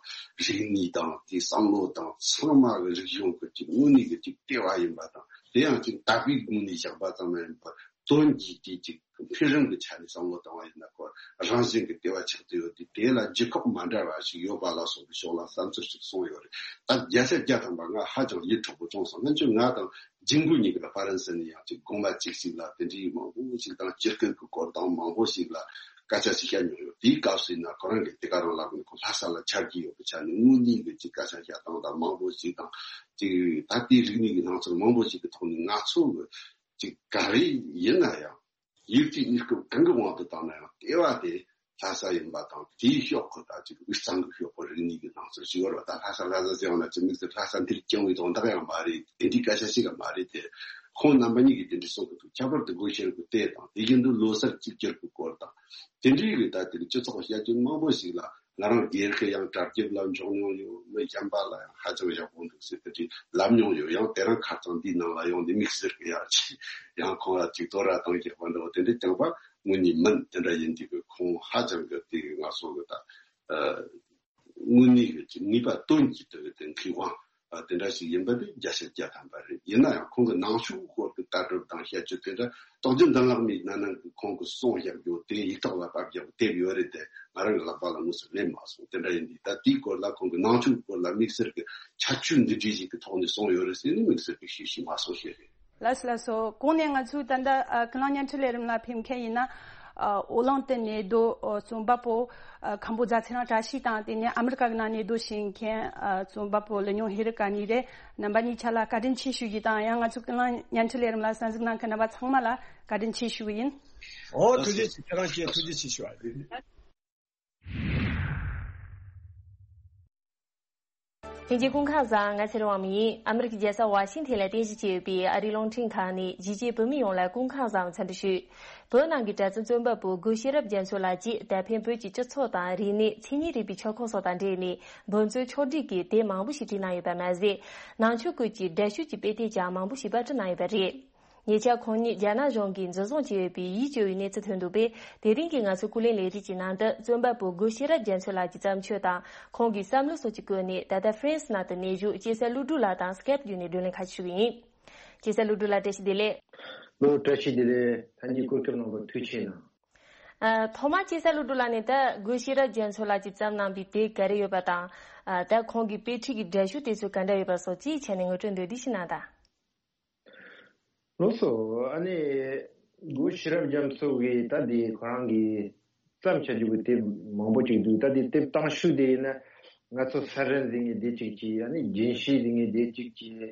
རིག་གནས་དང་དེ་བསམ་བློ་དང་ཚང་མ་གི་རིག་གཞུང་གི་ཅིག་དངོས་གནས་གི་ཅིག་ལྟེ་བ་ཡིན་པ་དང་། དེ་ཡང་ཅིག་དད་པའི་ངོས་ནས་བཞག་པ་ཙམ་མ་ཡིན་པར་དོན་གྱིས་དེ་ཅིག་འཕེལ་རིམ་གྱི་ཆ་ནས་བསམ་བློ་བཏང་བ་ཡིན་ན། ཁོ་རང་བཞིན་གྱི་ལྟེ་བ་ཆགས་ཏེ་ཡོད་དེ། དེ་ལ་ལྗིད་ཁོག་མ་འདྲ་བ་ཞིག་ཡོད་པ་ལ་སོགས་པའི་ཕྱོགས་ལ་བསམ་ཚུལ་ཞིག་གསུངས་ཡོད་རེད། ད་བརྒྱ་ཆ་བརྒྱ་ཐམ་པ་ང་ཧ་ཅང་ཡིད་འཕྲོག་པོ་བྱུང་སོང་། སྔོན་ཆད་ང་དང་རྒྱུན་གོ་གཉིས་ཀ་ཧྥ་རན་སི་ནས་ཡང་ཅིག་དགོན་པ་གཅིག་ཞིག་ལ་དེ་འདྲའི་མང་པོ་ཞིག་དང་། སྤྱིར་སྐད་ཀྱི་སྐོར་དང་མང་པོ་ཞིག་ལ་སྐད་ཆ་ཞིག་བཤད་མྱོང་ཡོད། དེའི་སྐབས་སུ་ཡིན་ན་ཁོ་རང་གིས་དེ་ག་རང་ལབ་ནས། ཁོ་ལྷ་ས་ལ་ཆ་རྒྱུས་ཡོད་པའི་ཆ་ནས་དངོས་གནས་ཀྱི་ཅིག་སྐད་ཆ་བཤད་སྟངས་དང་མང་པོ་ཞིག་དང་། ཅིག་ད་ལྟའི་རིག་གནས་ཀྱི་སྣང་ཚུལ་མང་པོ་ཞིག་གི་ཐོག་ནས་ང་ཚོ་གི་ཅིག་ག་རེ་ཡིན་ན་ཡང་། ཡིག་གཅིག་གཉིས་སྐོར་གང་གི་དབང་དུ་བཏང་ན་ཡང་ལྟེ་བ་དེ་ལྷ་ས་ཡིན་པ་དང་། དེའི་ཕྱོགས་ཁོ་ད་ཅིག་དབུས་གཙང་གི་ཕྱོགས་ཁོ་རིག་གནས་ཀྱི་སྣང་ཚུལ་ཞིག་ཡོད་རེད་པ། ད་ལྷ་ས་ལྷ་ས་ཟེར་བ་ན་ཅིག་དམིགས་བསལ་ལྷ་ས་འདིར་བསྐྱངས་པའི་དོན་དག་ཡང་མ་རེད། དེ་འདྲའི་སྐད་ཆ་ཞིག་ཡང་མ་རེད་དེ། ཁོང་རྣམ་པ་གཉིས་ཀྱིས་དེ་འདྲ་གསུང་གི་འདུག་ཁྱད་པར་དུ་སྒོ་ཤེར་བུ་དེ་དང་། དེ་བཞིན་དུ་ལོ་གསར་གཅིག་གྱུར་གྱི་སྐོར་དང་། དེ་འདྲའི་གི་ད་དེ་རིང་སྤྱི་ཚོགས་བཤད་རྒྱུན་མང་པོ་ཞིག་ལ། ང་རང་སྒེར་གྱི་ཡང་གྲ་རྒྱས་ལ་འཇོག་མྱོང་ཡོད། མི་གཞན་པ་ལ་ཡང་ཧ་ཅང་ཡག་པོ་འདུག་ཟེར་དེ་འདྲའི་ལབ་མྱོང་ཡོད། ཡང་དེ་རིང་ཁ་སང་འདིའི་ནང་ལ་ཡོང་ནས་དམིགས་བསལ་གྱི་ཡང་ཅིག་ཡང་ཁོང་ལ་ཅིག་དོ་ར་བཏང་རྒྱག་པ་འདྲ་བོ་དེ་འདྲ་རྐྱང་པ་དངོས་གནས་མིན། དེ་འདྲ་ཡིན་དུས་ཀྱི་ཁོང་ཧ་ཅང་གི་དེ་ང་ཚོ་གི་ད་ཨ་དངོས་གནས་ཀྱི་ཅིག་ངེས་པ་དོན་གྱིས་དེ་གི་དེ་མཁས་དབང་ཨ་དེ་འདྲ་ཞིག་ཡིན་པ་དེ་བརྒྱ་ཆ་བརྒྱ་ཐམ་པ་རེད། ཡིན་ན་ཡང་ཁོང་གི་ནང་ཆོས་སྐོར་གྱི་ལྟ་གྲུབ་དང་བཤད་སྤྱོད་དེ་འདྲ་རྟོགས་བརྗོད་མདུན་ལམ་མིའི་ནང་ནང་གི་ཁོང་གི་གསུང་བཤད་རྒྱུ་དེ་ཡིག་ཐོག་ལ་ཕབ་རྒྱག་དེབ་ཡོད་རེད་དེ། ང་རང་གི་ལག་པ་ལ་དངོས་སུ་སླེབས་མ་སོང་། དེ་འདྲ་ཡིན་དུས་ད་དེའི་སྐོར་ལ་ཁོང་གི་ནང་ཆོས་སྐོར་ལ་དམིགས་བསལ་གྱི་ཁྱད་ཆོས་འདི་འདྲའི་ཞིག་གི་ཐོག་ནས་གསུངས་ཡོད་རེད་ཟེར་ནས་དམིགས་བསལ་གྱི་ཤེས་ཤེས་མ་སོང་ཞེས་རེད། ལགས་སོ་ལགས་སོ། གོང་ནས་ང་ཚོས་ད་ལྟ་ཨ་ཀུན་གླེང་བརྙན་འཕྲིན་ལས་རིམ་ལ་ཕེབས་མཁན་ཡིན་ན། ཨ་ཨོ་གླིང་དུ་གནས་སྡོད་ཨ་རྩོམ་པ་པོ་ཨ་མཁན་པོ་རྫ་ཚེ་རིང་བཀྲ་ཤིས་དང་། དེ་ནས་ཨ་མི་རི་ཀ་གི་ནང་གནས་སྡོད་བྱེད་མཁན་ཨ་རྩོམ་པ་པོ་ལི་ཉུང་ཧེ་རི་ཀ་གཉིས་རེད། རྣམ་པ་གཉིས་ཆ་ལ་བཀའ་དྲིན་ཆེ་ཞུ་རྒྱུ་དང་། ཡང་ང་ཚོ་ཀུན་གླེང་བརྙན་འཕྲིན་ལས་རིམ་ལ་གསན་གཟིགས་གནང་མཁན་རྣམ་པ་ཚང་མ་ལ་བཀའ་དྲིན་ཆེ་ཞུ་གི་ཡིན། ཨོ་ཐུགས་རྗེ་ཆེ། ཁྱེད་རང་ཆེ་ཐུགས་རྗེ་ཆེ་ཞུ་བ་རེད། ལྷན་རྒྱས་སྐུ་ཁམས་བཟང་། ང་ཚེ་རིང་དབང་མོ་ཡིན། ཨ་མི་རི་ཀའི་རྒྱལ་ས་ཝ་ཤིང་ཐན་ལ་རྟེན་གཞི་བྱས་ཡོད་པའི་ཨ་རིའི་རླུང་འཕྲིན་ཁང་ནས་གཞིས་བྱེས་བོད་མི་ཡོངས་ལ་སྐུ་ཁམས་བཟང་འཚམས་འདྲི་ཞུ། བོད་ནང་གི་གྲྭ་བཙུན་རྩོམ་པ་པོ་སྒོ་ཤེས་རབ་རྒྱ་མཚོ་ལགས་ཀྱིས་ད་ཕན་བོད་ཀྱི་སྤྱི་ཚོགས་དང་རིག་གནས། མཚན་ཉིད་རིག་པའི་ཁྱབ་ཁོངས་སོགས་དང་འབྲེལ་ནས་འབུར་མཛོད་ཕྱོགས་བསྒྲིགས་ཀྱི་དེབ་མང་པོ་ཞིག་བྲིས་གནང་ཡོད་པ་མ་ཟད། ནང་ཆོས་སྐོར་གྱི་འདྲ་བཤུས་ཀྱི་དཔེ་དེབ་ཀྱང་མང་པོ་ཞིག་པར་སྐྲུན་གནང་ཡོད་པ་རེད། ཉེ་ཆར་ཁོང་ཉིད་རྒྱ་ནག་གཞུང་གིས་འཛིན་བཟུང་བྱས་ཡོད་པའི་ཡིད་སྐྱོ་བའི་གནས་ཚུལ་ཐོན་འདུག་པས། དེ་རིང་གི་ང་ཚོའི་སྐུ་ལས་ལས་རིམ་གྱི་ནང་དུ་རྩོམ་པ་པོ་སྒོ་ཤེས་རབ་རྒྱ་མཚོ་ལགས་ཀྱི་བརྩམས་ཆོས་དང་ཁོང་གི་བསམ་བློ་སོགས་ཀྱི་སྐོར་ནས། ད་ལྟ་ཧྥ་རན་སི་ནང་དུ་གནས་བཞུགས་སྐྱེས་ཚེ་ཀླུ་སྒྲུབ་ལགས་དང་སྐེབ་བརྒྱུད་ནས་བགྲོ་གླེང་ཁ་ཤས་ཞུ་གི་ཡིན། སྐྱེས་ཚེ་ཀླུ་སྒྲུབ་ལགས་བཀྲ་ཤིས་བདེ་ལེགས། ལོ་བཀྲ་ཤིས་བདེ་ལེགས། ལྷན་རྒྱས་སྐུ་ཁམས་བཟང་པོ། ཐུགས་རྗེ་གནང་། ཨ། ཐོག་མར་སྐྱེས་ཚེ་ཀླུ་སྒྲུབ་ལགས་ནས་ད་སྒོ་ཤེས་རབ་རྒྱ་མཚོ་ལགས་ཀྱིས་བརྩམས་གནང་པའི་དེབ་ག་རེ་ཡོད་པ་དང་། ཨ། ད་ཁོང་གི་དཔེ་ཁྲིད་ཀྱི་འདྲ་བཤུས་དེ་ཚོ་ག་འདྲ་ཡོད་པ་སོགས་ཀྱི་ཆ་ནས་ངོ་སྤྲོད་མདོར་བསྡུས་ཤིག་གནང་དང་། ལགས་སོ། ཨ་ནི་སྒོ་ཤེས་རབ་རྒྱ་མཚོ་གི་ད་དེ་ཁོ་རང་གི་བརྩམས་བྱ་རྒྱུ་གི་དེབ་མང་པོ་ཅིག་འདུག་ད་དེ་དེབ་དང་ཤོས་དེ་ཡིན་ན་ང་ཚོ་ས་རཱ་ཟེར་མཁན་དེ་གཅིག་གིས། ཨ་ནི་རྒྱན་ཤེས་ཟེར་མཁན་དེ་གཅིག་གིས།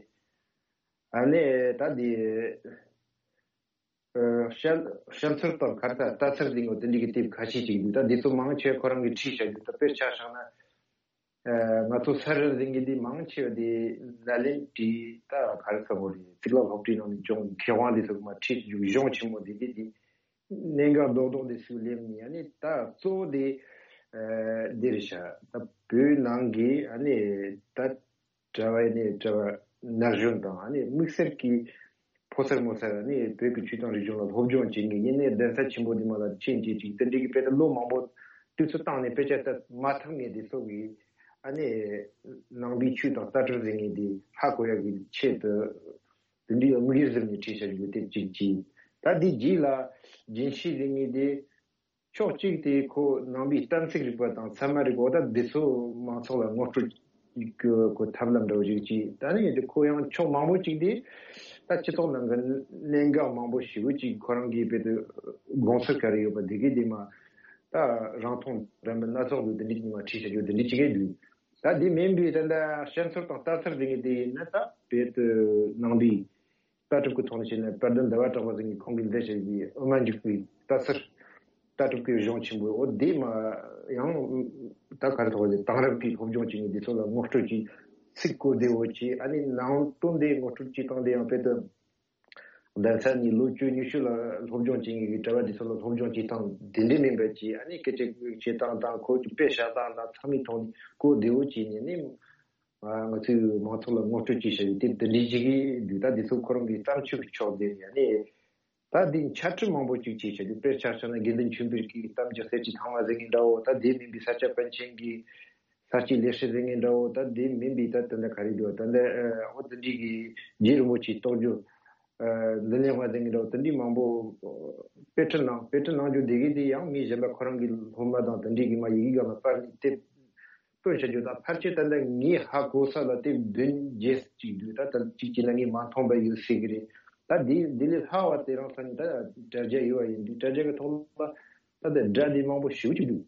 ཨ་ནི་ད་དེ་ཨ་བཤད་བཤད་ཚུལ་དང་གར་དང་ལྟ་ཚུལ་ཟེར་མཁན་དེ་འདྲ་གི་དེབ་ཁ་ཤས་ཅིག་འདུག་ད་དེ་ཚོ་མང་ཆེ་ཁོ་རང་གིས་བྲིས་བཞག་རྒྱུ། ད་དཔེར་ཆ་བཞག་ན། ཨ། ང་ཚོ་ས་རཱ་ཟེར་མཁན་འདི་མང་ཆེ་བ་དེ་ནཱ་ལེནྡྲའི་ད་ག་རེ་ཟེར་དགོས་རེད། གཙུག་ལག་སློབ་གྲྭའི་ནང་ནས་སྦྱོང་མཁས་དབང་དེ་ཚོ་མར་ཁྲིད་བཅུག་གཞུང་ཆེན་མོ་དེ་གི་དེ་གནད་འགག་རྡོག་རྡོག་དེ་ཚོ་སླེབས་ནས། ཨ་ནི་ད་གཙོ་བོ་དེ་ཨ་འདི་རེད་ཤག་ད་བོད་ནང་གི་ཨ་ནི་ད་གྲྭ་བ་ནས་གྲྭ་བ་ན་གཞོན་དང་། ཨ་ནི་དམིགས་བསལ་གྱི་ཕོ་གསར་མོ་གསར། ཨ་ནི་བོད་ཀྱི་ཆོས་དང་རིག་གཞུང་ལ་སློབ་སྦྱོང་བྱེད་མཁན། ཡིན་ནའི་གདན་ས་ཆེན་པོ་འདི་མ་ལ་ཕྱིན་བྱེད་ཅིག་དེ་འདྲའི་གི་དཔེ་ད་ལོ་མང་པོ་དུས་ཚོད་བཏང་ནས་དཔེ་ཆ་ལྟ་མ་ཐུབ་མཁན་དེ་ཚོ་གིས་ཨ་ནི་ནང་པའི་ཆོས་དང་ལྟ་གྲུབ་ཟེར་མཁན་དེ་ཧ་གོ་ཡག་གི་ཆེད་དུ་དེ་འདྲའི་དམིགས་ཡུལ་བཟུང་ནས་བྲིས་བཞག་རྒྱུ་དེ་གཅིག་གིས། ད་དེ་རྗེས་ལ་རྒྱན་ཤེས་ཟེར་མཁན་དེ། ཕྱོགས་གཅིག་དེ་ཁོ་ནང་པའི་གཏན་ཚིགས་རིག་པ་དང་ཚད་མ་རིག་པ། ད་འདི་ཚོ་མང་ཚོགས་ལ་ངོ་སྤྲོད་ཀྱི་ཁོ་ཐབས་ལམ་འདྲ་བོ་ཞིག་བྱས། ད་ནི་དེ་ཁོ་ཡང་ཕྱོགས་མང་པོ་ཅིག་དེ་ད་སྤྱི་ཚོགས་ནང་གི་གནད་འགག་མང་པོ་ཞེ་པོ་ཅིག་ཁོ་རང་གིས་དཔེ་དེ་དགོངས་ཚུལ་ག་རེ་ཡོད་པ་དེ་གི་དེ་མ་ད་རང་མཐོང་ལྡན་པ་སྣ་ཚོགས་འདུག་དེ་འདྲ་ཅིག་མ་བྲིས་བྱ་རྒྱུ་དེ་འདྲ་ཅིག་གི་འདུག་ད་དེ་མིན་པའི་ད་ལྟ་བཤད་ཚུལ་དང་ལྟ་ཚུལ་དེ་གི་དེ་ཡིན་ན། ད་དཔེ་དེ་ནང་པའི་ལྟ་གྲུབ་ཀྱི་ཐོག་ནས་བཤད་ན། དཔལ་ལྡན་ཟླ་བ་གྲགས་པ་ཟེར་མཁན་ཁོང་གིས་མཛད་བཞག་པའི་དབུ་མ་འཇུག་པའི་ལྟ་ཚུལ། ལྟ་གྲུབ་ཀྱི་གཞུང་ཆེན་པོ། འོ་དེ་མ་ཡང་ད་ག་རེ་ཐོག་ལ་དེང་རབས་ཀྱི་སློབ་སྦྱོང་བྱེད་མཁན་དེ་ཚོ་ལ་ངོ་སྤྲོད་ཀྱི་ཚིག་གོ་བདེ་བོ་བྱས། ཨ་ནི་ནང་དོན་དེ་ངོ་སྤྲོད་ཀྱི་སྟངས་དེ་ཡང་དཔེ་དེ་ གདན་ས་ནས་ལོ་བཅུ་ཉི་ཤུ་ལ་སློབ་སྦྱོང་བྱེད་མཁན་གྱི་གྲྭ་པ་དེ་ཚོ་ལ་སློབ་སྦྱོང་བྱེད་སྟངས་དེ་འདྲའི་མིན་པ་ཅིག་ཨ་ནི་སྐད་ཆ་བཤད་སྟངས་དང་ཁོ་ཚོའི་དཔེ་བཞག་སྟངས་དང་ཚང་མའི་ཐོག་ནས་གོ་བདེ་བོ་བྱས་ནས་ནི། ང་ཚོའི་མང་ཚོགས་ལ་ངོ་སྤྲོད་བྱས་བཞག་ཡོད་དེ་འདི་འདྲའི་ཞིག་གི་འདུག་ད་འདི་ཚོ་ཁོ་རང་གི་བརྩམས་ཆོས་ཀྱི་ཕྱོགས་དེ་ཡ་ནི། ད་འདི་འཆད་ཁྲིད་མང་པོ་ཅིག་བྱས་བཞག་དུས་དཔེར་ཆ་བཞག་ན་དགེ་འདུན་ཆོས་འཕེལ་གྱི་གཏམ་རྒྱུད་གསེར་གྱི་ཐང་བ་ཟེར་མཁན་འདྲ་བོ། ད་དེ་མིན་པའི་ས་སྐྱ་པཎ་ཆེན་གྱི་ས་སྐྱའི་ལེགས་བཤད་ཟེར་མཁན་འདྲ་བོ། ད་དེ་མིན་པའི་ད་དེ་འདྲ་ག་རེ་འདུག་ད་འདི་འོ་དེ་འདྲའི་གི་རྗེ་རིན་པོ་ཆེའི་རྟོགས་བརྗོད། འདི་ལས་མ་ཟེར་མཁན་འདྲ་བོ་དེ་འདྲའི་མང་པོ་དཔེ་ཁྲིད་གནང་། དཔེ་ཁྲིད་གནང་རྒྱུ་དེ་གི་དེ་ཡང་མི་གཞན་པ་ཁོ་རང་གི་སློབ་མ་དང་དེ་འདྲའི་གི་མ་ཡི་གེ་སྒང་ལ་སྤར་ནས་དེབ་སྟོན་བྱ་རྒྱུ་དང་ཕལ་ཆེར་ད་ལྟ་ངས་ཧ་གོ་ས་ལ་དེབ་བདུན་བརྒྱད་ཅིག་འདུག་ད་ད་ཅིག་བྱས་ན་ངས་མ་མཐོང་པ་ཡོད་སྲིད་གི་རེད། ད་འདི་འདི་ལས་ལྷག་པ་དེ་རང་ས་ནས་ད་དྲ་རྒྱ་ཡོད་པ་ཡིན་དུས་དྲ་རྒྱ་གི་ཐོག་ལ་ད་ལྟ་སྒྲ་དེ་མང་པོ་ཞེ་པོ་ཅིག་འདུག་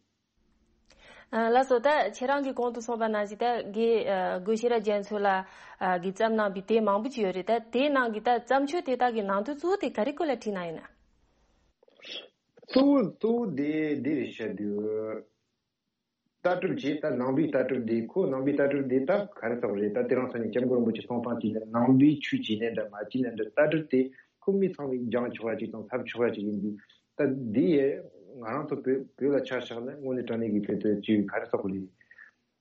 ཨ་ལགས་སོ། ད་ཁྱེད་རང་གིས་གོང་དུ་གསུངས་པ་ནང་བཞིན་ད་དགེ་ཨ་དགེ་བཤེས་རབ་རྒྱ་མཚོ་ལ་ཨ་གིས་བརྩམས་གནང་བའི་དེབ་མང་པོ་ཅིག་ཡོད་རེད། ད་དེའི་ནང་གི་ད་བརྩམས་ཆོས་དེ་དག་གི་ནང་དོན་གཙོ་བོ་དེ་ག་རེ་སྐོར་ལ་བྲིས་གནང་ཡོད་ན། གཙོ་བོ་གཙོ་བོ་དེ་འདི་རེད་བཤད་དུས། ལྟ་གྲུབ་ཀྱི་ད་ནང་པའི་ལྟ་གྲུབ་འདི་ཁོ་ནང་པའི་ལྟ་གྲུབ་འདི་ད་ག་རེ་ཟེར་བ་རེད། ད་དེ་རིང་སང་ཉིན་སྐྱབས་མགོན་རིན་པོ་ཆེ་གསུང་སྟངས་ཀྱི་ནང་པའི་ཆོས་ཀྱི་གནས་འདྲ་མ་ཀྱི་གནས་འདྲ་ལྟ་གྲུབ་དེ་ཁོ་མི་ཚང་མས་སྦྱང་ཆོག་པ་ཅིག་དང་ཐོབ་ཆོག་པ་ཅིག་ཡིན་དུས། ད་འདི་ཡས་ང་རང་ཚོ་བོད་བོད་ལ་ཆ་བཞག་ན་དངོས་གནས་དྲང་གནས་ཀྱི་བོད་དོན་ཅིག་ག་རེ་ཟེར་བ་རེད།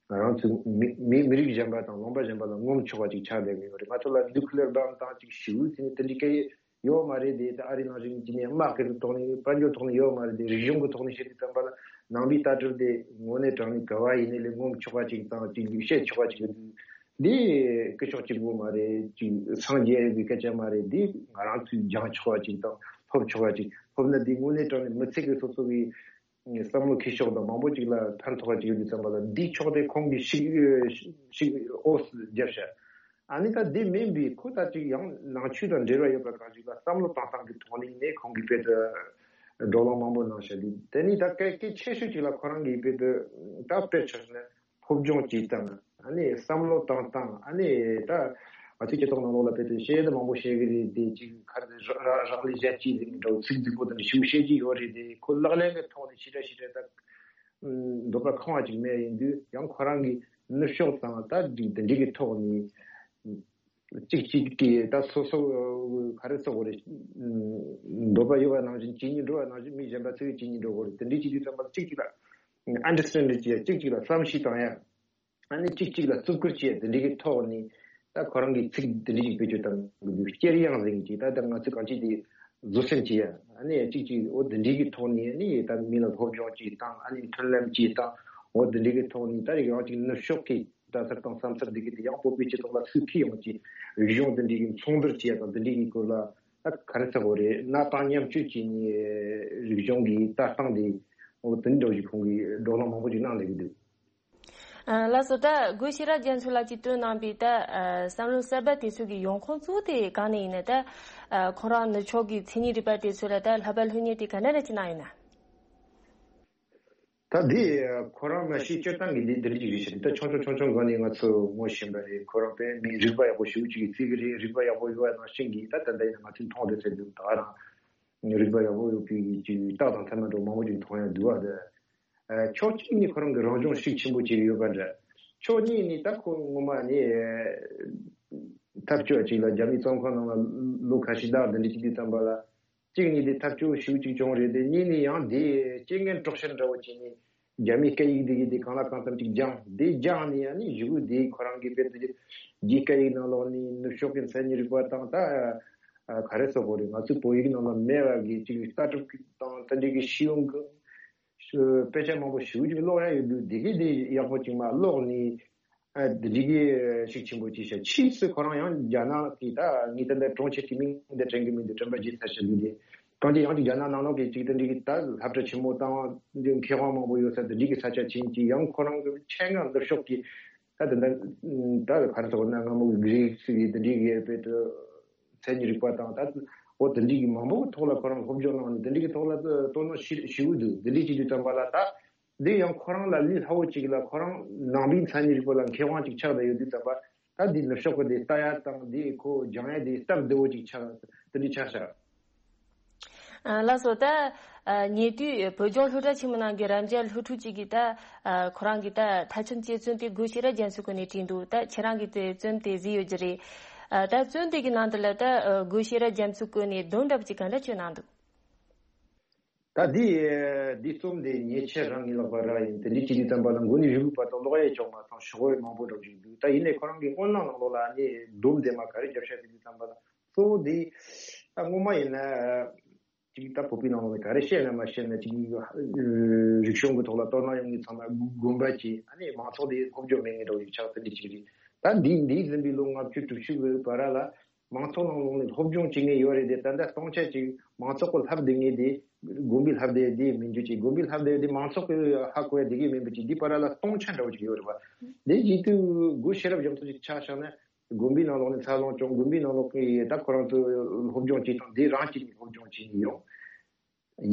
ང་རང་ཚོ་མི་མི་མི་རིགས་གཞན་པ་དང་ལུང་པ་གཞན་པ་ལ་ངོམ་ཆོག་པ་ཅིག་ཆགས་བསྡད་ཀྱི་ཡོད་རེད། ང་ཚོ་ལ་ནིའུ་ཀི་ལི་ཡར་བྷོམ་བཏང་ཅིག་ཞེ་པོ་ཟེར་ནས་དེ་འདྲའི་སྐད་ཡོད་མ་རེད་དེ། ད་ཨ་རི་ནང་བཞིན་གྱི་ནས་དམག་གི་ཐོག་ནས་དཔལ་འབྱོར་ཐོག་ནས་ཡོད་མ་རེད་དེ། རིག་གཞུང་གི་ཐོག་ནས་བཤད་དུས་ཙམ་པ་ལ་ནང་པའི་ལྟ་གྲུབ་དེ་དངོས་གནས་དྲང་གནས་ག་བ་ཡིན་ནའི་ལས་ངོམ་ཆོག་པ་ཅིག་དང་ཅིག་བཤད་ཆོག་པ་ཅིག་ཡོད་དུས། འདི་སྐུ་ཞབས་གཅིག་པོ་མ་རེད། ཅིག་སངས་རྒྱས་ཀྱི་སྐད་ཆ་མ་རེད། འདི་ང་རང་ཚོས་སྦྱང་ཆོག་པ་ཅིག་དང་ཐོབ་ཆོག་པ་ཅིག་ཐོབ་ན་འདི་དངོས་གནས་དྲང་གནས་མི་ཚེ་གི་སོ་སོ་གི་བསམ་བློ་འཁྱེར་ཕྱོགས་དང་མང་པོ་ཅིག་ལ་ཕན་ཐོགས་པ་ཅིག་ཡོད་དུས་ཙམ་པ་ལ་འདི་ཕྱོགས་དེ་ཁོང་གིས་ཤིག་ཤིག་ཨོ་སི་བརྒྱབ་ཤག་ཨ་ནི་ད་འདི་མིན་པའི་ཁོ་ད་ཅིག་ཡང་ནང་ཆོས་དང་འབྲེལ་བ་ཡོད་པ་གང་ཞིག་ལ་བསམ་བློ་བཏང་སྟངས་ཀྱི་ཐོག་ནས་ནས་ཁོང་གིས་དཔེ་དེ་བགྲོ་གླེང་མང་པོ་གནང་ཤག་འདི་དེ་ནི་ད་གལ་གལ་ཆེ་ཤོས་ཅིག་ལ་ཁོ་རང་གིས་དཔེ་དེ་ད་དཔེར་ཆ་བཞག་ན་སློབ་སྦྱོང་བྱེད་སྟངས། ཨ་ནི་བསམ་བློ་བཏང་སྟངས། ཨ་ནི་ད་ང་ཚོའི་སྤྱི་ཚོགས་ནང་ལོགས་ལ་དཔེ་དེ་བཤད་དེ་མང་པོ་བཤད་གི་རེད་དེ། ཅིག་ག་རེ་རག་རག་ལས་གཞན་གཅིག་ཟེར་གི་འདྲ་བོ་ཚིག་རྫིག་པོ་དེ་འདྲ་ཞིག་བཤད་ཀྱི་ཡོད་རེད་དེ། ཁོ་ལག་ལེན་གྱི་ཐོག་ནས་ཞེ་དྲག་ཞེ་དྲག་ད་འདོད་པ་ཁེངས་པ་ཅིག་མེད། ཡིན་དུས་ཡང་ཁོ་རང་གི་ནུབ་ཕྱོགས་དང་ད་འདི་འདི་འདྲའི་གི་ཐོག་ནས་གཅིག་གཅིག་གི་ད་སོ་སོ་ག་རེ་ཟེར་དགོས་རེད། འདོད་པ་ཡོད་པ་ནང་བཞིན་བྱེད་སྙིང་འདོད་པ་ནང་བཞིན་མི་གཞན་པ་ཚོས་བྱེད་སྙིང་འདོད་དགོས་རེད། དེ་འདྲའི་བྱེད་དུས་ཙམ་པ་གཅིག་གཅིག་ལ་ཨན་ཌར་སི་ཊེན་ཌ་བྱེད་ཡ། གཅིག་གཅིག་ལ་བསམ་ཤེས་བཏང་ཡ། ཨ་ནི་གཅིག་གཅིག་ལ་བརྩི་བཀུར་བྱེད་ཡ། དེ་འདྲའི་གི་ཐོག་ནས་ད་ཁོ་རང་གི་ཚིག་དེ་འདྲའི་ཅིག་བེད་སྤྱོད་བཏང་གི་འདུག་སྐྱེར་དབྱངས་ཟེར་གྱི་ཅིག་ད་ད་ང་ཚོས་གང་ཅི་དེ་བཟོད་སེམས་བྱེད་ཡ། ཨ་ནི་གཅིག་ཅིག་འོ་དེ་འདྲའི་གི་ཐོག་ནས་ཨ་ནི་ད་མི་ལ་སློབ་སྦྱོང་ཅིག་བཏང་། ཨ་ནི་མཐུན་ལམ་ཅིག་བཏང་། འོ་དེ་འདྲའི་གི་ཐོག་ནས་ད་ཡང་ཅིག་ནུབ་ཕྱོགས་ཀྱི་ལྟ་ཚུལ་དང་བསམ་ཚུལ་འདི་གི་དེ་ཡང་བོད་པའི་སྤྱི་ཚོགས་ལ་སུས་ཁས་ཡོང་ཅིག་རིག་གཞུང་དེ་འདྲའི་གི་མཚུངས་བསྡུར་བྱེད་ཡ་དང་དེ་འདྲའི་གི་སྐོར་ལ་ད་ག་རེ་ཟེར་དགོས་རེད། གནའ་དེང་མཉམ་སྤྱོད་བྱས་ནས་རིག་གཞུང་གི་ལྟ་སྟངས་དེ་འོ་དེ་འདྲ་ཞིག་ཁོང་གིས་བགྲོ་གླེང་མང་པོ་ཅིག་གནང་བསྡད་ཀྱི་འདུག་ཨ་ལགས་སོ། ད་དགེ་བཤེས་རབ་རྒྱ་མཚོ་ལགས་ཀྱིས་བཏོན་གནང་པའི་ད་ཨ་བསམ་བློ་གསར་པ་དེ་ཚོ་གི་ཡོང་ཁུངས་གཙོ་བོ་དེ་གང་ནས་ཡིན་ན། ད་ཨ་ཁོ་རང་ནུབ་ཕྱོགས་ཀྱི་མཚན་ཉིད་རིག་པ་དེ་ཚོ་ལ་ད་བསླབ་པ་སློབ་གཉེར་དེ་ག་འདྲ་རེ་བྱེད་གནང་ཡོད་ན། ད་འདི་ཁོ་རང་མ་གཞི་སྤྱིར་བཏང་གི་འདི་འདི་འདྲ་ཅིག་རེད་ཤག་འདི་ད་ཆུང་ཆུང་ཆུང་ཆུང་སྒང་ནས་ང་ཚོ་ངོ་ཤེས་པ་རེད། ཁོ་རང་དཔེ་མི་རིག་པ་ཡག་པོ་ཞེ་པོ་ཅིག་གིས་བརྩི་གི་རེད། རིག་པ་ཡག་པོ་ཡོད་པ་ནང་བཞིན་གྱིས་ད་ད་ལྟ་ཡིན་ན་ང་ཚོས་མཐོང་བསྡད་ཚད་འདུག་ད་རང་རིག་པ་ཡག་པོ་ཡོད་པའི་ཅིག་རྟགས་དང་མཚན་མ་འདྲ་མང་པོ་ཅིག་མཐོང་ཡ་འདུག་བ། དེ་ཕྱོགས་གཅིག་ནས་ཁོ་རང་གི་རང་སྦྱོང་ཤུགས་ཆེན་པོ་བྱེད་ཀྱི་ཡོད་པ་འདྲ། ཕྱོགས་གཉིས་ནས་ད་ཁོ་ངོ་མ་ནས་ཐབས་སྐྱོ་ཅིག་ལ་རྒྱ་མིའི་བཙོན་ཁང་ནང་ལ་ལོ་ཁ་ཤས་ལྟ་འདི་འདྲ་ཅིག་དུས་ཙམ་པ་ལ་གཅིག་ནས་དེ་ཐབས་སྐྱོ་ཤུགས་ཅིག་བྱུང་རེད་དེ། གཉིས་ནས་ཡང་དེ་རྐྱེན་ངན་གྲོགས་ཤར་འདྲ་བོ་བྱས་ནས་རྒྱ་མིའི་སྐད་ཡིག་དེ་གི་དེ་གང་ལ་གང་འཚམ་ཅིག་སྦྱངས། དེ་སྦྱངས་ནས་ཡང་ནི་གཞུག་གུ་དེ་ཁོ་རང་གི་དཔེ་དེ་རྒྱའི་སྐད་ཡིག་ནང་ལོགས་ནས་ནུབ་ཕྱོགས་ཀྱི་མཚན་ཉིད་རིག་པ་དང་ད་ག་རེ་ཟེར་དགོས་རེད། ང་ཚོའི་བོད་ཡིག་ནང་ལ་མེད་པ་གི་ཅིག་ལྟ་གྲུབ་དང་དེ་འདྲའི་གི་ཤེས་ཡོན་གི་དཔེ་ཆ་མང་པོ་ཞེ་པོ་ཅིག་ཀློག་ཡ་ཡོད་དུས། དེ་གི་དེ་ཡག་པོ་ཅིག་མ་ཀློག་ནས། ཨ་དེ་འདྲའི་གི་ཤུགས་ཆེན་པོ་ཅིག་བྱས། ཕྱིས་སུ་ཁོ་རང་ཡང་རྒྱ་ནག་གི་ད་ངས་ད་ལྟ་གྲོང་ཁྱེར་གྱི་མིང་འདི་དྲན་གི་མི་འདུག་དྲན་པ་བརྗེད་ཚར་ཤག་འདུག་དེ། གང་ཅི་ཡང་ཅིག་རྒྱ་ནག་ནང་ལོགས་ཀྱི་ཅིག་དེ་འདྲའི་གི་ད་སློབ་གྲྭ་ཆེན་མོ་དང་འདི་མཁས་དབང་མང་པོ་ཡོད་ས་དེ་འདྲའི་གི་ས་ཆ་ཕྱིན་ཅིག་ཡང་ཁོ་རང་གི་ཆེད་མངགས་ནུབ་ཕྱོགས་ཀྱི་ད་དེ་འདྲ་ད་ག་རེ་ཟེར་དགོས་ན་སྔ་མོ་གི་གྷི་རིག་སི་གི་དེ་འདྲའི་གི་དཔེ་དེ་མཚན་ཉིད་རིག་པ་དང་ད་འོ་དེ་འདྲའི་གི་མང་པོ་གི་ཐོག་ལ་ཁོ་རང་སློབ་སྦྱོང་གནང་ནས་དེ་འདྲའི་གི་ཐོག་ལ་དོ་སྣང་ཞེ་ཞེ་པོ་འདུག་དེ་འདྲའི་ཅིག་དུས་ཙམ་པ་ལ་ད། འདི་ཡང་ཁོ་རང་ལ་ལས་སླ་བོ་ཅིག་ལ་ཁོ་རང་ནང་པའི་མཚན་ཉིད་རིག་པ་ལ་མཁས་དབང་ཅིག་ཆགས་བསྡད་ཡོད་དུས་ཙམ་པ། ད་འདི་ནུབ་ཕྱོགས་ཀྱི་འདི་ལྟ་ཡ་དང་འདི་ཁོ་སྦྱང་ཡ་འདི་སྟབས་བདེ་བོ་ཅིག་ཆགས། དེ་འདྲ་ཆགས་ཤག་ཨ་ལགས་སོ། ད་ཨ་ཉེ་དུས་བོད་ལྗོངས་སློབ་གྲྭ་ཆེན་མོ་ནང་གི་རབ་འབྱམས་སློབ་ཕྲུག་ཅིག་གིས་ད་ཨ་ཁོ་རང་གི་ད་མཐའ་ཁྱིམ་གཅེས་བཙུན་དེ་དགེ་བཤེས་རབ་རྒྱ་མཚོའི་སྐོར་ནས་བྲིས་འདུག་ད་ཁྱེད་རང་གིས་དེ་རྩོམ་དེ་གཟིགས་ཡོད་ཀྱི་རེད། ཨ་ད་རྩོམ་དེ་གི་ནང་དུ་ལ་ད་ཨ་སྒོ་ཤེས་རབ་རྒྱ་མཚོས་བཀོད་ནས་སྡོམ་འདྲ་པོ་ཅིག་ག་འདྲ་བྱས་གནང་འདུག་ད་འདི་འདི་རྩོམ་དེ་ཉེ་ཆར་རང་གི་ལག་པར་རག་ཡིན། དེ་འདྲའི་ཅིག་དུས་ཙམ་པ་ལ་མགོ་ནས་མཇུག་བར་དུ་ཀློག་ཡས་ཅང་མ་ཚང་ཤོག་བུ་མང་པོ་འདྲ་པོ་ཅིག་འདུག་ད་ཡིན་ནའི་ཁོ་རང་གི་སྔོན་ལ་ནང་ལོགས་ལ་ནི་སྡོམ་དེ་མ་ག་རེ་རྒྱབ་ཤག་དེ་དུས་ཙམ་པ་ལ་གཙོ་བོ་འདི་ད་སྔོན་མ་ཡིན་ན། ཅིག་ད་བོད་པའི་ནང་ལོགས་ནས་ག་རེ་བཤད་ན་མ་བཤད་ན་ཅིག་རིག་གཞུང་གི་ཐོག་ལ་དོ་སྣང་ཡོང་མཁན་ཚང་མ་དགོན་པ་བཅས་ཨ་ནི་མང་ཚོགས་དེ་སློབ་སྦྱོང་མེད་མཁན་འདྲ་བོ་ཞིག་ཆགས་ཚར་འདི་ཅིག་རེད། ད་འདི་འདས་ཟིན་པའི་ལོ་ལྔ་བཅུ་དྲུག་ཅུ་གི་བར་ལ་མང་ཚོགས་ནང་ལོགས་ནས་སློབ་སྦྱོང་བྱེད་མཁན་ཡོད་རེད་དེ། ད་ལྟ་སྟོང་ཆ་ཅིག་མང་ཚོགས་ཀྱི་ལྷབ་བསྡད་མཁན་དེ་དགོན་པའི་ལྷབ་བསྡད་དེ་མིན་རྒྱུ་ཅིག་དགོན་པའི་ལྷབ་བསྡད་དེ་མང་ཚོགས་ཀྱི་ཧ་གོ་ཡ་དེ་གས་མིན་པ་ཅིག་འདི་བར་ལ་སྟོང་ཆ་འདྲ་བོ་ཅིག་ཡོད་རེད་པ། དེ་བཞིན་དུ་སྒོ་ཤེས་རབ་རྒྱ་མཚོ་ཅིག་ཆ་བཞག་ན། དགོན་པའི་ནང་ལོགས་ནས་འཚར་ལོངས་བྱུང་། དགོན་པའི་ནང་ལོགས་ཀྱི་ད་ཁོ་རང་ཚོ་སློབ་སྦྱོང་བྱེད་སྟངས་འདི་རང་གཅིག་ནས་སློབ་སྦྱོང་བྱེད་ཀྱི་ཡོད།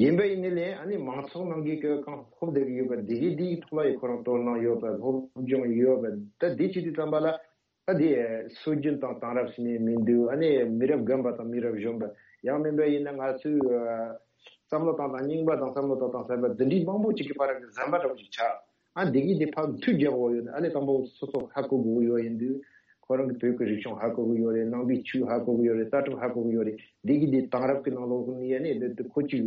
ཡིན་པ་ཡིན་ནའི་ལས་ཨ་ནི་མང་ཚོགས་ནང་གི་གང་ཧོབ་བསྡད་ཀྱི་ཡོད་པ་འདི་གི་འདིའི་ཐོག་ལ་ཡི་ཁོ་རང་དོ་སྣང་ཡོད་པ་སློབ་སྦྱོང་ཡོད་པ་ད་འདི་བྱེད་དུས་ཙམ་པ་ལ་ད་འདི་སྲོལ་རྒྱུན་དང་དེང་རབས་ཟེར་ནས་མི་འདུག་ཨ་ནི་མི་རབས་རྒན་པ་དང་མི་རབས་གཞོན་པ་ཡང་མིན་པ་ཡིན་ན་ང་ཚོའི་བསམ་བློ་བཏང་དང་རྙིང་པ་དང་བསམ་བློ་བཏང་དང་ཟེར་བ་འདི་འདྲའི་མང་པོ་ཅིག་གི་བར་གྱི་ཟམ་པ་འདྲ་བོ་ཅིག་ཆགས། ཨ་འདི་གི་འདི་ཕར་མཐུད་རྒྱག་དགོས་ཡོད་ནི་ཨ་ནི་དང་པོ་སོ་སོ་ཧ་གོ་དགོས་ཡོད་ཡིན་དུས་ཁོ་རང་གི་བོད་ཀྱི་རིག་གཞུང་ཧ་གོ་གི་ཡོད་རེད། ནང་པའི་ཆོས་ཧ་གོ་གི་ཡོད་རེད། ལྟ་གྲུབ་ཧ་གོ་གི་ཡོད་རེད། འདི་གི་འདི་དེང་རབས་ཀྱི་ནང་ལོགས་ནས་ཨ་ནི་འདི་འདི་ཁོ་ཅིག་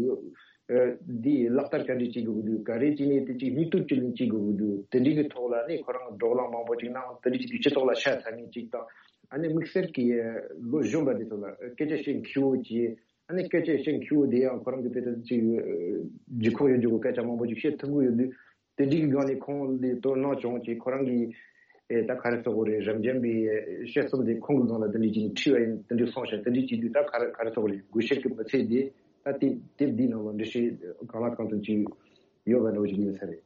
འདི་ལག་བསྟར་ག་འདྲ་བྱེད་དགོས་ཀྱི་འདུག་ག་རེ་བྱས་ནས་དེ་ཅིག་སྙིང་སྟོབས་ཅི་ལེན་བྱེད་དགོས་ཀྱི་འདུག་དེ་འདྲི་གི་ཐོག་ལ་ནི་ཁོ་རང་བགྲོ་གླེང་མང་པོ་ཅིག་གནང་། དེ་འདྲི་ཅིག་སྤྱི་ཚོགས་ལ་ཤ་ཚ་ངེས་ཅིག་དང་ཨ་ནི་དམིགས་བསལ་གྱི་ལོ་གཞོན་པ་འདི་ཚོ་ལ་སྐད་ཆ་བཤད་མཁས་པོ་ཅིག་ཨ་ནི་སྐད་ཆ་བཤད་མཁས་པོ་དེ་ཡང་ཁོ་རང་གི་དཔེ་དེ་ཅིག་ལྗིད་ཁོག་ཡོད་རྒྱུ་གི་སྐད་ཆ་མང་པོ་ཅིག་བཤད་ཐུབ་ཀྱི་ཡོད་དུས། དེ་འདྲའི་སྒང་ནས་ཁོང་ལ་དོ་སྣང་བྱུང་བྱས་ཁོ་རང་གིས་ཨེ་ད་ག་རེ་ཟེར་དགོས་རེད། རབ་འབྱམས་པའི་བཤད་རྩོམ་དེ་ཁོང་གི་སྒང་ལ་དེ་འདྲའི་ཅིག་ཁྲིད་པ་ཡིན། དེ་འདྲའི་སོང་ཞིང་དེ་འདྲའི་བྱེད་དུས་ད་ག་རེ་ག་རེ་ཟེར་དགོས་རེད། འགུལ་ཤུགས་ཀྱི་མི་ཚད་དེ་ད་དེབ་དེབ་འདིའི་ནང་ལ་འགྲེལ་བཤད་གང་ལ་གང་འཚམ་ཅིག་ཡོད་པ་འདྲ་བོ་ཅིག་ཡིན་ས་རེད།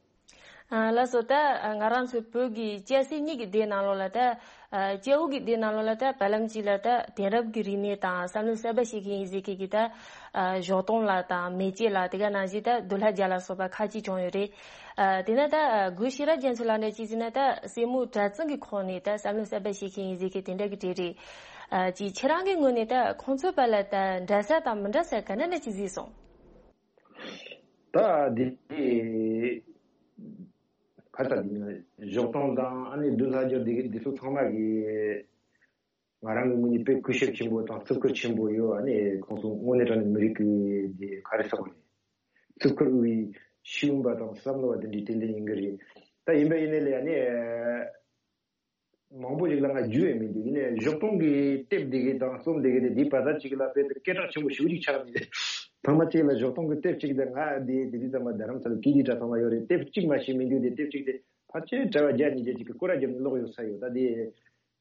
ཨ་ལགས་སོ། ད་ང་རང་ཚོའི་བོད་ཀྱི་སྐྱ་སེར་གཉིས་ཀྱི་སྡེ་ནང་ལོགས་ལ་ད་ཨ་སྐྱ་བོ་གི་སྡེ་ནང་ལོགས་ལ་ད་བར་ལམ་གཅིག་ལ་ད་དེང་རབས་ཀྱི་རིག་གནས་དང་བསམ་བློ་གསར་པ་ཤེས་མཁན་ཡིན་ཟེར་མཁན་གྱི་ད་ཨ་ཞོགས་དོང་ལགས་དང་མེ་ལྕེ་ལགས། དེ་ག་ནང་བཞིན་ད་འདུལ་བ་རྒྱལ་ལ་སོགས་པ་ཁག་ཅིག་བྱུང་ཡོད་རེད། ཨ་དེ་ན་ད་ཨ་སྒོ་ཤེས་རབ་རྒྱ་མཚོ་ལགས་འདྲ་ཅིག་ཟེར་ན་ད་སེར་མོ་དྲ་ཚིགས་ཀྱི་ཁོངས་ནས་ད་བསམ་བློ་གསར་པ་ཤེས་མཁན་ཡིན་ཟེར་མཁན་དེ་འདྲ་གི་གྲས་རེད། ཨ་ཅིག་ཁྱེད་རང་གི་ངོས་ནས་ད་ཁོང་ཚོའི་བར་ལ་ད་འདྲ་ས་དང་མི་འདྲ་ས་ག་འདྲ་འདྲ་ཅིག་གཟིགས་སོང་། ད་འདི་ག་ད་འདི་ན་ཞོགས་དོང་དང་ཨ་ནི་འདུལ་བ་རྒྱལ་འདི་འདི་ཚོ་ཚང་མ་གི་ང་རང་གི་ངོས་ནས་དཔེ་གུས་ཞབས་ཆེན་པོ་དང་བརྩི་བཀུར་ཆེན་པོ་ཡོད། ཨ་ནི་ཁོང་ཚོ་དངོས་གནས་དྲང་གནས་མི་རིགས་ཀྱི་འདི་ག་རེ་ཟེར་དགོས་རེད། བརྩི་བཀུར་འོས་པའི་ཤེས་ཡོན་པ་དང་བསམ་བློ་བ་དེ་འདྲའི་ཏན་ཏན་ཡིན་གི་རེད། ད་ཡིན་པ་ཡིན་ནའི་ལས་ཨ་ནི་མང་པོ་ཞིག་ལ་ང་རྒྱུས་ཡོད་མི་འདུག་ཡིན་ནའི་ཞོགས་དོང་གི་དེབ་འདི་གི་དང་རྩོམ་འདི་གི་དེ་འདི་བར་ཐག་ཅིག་ལ་དཔེ་དེ་སྐད་གྲགས་ཆེན་པོ་ཞེ་པོ་ཅིག་ཆགས་ནས་ཚང་མ་ཅིག་ལ་ཞོགས་དོང་གི་དེབ་ཅིག་དེ་ང་དེ་དེ་དུས་ཙམ་པ་རྡ་རམ་ས་ལ་ཀི་ལི་དྲ་ཚང་མ་ཡོད་རེད། དེབ་གཅིག་མ་ཤེས་མི་འདུག་དེ་དེབ་ཅིག་དེ་ཕལ་ཆེར་གྲྭ་བ་བརྒྱ་ཉིས་བརྒྱ་ཅིག་གི་སྐོར་ར་བརྒྱབ་ནས་ཀློག་ཡོད་ས་ཡོད། ད་དེ་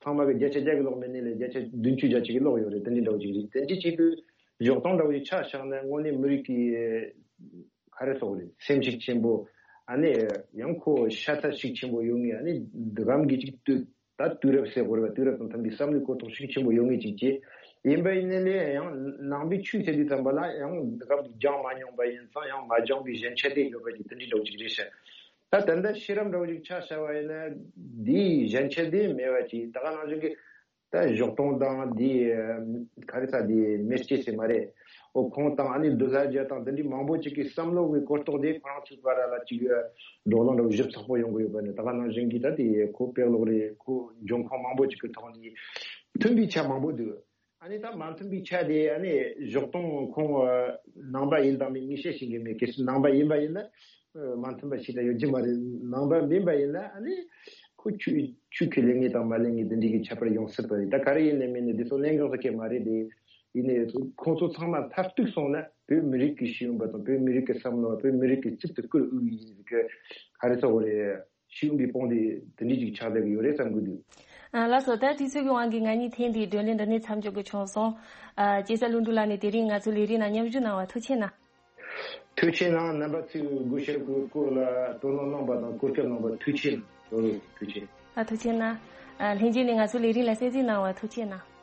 ཚང་མ་གི་བརྒྱ་ཆ་བརྒྱ་གི་ཀློག་མེད་ནའི་ལས་བརྒྱ་ཆ་བདུན་ཅུ་བརྒྱ་ཅིག་གི་ཀློག་ཡོད་རེད། དེ་འདྲའི་འདྲ་བོ་ཅིག་རེད། དེ་འདྲའི་ཅིག་གི་ཞོགས་དོང་འདྲ་བོ་ཅིག་ཆ་བཞག་ན་དངོས་གནས་མི་རིགས་ཀྱི་ག་རེ་ཟེར་དགོས་རེད། སེམས་ཤུགས་ཆེན་པོ། ཨ་ནི་ཡང་ཁོ་ཤ་ཚ་ཤུགས་ཆེན་པོ་ཡོད་ངེས། ཨ་ནི་འདི་གམ་གྱི་ཅིག་དུས་ད་དུས་རབས་ཟེར་དགོས་རེད་པ། དུས་རབས་དང་མཐུན་པའི་བསམ་བློའི་གོ་རྟོགས་ཤུགས་ཆེན་པོ་ཡོད་ངེས་ཅིག་བྱས། ཡིན་པ་ཡིན་ནའི་ལས་ཡང་ནང་པའི་ཆོས་ཟེར་དུས་ཙམ་པ་ལ་ཡང་འདི་གམ་སྦྱངས་མ་མྱོང་པ་ཡིན་ཙང་ཡང་མ་སྦྱངས་པའི་ཞན་ཆ་དེ་ཡོད་པ་ཅིག་དེ་འདྲའི་འདྲ་བོ་ཅིག་རེད་ཤག་ད་ད་ལྟ་ཤེས་རབ་འདྲ་བོ་ཅིག་ཆ་བཞག་པ་ཡིན་ན་འདིའི་ཞན་ཆ་དེ་མེད་པ་ཅིག་ད་ག་ནང་བཞིན་གྱི། ད་ཞོགས་དོང་དང་འདི་ག་རེ་ཟ་འདི་མེ་ལྕེ་ཟེར་མ་རེད། ཨོ་ཁོང་དང་ཨ་ནི་འདུལ་བ་རྒྱལ་དང་འདི་འདྲའི་མང་པོ་ཅིག་གི་བསམ་བློ་གི་གོ་རྟོགས་དེ་ཁོ་རང་ཚོའི་བར་ལ་ཅིག་བགྲོ་གླེང་འདྲ་བོ་ཞིབ་ཚགས་པོ་ཡོང་གི་ཡོད་པ་ནི་ད་ག་ནང་བཞིན་གྱི་ད་དེ་ཁོ་དཔེ་ཀློག་རེད། ཁོ་འབྱུང་ཁུངས་མང་པོ་ཅིག་གི་ཐོག་ནས་མཐུན་པའི་ཆ་མང་པོ་འདུག་ཨ་ནི་ད་མ་མཐུན་པའི་ཆ་དེ་ཨ་ནི་ཞོགས་དོང་ཁོང་ནང་པ་ཡིན་དང་མིན་ངས་བཤད་ཤེས་ཀྱི་མེད། གལ་སྲིད་ནང་པ་ཡིན་པ་ཡིན་ན། མ་མཐུན་པ་ཞིག་ད་ཡོད་ཀྱི་མ་རེད། ནང་པ་མིན་པ་ཡིན་ན་ཨ་ནི་ཁོ་ཆོས་ཆོས་ཁས་ལེན་མཁན་དང་མ་ལེན་མཁན་དེ་འདྲའི་གི་ཁྱད་པར་ཡོང་སྲིད་པ་རེད། ད་ག་རེ་ཡིན་ནའི་མིན་ནའི་འདི་ཚོ་གླེང་གང་ཟེར་མཁན་མ་རེད་དེ། ཡིན་ནའི་ཁོང་ཚོ་ཚང་མ་མཐར་གཏུགས་སོང་ན་བོད་མི་རིགས་ཀྱི་ཤེས་ཡོན་པ་དང་བོད་མི་རིགས་ཀྱི་བསམ་བློ་བ་བོད་མི་རིགས་ཀྱི་རྩིབ་ཏུ་བཀུར་འོས་ཡིན་གི་ག་རེ་ཟེར་དགོས་རེད། ཤེས་ཡོན་པའི་དཔུང་སྡེ་དེ་འདྲའི་ཅིག་ཆགས་བསྡད་ཀྱི་ཡོད་རེད་བསམ་གི་འདུག་ཨ་ལགས་སོ། ད་དུས་ཚོད་ཀྱི་དབང་གིས་ང་གཉིས་ཐེངས་འདིའི་བགྲོ་གླེང་འདི་ནས་མཚམས་འཇོག་དགོས་བྱུང་སོང་། ཨ་སྐྱེས་ས་ཀླུ་འབྲུག་ལགས་ནས་དེ་རིང་ང་ཚོའི་ལས་རིམ་ནང་མཉམ་ཞུགས་གནང་བ་ཐུགས་རྗེ་གནང་། ཐུགས་རྗེ་གནང་། རྣམ་པ་ཚོས་སྒོ་ཤེས་རབ་ཀྱི་སྐོར་ལ་དོ་སྣང་གནང་བ་དང་བཀོད་ཁྱབ་གནང་བ་ཐུགས་རྗེ་གནང་། ཐུགས་རྗེ། ཨ་ཐུགས་རྗེ་གནང་། ཨ་ལྷན་རྒྱས་ནས་ང་ཚོའི་ལས་རིམ་ལ་གསན་གཟིགས་གནང་བ་ཐུགས་རྗེ་གནང་།